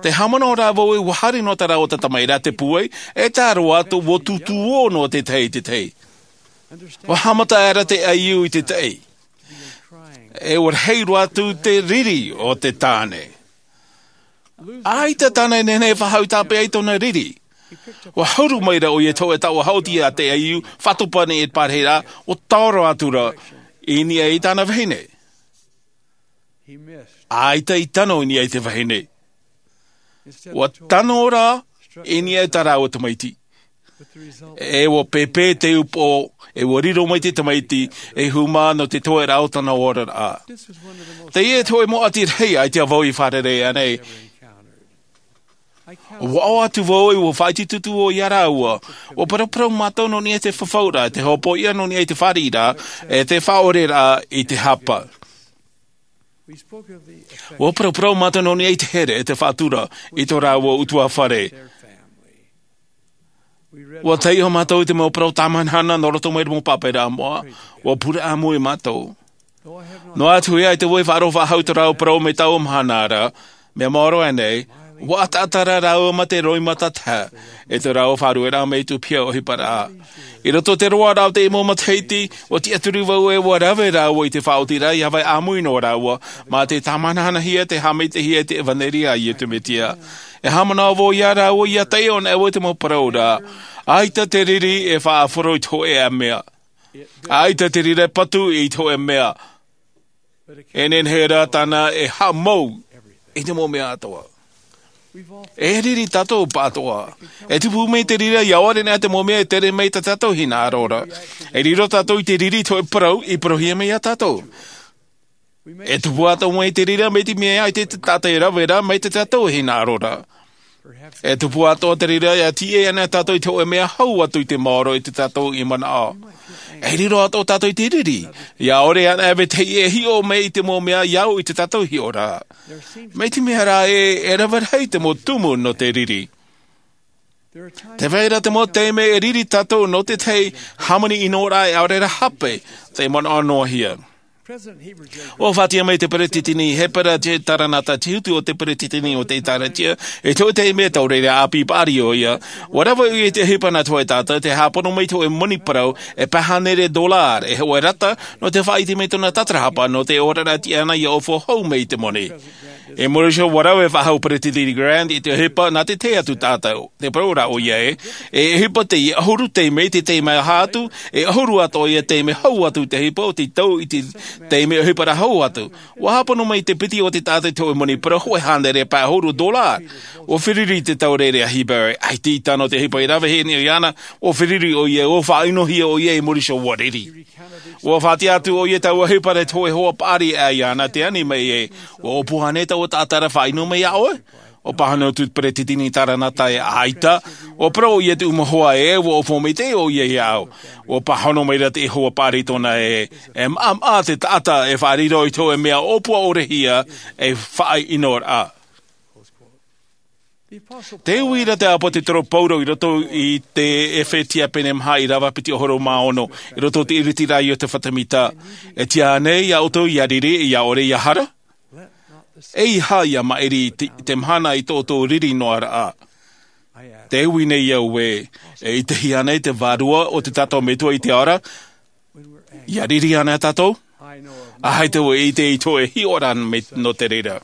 Tē haʻamanaʻo ra vau ē ua haere noa tā rāua tata maʻiri ra te pūai, e tā roa atu ua tūtū ʻō noa te tahi i te tahi. Ua haʻamata aʻera te ʻaiū i te tahi. E ua rahi roa atu te riri o te tāne. ʻAita tāna e nehenehe e faʻahou tāpeʻa i tōna riri. Ua huru mai ra ʻoia i te hōʻē taoʻa haʻoti a te ʻaiū, faʻatopa nei e te parahiraʻa, ua taoro atu ra i niʻa i tāna vahine. ʻAita i tano i niʻa i te vahine. Ua tano ra i niʻa i tā rāua tamaiti. E ua pēpē te upoʻo, e ua riro mai te tamaiti, e hūmā nō te toeraʻa o tana oraraʻa. Teie te hōʻē mau ʻati rahi ʻaita vau i fārerei ānei. Ua ʻoaʻoa atu vau ē ua faʻaitoito ʻoia ia rāua. Ua paraparau mātou nō niʻa i te fafauraʻa, te hōpoiʻa nō niʻa i te fāriʻiraʻa, e te faʻaʻoreraʻa i te hapa. Ua paraparau mātou nō niʻa i te here, e te faʻatura, i tō rāua ʻutuāfare. Ua taiʻo mātou i te mau parau tāmahanahana nō roto mai i te mau pāpaʻiraʻa moʻa, ua pure ʻāmui mātou. Noa atu ē ʻaita vau i faʻaroʻo faʻahou i tō rāua parau mai taua mahana ra, mea maoro aʻenei, ua ʻataʻata ra rāua mā te roimata taha, e tō rāua faʻarueraʻa mai te ʻūpiha ʻohiparaʻa. I roto i te roaraʻa o teie mau matahiti, ua tiʻaturi vau ē ua rave rāua i te faʻaotiraʻa ʻia vai ʻāmui noa rāua, mā te tāmanahanahia te haʻamaitaʻihia i te ʻevanelia a Iesu Mesia. E haʻamanaʻo vau ia rāua ʻia taiʻo anaʻe vau i te mau parau ra, ʻaita te riri e faʻahoro i te hōʻē mea. ʻAita te riri e patu i te hōʻē mea. E nehenehe rā tāna e haʻamou i te mau mea atoʻa. E riri tātou pāʻatoʻa. E tupu mai te riri ʻia ʻore anaʻe te mau mea e tere mai i tā tātou hinaʻaro ra. E riro tātou i te riri i te hōʻē parau i parauhia mai ia tātou. E tupu atoʻa mai te riri mai te mea ʻaita te taʻata e rave ra mai tā tātou hinaʻaro ra. E tupu atoʻa te riri ʻia tiʻa anaʻe tātou i te hōʻē mea hau atu i te maoro i tā tātou i manaʻo. E riro atoʻa tātou i te riri, ʻia ʻore anaʻe e vetahi e hiʻo mai i te mau mea ʻia au i tā tātou hiʻoraʻa. Mai te mea rā ē, e rave rahi te mau tumu nō te riri. Tē vai ra te mau taime e riri tātou nō te tahi hāmani ʻino ra e ʻaore rā hape, tē manaʻo noa hia. ʻUa faʻatiʻa mai te peretiteni Hepera J. Taranata, te huru o te peretiteni o te ʻĒtārētia, i te hōʻē taime taureʻareʻa ʻāpī paʻari ʻoia. ʻUa rave ʻoia i te ʻohipa nā te hōʻē taʻata, tē hāpono mai te hōʻē moni parau, e pae hānere dolāra, e hōʻē rata, nō te faʻaʻite mai i tōna tatarahapa, nō te oraraʻa tiʻa iāna ʻia ʻōfua hou mai i te moni. I muri iho ʻua rave faʻahou Peretiteni Grant i te ʻohipa nā te tahi atu taʻata, te parau ra ʻoia ē, e ʻohipa teie ʻahuru taime i te taime aha atu, e ʻahuru atoʻa ia taime hau atu te ʻohipa o te tau i te taime ʻohipa ra hau atu. ʻUa hāpono mai te piti o te taʻata i te hōʻē moni parau hōʻē hānere pae ʻahuru dolāra. ʻUa feruri te taureʻareʻa Hepera, ʻaita i tano te ʻohipa i ravehia nei iāna, ʻua feruri ʻoia, ʻua faʻaʻinohia ʻoia i muri iho ʻua riri. ʻUa faʻatiʻa atu ʻoia i taua ʻohipa ra i te hōʻē hoa paʻari aʻe iāna, tē ani mai ē, ʻua ʻōpua ānei taua taʻata ra e faʻaʻino mai iā ʻoe? ʻO pāhono atu te peresideni i tāna taʻata e ʻaita. ʻUa parau ʻoia te ʻūmahoa ē, ʻua ʻōfau maitaʻi ʻoia iāʻu. ʻUa pāhono mai ra te Iehova paʻari i tōna ē, e maʻamaʻa te taʻata e fāriʻi roa i te hōʻē mea ʻōpua ʻore hia e faʻaʻinoraʻa. Tē ui ra te ʻāpōsetolo Paulo i roto i te Efetia pene maha ʻīrava piti ʻahuru mā ono, i roto i te ʻiritiraʻa o te fatu mita. E tiʻa ānei iā ʻoutou ʻia riri, ʻia ʻore, ʻia hara? ʻEiaha ʻia maʻiri i te, te mahana i tō ʻoutou riri noa raʻa. Tē ui nei au ē, e ʻitehia ānei te Vārua o te tātou Metua i te ao ra, ʻia riri ānei tātou? ʻAita vau e ʻite i te hōʻē hiʻoraʻa mai nō te reira.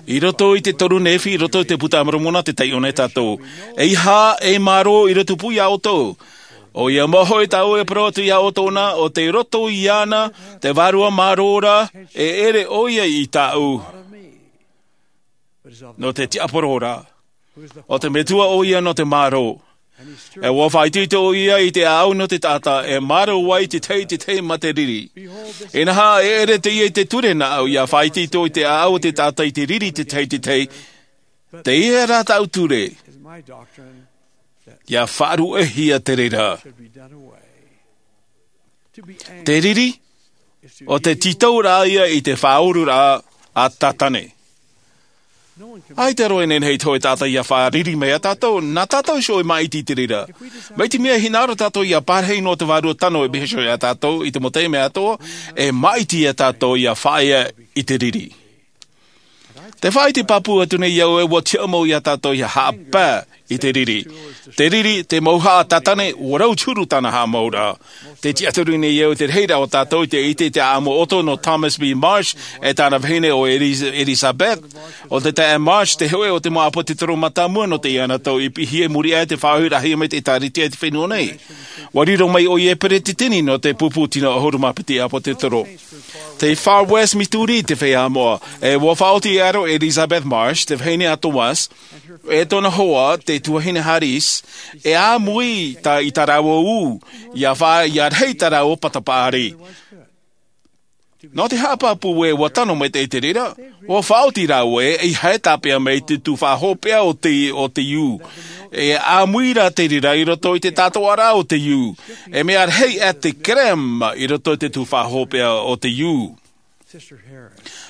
I roto i te toru Nephi, i roto i te Puta a Moromona, tē taiʻo nei tātou. ʻEiaha e mārō i roto pū iā ʻoutou. ʻOia mau hoʻi tāʻu e parau atu iā ʻoutou na, ʻo tei roto iāna te Vārua mārō ra, e ʻere ʻoia i tāʻu. Nō te tiaporo ra. ʻO te Metua ʻoia nō te mārō. E ʻua faʻaitoito ʻoia i te ʻāʻau nō te taʻata, e mārō ai te tahi, te tahi mā te riri. Inaha, e ʻere teie i te ture nāʻu, ʻia faʻaitoito i te ʻāʻau o te taʻata i te riri te tahi, te tahi. Teie rā tāʻu ture, ʻia faʻaruʻehia te reira. Te riri, ʻo te tītau rā ia i te faʻaururaʻa a Tātane. ʻAita roa e nehenehe i te hōʻē taʻata ʻia fāriri mai iā tātou, nā tātou iho e māʻiti i te reira. Mai te mea e hinaʻaro tātou ʻia parahi noa te Vārua tano e pihaʻi iā tātou i te mau taime atoʻa, e māʻiti iā tātou ʻia faʻaea i te riri. Te faʻaʻite pāpū atu nei au ē, ʻua tiʻa mau iā tātou ʻia haʻapae i te riri. Te riri, te mauhaʻa a Tātane, ʻua rau te huru tāna haʻamauraʻa. Tē tiʻaturi nei au te rahiraʻa o tātou i te ʻite i te ʻāʻamu ʻoto nō Thomas B. Marsh e tāna vahine ʻo Eliz-, Elizabeth. ʻO te taeaʻe Marsh te hōʻē o te mau ʻāpōsetolo mātāmua nō teie anaʻe i piʻihia i muri aʻe i te faʻahoʻiraʻahia mai te ʻĒkālesia i te fenua nei. ʻUa riro mai ʻoia ei peresideni nō te pupu tino ʻahuru mā piti ʻāpōsetolo. Tei Far West Missouri te feiā moʻa, e ʻua faʻaoti e aro ʻo Elizabeth Marsh, te vahine a Thomas, e tōna hoa, te tuahine Harris, e āmui tā, i tā rāua ū, ʻia fa-, ʻia rahi tā rāua pata paʻari. Nō te haʻapāpū ē, ʻua tano mai te, te reira, ʻua faʻaoti rāua ē, ʻeiaha e tāpeʻa mai te tuhaʻa hopeʻa o te, o te ū. E āmui rā te reira i roto i te tātoʻaraʻa o te ū. E mea rahi ā te kerema i roto i te tuhaʻa hopeʻa o te ū.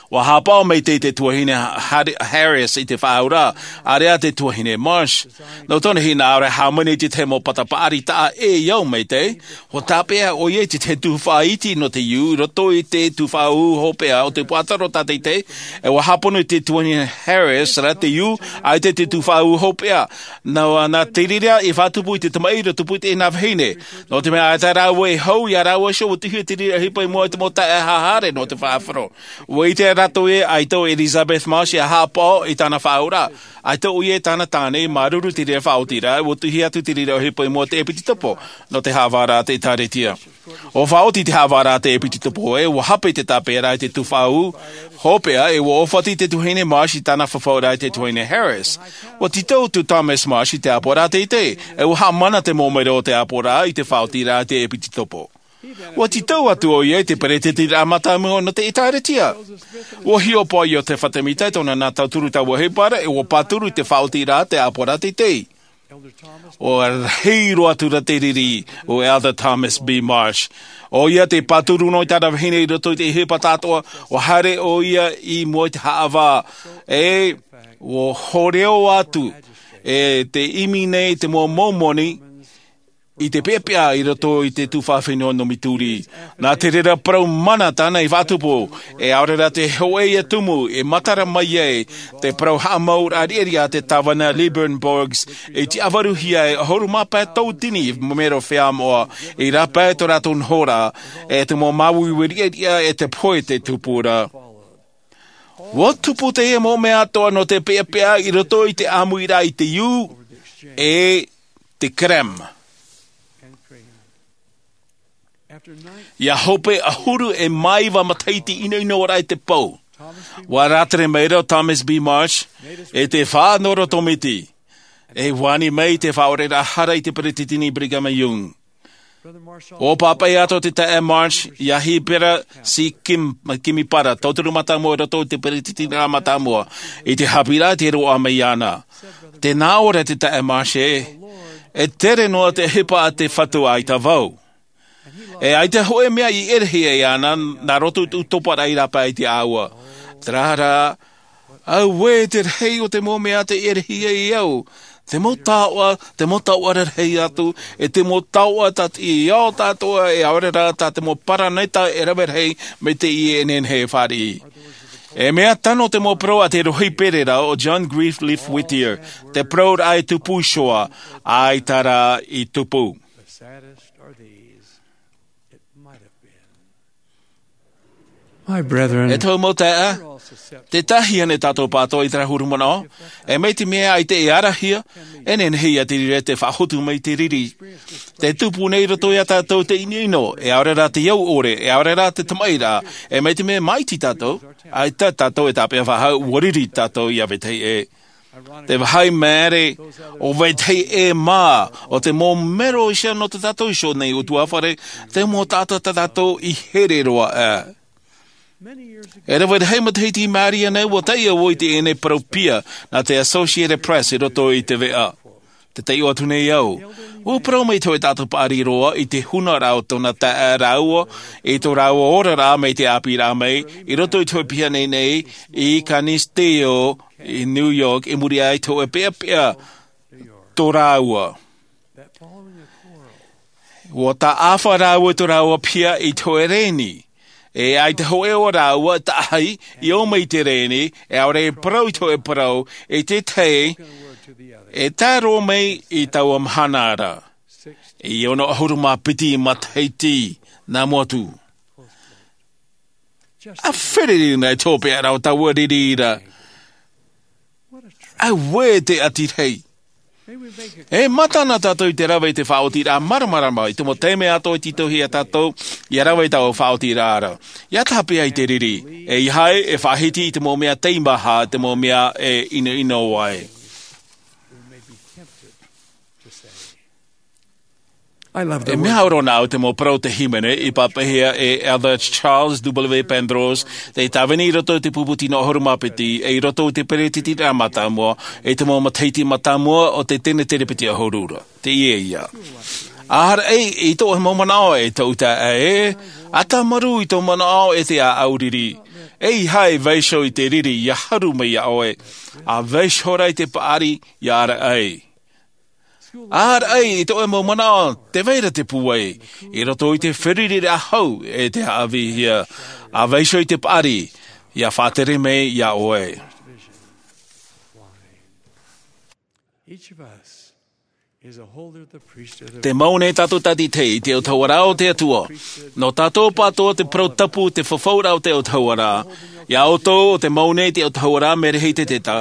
ʻUa haʻapaʻo mai te, te tuahine Har-, Harris i te faʻaauraʻa, ʻāreʻa te tuahine Marsh. Nō tōna hinaʻaro e hāmani i te tahi mau pata paʻari taʻa ʻē i au maitaʻi, ʻua tāpeʻa ʻoia i te, te tuhaʻa iti nō te ū, i roto i te tuhaʻa ū hopeʻa o te puaʻatoro tātaitahi, e ʻua hāpono i te tuahine Harris rā te ū, ʻaita te tuhaʻa ū hopeʻa. Nā, nā te reira i faʻatupu i te tamaʻi, i tupu i teie nā vahine. Nō te mea ʻaita rāua e hau, iā rāua iho ʻua tuʻuhia te reira ʻohipa i mua i te mau taeaʻe haere nō te faʻaroʻo. ʻUa ʻite rātou ē, ʻaita ʻo Elizabeth Marsh ʻia haʻapaʻo i tāna faʻaauraʻa. ʻAita ʻoia e tāna tāne, māuruuru te reira faʻaotiraʻa, ʻua tuʻuhia atu te reira ʻohipa i mua i te ʻēpitokopo, nō te haʻavāraʻa a te ʻĒkālesia. ʻUa faʻaoti te haʻavāraʻa a te ʻēpitokopo ē, ʻua hape te tāpeʻaraʻa i te tuhaʻa ū hopeʻa, e ʻua ʻōfati te tuahine Marsh i tāna fafauraʻa i te tuahine Harris. ʻUa tītau atu Thomas Marsh i te ʻāpoʻoraʻa teitei, e ʻua haʻamana te mau mero o te ʻāpoʻoraʻa i te faʻaotiraʻa i te ʻēpitokopo. ʻUa tītau atu ʻoia i te peresideni mātāmua nō te ʻĒkālesia. ʻUa hiʻopoʻa Iosepha Semita i tōna nā tauturu tāua ʻohipa ra, e ʻua pāturu i te faʻaotiraʻa i te ʻāpoʻoraʻa teitei. ʻUa rahi roa atu rā te riri o Elder Thomas B. Marsh. ʻOia tei pāturu noa i tāna vahine i roto i te ʻohipa tāʻātoʻa, ʻua haere ʻoia i mua i te haʻavā. E ʻua hōroʻa atu, e tē ʻimi nei te mau moni, i te peʻapeʻa i roto i te tuhaʻa fenua nō Missouri. Nā te reira parau mana tāna i faʻatupu, e ʻaore rā te hōʻē ʻia tumu, e matara mai ai te parau haʻamauraʻa riʻariʻa a te tāvana Lilburn Boggs, i tiʻafaruhia e ʻahuru mā pae tauatini mero feiā moʻa, i rāpae tō rātou nohoraʻa, e te mau māuiui riʻariʻa e te pohe tei tupu ra. ʻUa tupu teie mau mea atoʻa nō te peʻapeʻa i roto i te ʻāmuiraʻa i te ū, e te kerema. ʻIa hope ʻahuru e mā iva matahiti ʻinoʻinoraʻa i te pou, ʻua rātere mai ra ʻo Thomas B. Marsh, e te faʻanahoraʻa tōmiti, e ani mai i te faʻaoreraʻa hara i te peresideni Brigham Young. ʻO pāpaʻi atu te taeaʻe Marsh iā Hepera C. Kim, Kimipara, tauturu mātāmua i roto i te peretitiraʻa mātāmua, i te haʻapiʻiraʻa i te roaʻa mai iāna. Tē nā ʻō ra te taeaʻe Marsh ē, e tere noa te ʻohipa a te Fatu ʻaita vau. E ʻaita hōʻē mea i ʻerehia iāna, nā roto i tō toparaʻa i rāpae i te ʻāua. Terā rā, auē te rahi o te mau mea tei ʻerehia e au. Te mau taoʻa, te mau taoʻa rarahi atu, e te mau taoʻa tā te ao tātou e ʻaore rā tā te mau paraneta e rave rahi mai teie e nehenehe e fāriʻi. E mea tano te mau parau a te rohipererau ʻo John Greenleaf Whittier, te parauraʻa e tupu iho ā, ʻaita rā i tupu. The saddest are these. It might have been. My brethren, e tōʻu mau taeaʻe, te tahi ānei tātou pātoʻa i terā huru manaʻo, e mai te mea ʻaita e arahia, e nehenehe ia te riri te faʻahotu mai te riri. Te tupu nei roto iā tātou te ʻinoʻino, e ʻaore rā te au ʻore, e ʻaore rā te tamaʻiraʻa, e mai te mea māʻiti tātou, ʻaita tātou e tāpeʻa faʻahou, ʻua riri tātou iā vetahi ʻē. Te vāhi māere, ʻo vetahi ʻē mā, ʻo te mau mero iho nō tā tātou iho nei ʻutuāfare, te mau taʻata tā tātou i here roa aʻe. E rave rahi matahiti i maori nei, ʻua taiʻo au i teie nei parau piha nā te Associated Press i roto i te veʻa. Tē taiʻo atu nei au. ʻUa parau mai te hōʻē taʻata paʻari roa i te hunaraʻa o tōna taeaʻe rāua, i tō rāua oraraʻa mai te ʻāpīraʻa mai, i roto i te hōʻē piha nei nei, i Canisteo, i New York, i muri aʻe i te hōʻē peʻapeʻa tō rāua. ʻUa taʻafa rāua i tō rāua piha i te hōʻē rēni. E ʻaita hōʻē o rāua taʻahi, i ō mai i te rēni, e ʻaore e parau i te hōʻē parau, i te tahi, e tae roa mai i taua mahana ra. I ono ʻahuru mā piti matahiti, nā mua atu. ʻA fererina e tōpeʻa rau taua riri ra. Auē te ati rahi. E mātana tātou i te rave i te faʻaotiraʻa māramarama, i te mau taime atoʻa i tītauhia tātou, ʻia rave i taua faʻaotiraʻa ra. ʻIa tāpeʻa i te riri, e ʻeiaha e faʻahiti i te mau mea teimaha, te mau mea e ʻinoʻino ai. E mea au roa nāʻu te mau parau te hīmene i pāpaʻihia e Elder Charles W. Penrose, tei tāvini i roto i te pupu tino ʻahuru mā piti, e i roto i te peretitiraʻa mātāmua, i te mau matahiti mātāmua o te tenetere piti ʻahuru ra. Teie ïa. ʻĀraʻi i tō mau manaʻo e tō uta e, ʻa tāmarū i tō manaʻo e te ʻāʻau riri. ʻEiaha e vaiiho i te riri ʻia haru mai iā ʻoe, ʻa vaiiho rā i te paʻari ʻia ʻāraʻi. ʻĀraʻi i tō mau manaʻo, tē vai ra te pūai, i roto i te feruriraʻa hau e te haʻavīhia, ʻa vaiiho i te paʻari, ʻia faʻatere mai iā ʻoe. Each of us is a holder of the priesthood of Te mau nei tātou tātaʻitahi i te autahuʻaraʻa o te Atua. Nō tātou pātoʻa te parau tapu, te fafauraʻa o te autahuʻaraʻa. Iā ʻoutou ʻo te mau nei te autahuʻaraʻa, Merehitetetā,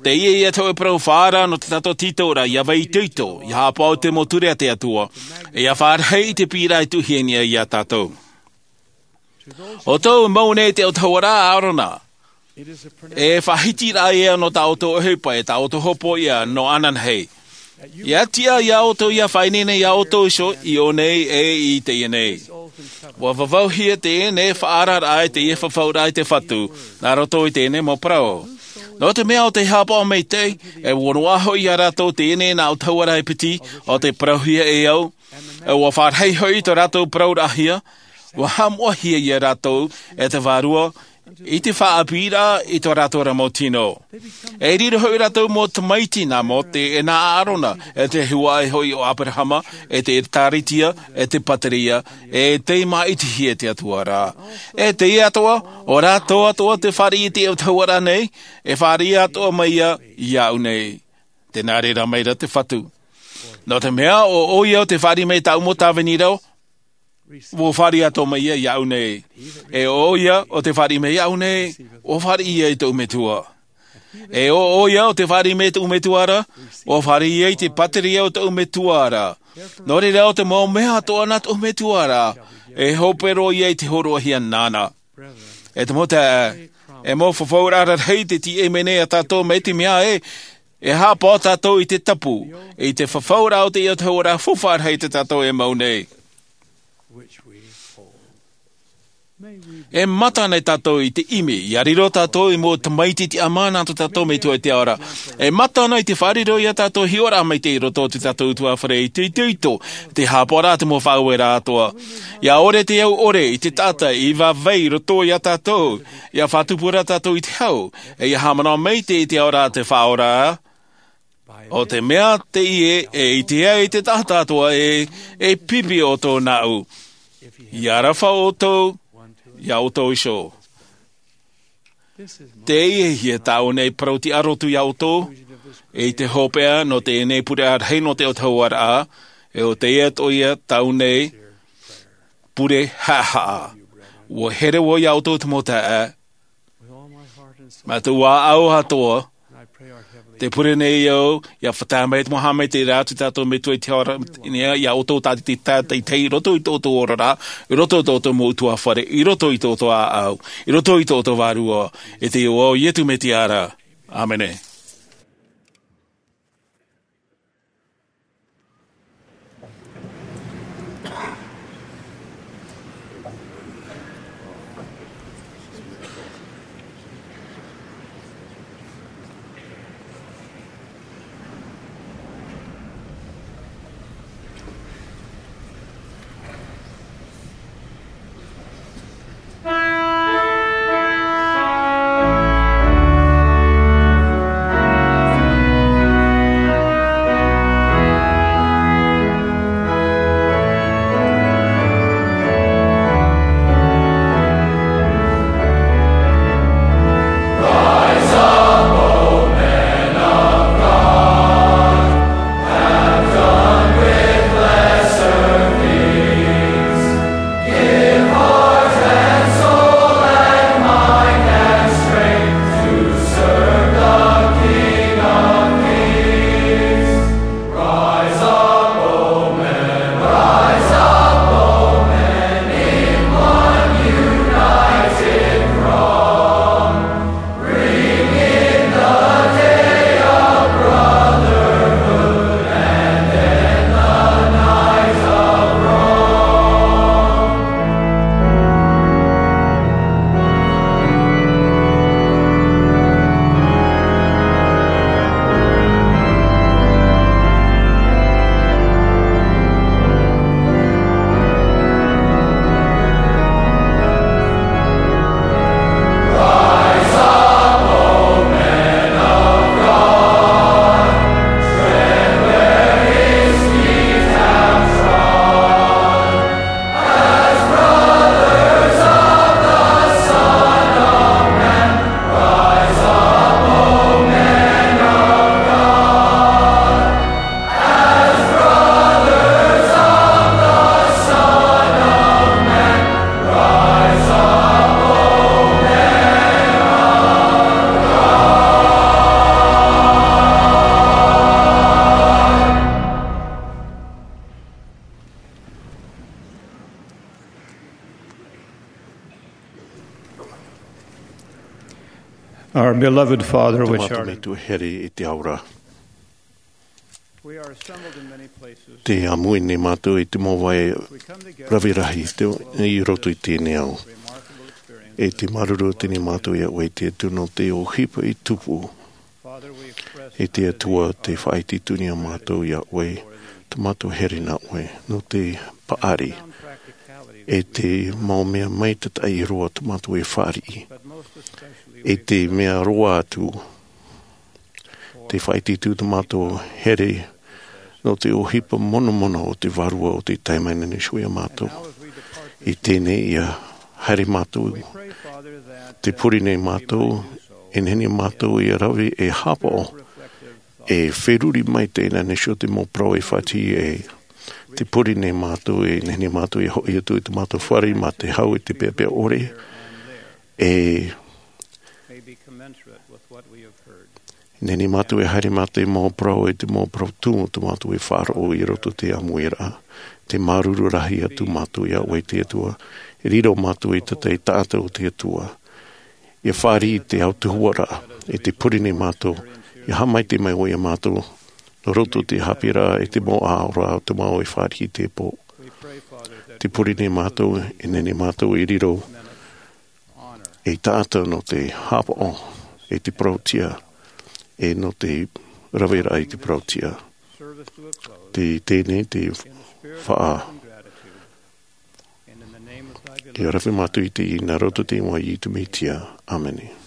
teie ïa te hōʻē parau faʻaara nō tā tātou tītauraʻa, ʻia vai itoito, ʻia haʻapaʻo i te mau ture a te Atua, e ʻia fāriʻi i te piʻiraʻa e tuʻuhia nei iā tātou. ʻO tō mau nei te autahuʻaraʻa, ʻArona, e faʻahitiraʻa ïa nō tā ʻoutou ʻohipa, e tā ʻoutou hōpoiʻa nō ananahi. ʻIa tiʻa iā ʻoutou ʻia faʻaineine iā ʻoutou iho i ʻō nei e i teie nei. ʻUa vavauhia teie nei faʻaararaʻa i teie fafauraʻa i te Fatu, nā roto i teie nei mau parau. Nō te mea ʻo tei haʻapaʻo maitaʻi, e ʻua noaʻa hoʻi iā rātou teie nei nā autahuʻaraʻa e piti, ʻo tei parauhia e au, e ʻua fāriʻi hoʻi tō rātou parauraʻahia, ʻua haʻamoʻahia iā rātou e te Vārua, i te faʻaʻāpīraʻa i tō rātou ra mau tino. E riro hoʻi rātou mau tamaiti nā Mōte, e nā ʻArona, e te huaʻai hoʻi o ʻĀperahama, e te Ekalesia, e te pātireia, e tei māʻitihia e te Atua ra. E teie atoʻa, ʻo rātou atoʻa tē fāriʻi i te autahuʻaraʻa nei, e fāriʻi atoʻa mai ïa iāʻu nei. Tē nā reira mai ra te Fatu. Nō te mea, ʻo ʻoia ʻo tē fāriʻi mai i tāʻu mau tāvini ra, ʻua fāriʻi atoʻa mai ïa iāʻu nei. E ʻo ʻoia ʻo tē fāriʻi mai iāʻu nei, ʻua fāriʻi ïa i tōʻu Metua. E ʻo ʻoia ʻo tē fāriʻi mai i tōʻu Metua ra, ʻua fāriʻi ïa i te pātireia o tōʻu Metua ra. Nō reira, ʻo te mau mea atoʻa nā tōʻu Metua ra, e hope roa ïa i te hōroʻahia nāna. E te mau taeaʻe, e mau fafauraʻa rarahi tē tīaʻi mai nei iā tātou, mai te mea ē, e haʻapaʻo tātou i te tapu, i te fafauraʻa o te autahuʻaraʻa faufaʻa rahi tā tātou e mau nei. E mata nei tātou i te ʻimi, ia riro tātou i mau tamaiti tiʻamā nā tō tātou Metua i te ao ra. E mata nei te faʻariro ia tātou hiʻoraʻa maitaʻi i roto i tō tātou ʻutuāfare i te itoito, te hāpaʻoraʻa, te mau faʻaueraʻa atoʻa. Ia ʻore te au ʻore i te taʻata i vāvai i roto ia tātou, ia faʻatupu ra tātou i te hau, e ia haʻamanaʻo maitaʻi i te ao ra te Faʻaora. ʻO te mea teie e ʻite ai te taʻata atoʻa ē, e pipi ʻoutou nāʻu. Ia aroha ʻoutou iā ʻoutou iho. Teie ia tāʻu nei parau tiʻarotu iā ʻoutou, i te hopeʻa nō teie nei pure rahi nō te autahuʻaraʻa, e ʻo teie atoʻa ia tāʻu nei pure haʻahaʻa. ʻUa here vau iā ʻoutou te mau taeaʻe, mā te ʻāʻau atoʻa, te pure nei au, ia faʻatae mai te mau haʻamaitaʻiraʻa a tō tātou Metua i te ao ra, iā ʻoutou tātou i te tahi i roto i tō ʻoutou oraraʻa, i roto i tō ʻoutou mau ʻutuāfare, i roto i tō ʻoutou ʻāʻau, i roto i tō ʻoutou Vārua, i te iʻoa o Iesu Mesia ra. ʻĀmene. Our beloved Father, which art in heaven, here i te ao ra. Te ʻāmui nei mātou i te mau vai rahi rahi i roto i teie nei ao. E te māuruuru atu nei mātou iā ʻoe, e te Atua, nō te ʻohipa i tupu. E te Atua, tē faʻaʻite atu nei mātou iā ʻoe, tō mātou here nā ʻoe, nō te paʻari, e te mau mea maitaʻi roa tō mātou e fāriʻi. E te mea roa atu, tē faʻaʻite atu tō mātou here nō te ʻohipa monomono o te Vārua o tei tae mai nei iho iā mātou. I teie nei ia haere mātou, tē pure nei mātou, e nehenehe mātou ia rave e hāpaʻo, e feruri mai teie nei iho te mau parau e faʻatiʻa ai. Tē pure nei mātou, e nehenehe mātou ia hoʻi atu i tō mātou fare mā te hau e te peʻapeʻa ʻore, e nehenehe mātou e haere mā te mau parau, e te mau parau tumu tō mātou e faʻaroʻo i roto i te ʻāmuiraʻa. Tē māuruuru rahi atu mātou iā ʻoe, te Atua, e riro mātou ei taʻata, ei taʻata o te Atua. Ia fāriʻi te autahuʻaraʻa, e tē pure nei mātou, ia haʻamaitaʻi mai ʻoe iā mātou, nō roto i te haʻapiʻiraʻa e te mau ʻāʻoraʻa o te mau e fāriʻi i teie pō. Te pure nei mātou, e nehenehe mātou e riro ei taʻata nō te haʻapaʻo, e te parauʻtiʻa, e nō te raveraʻa i te parauʻtiʻa. Te teie te faʻa. Ia rave mātou i teie nā roto i te iʻoa o Iesu Mesia. ʻĀmene.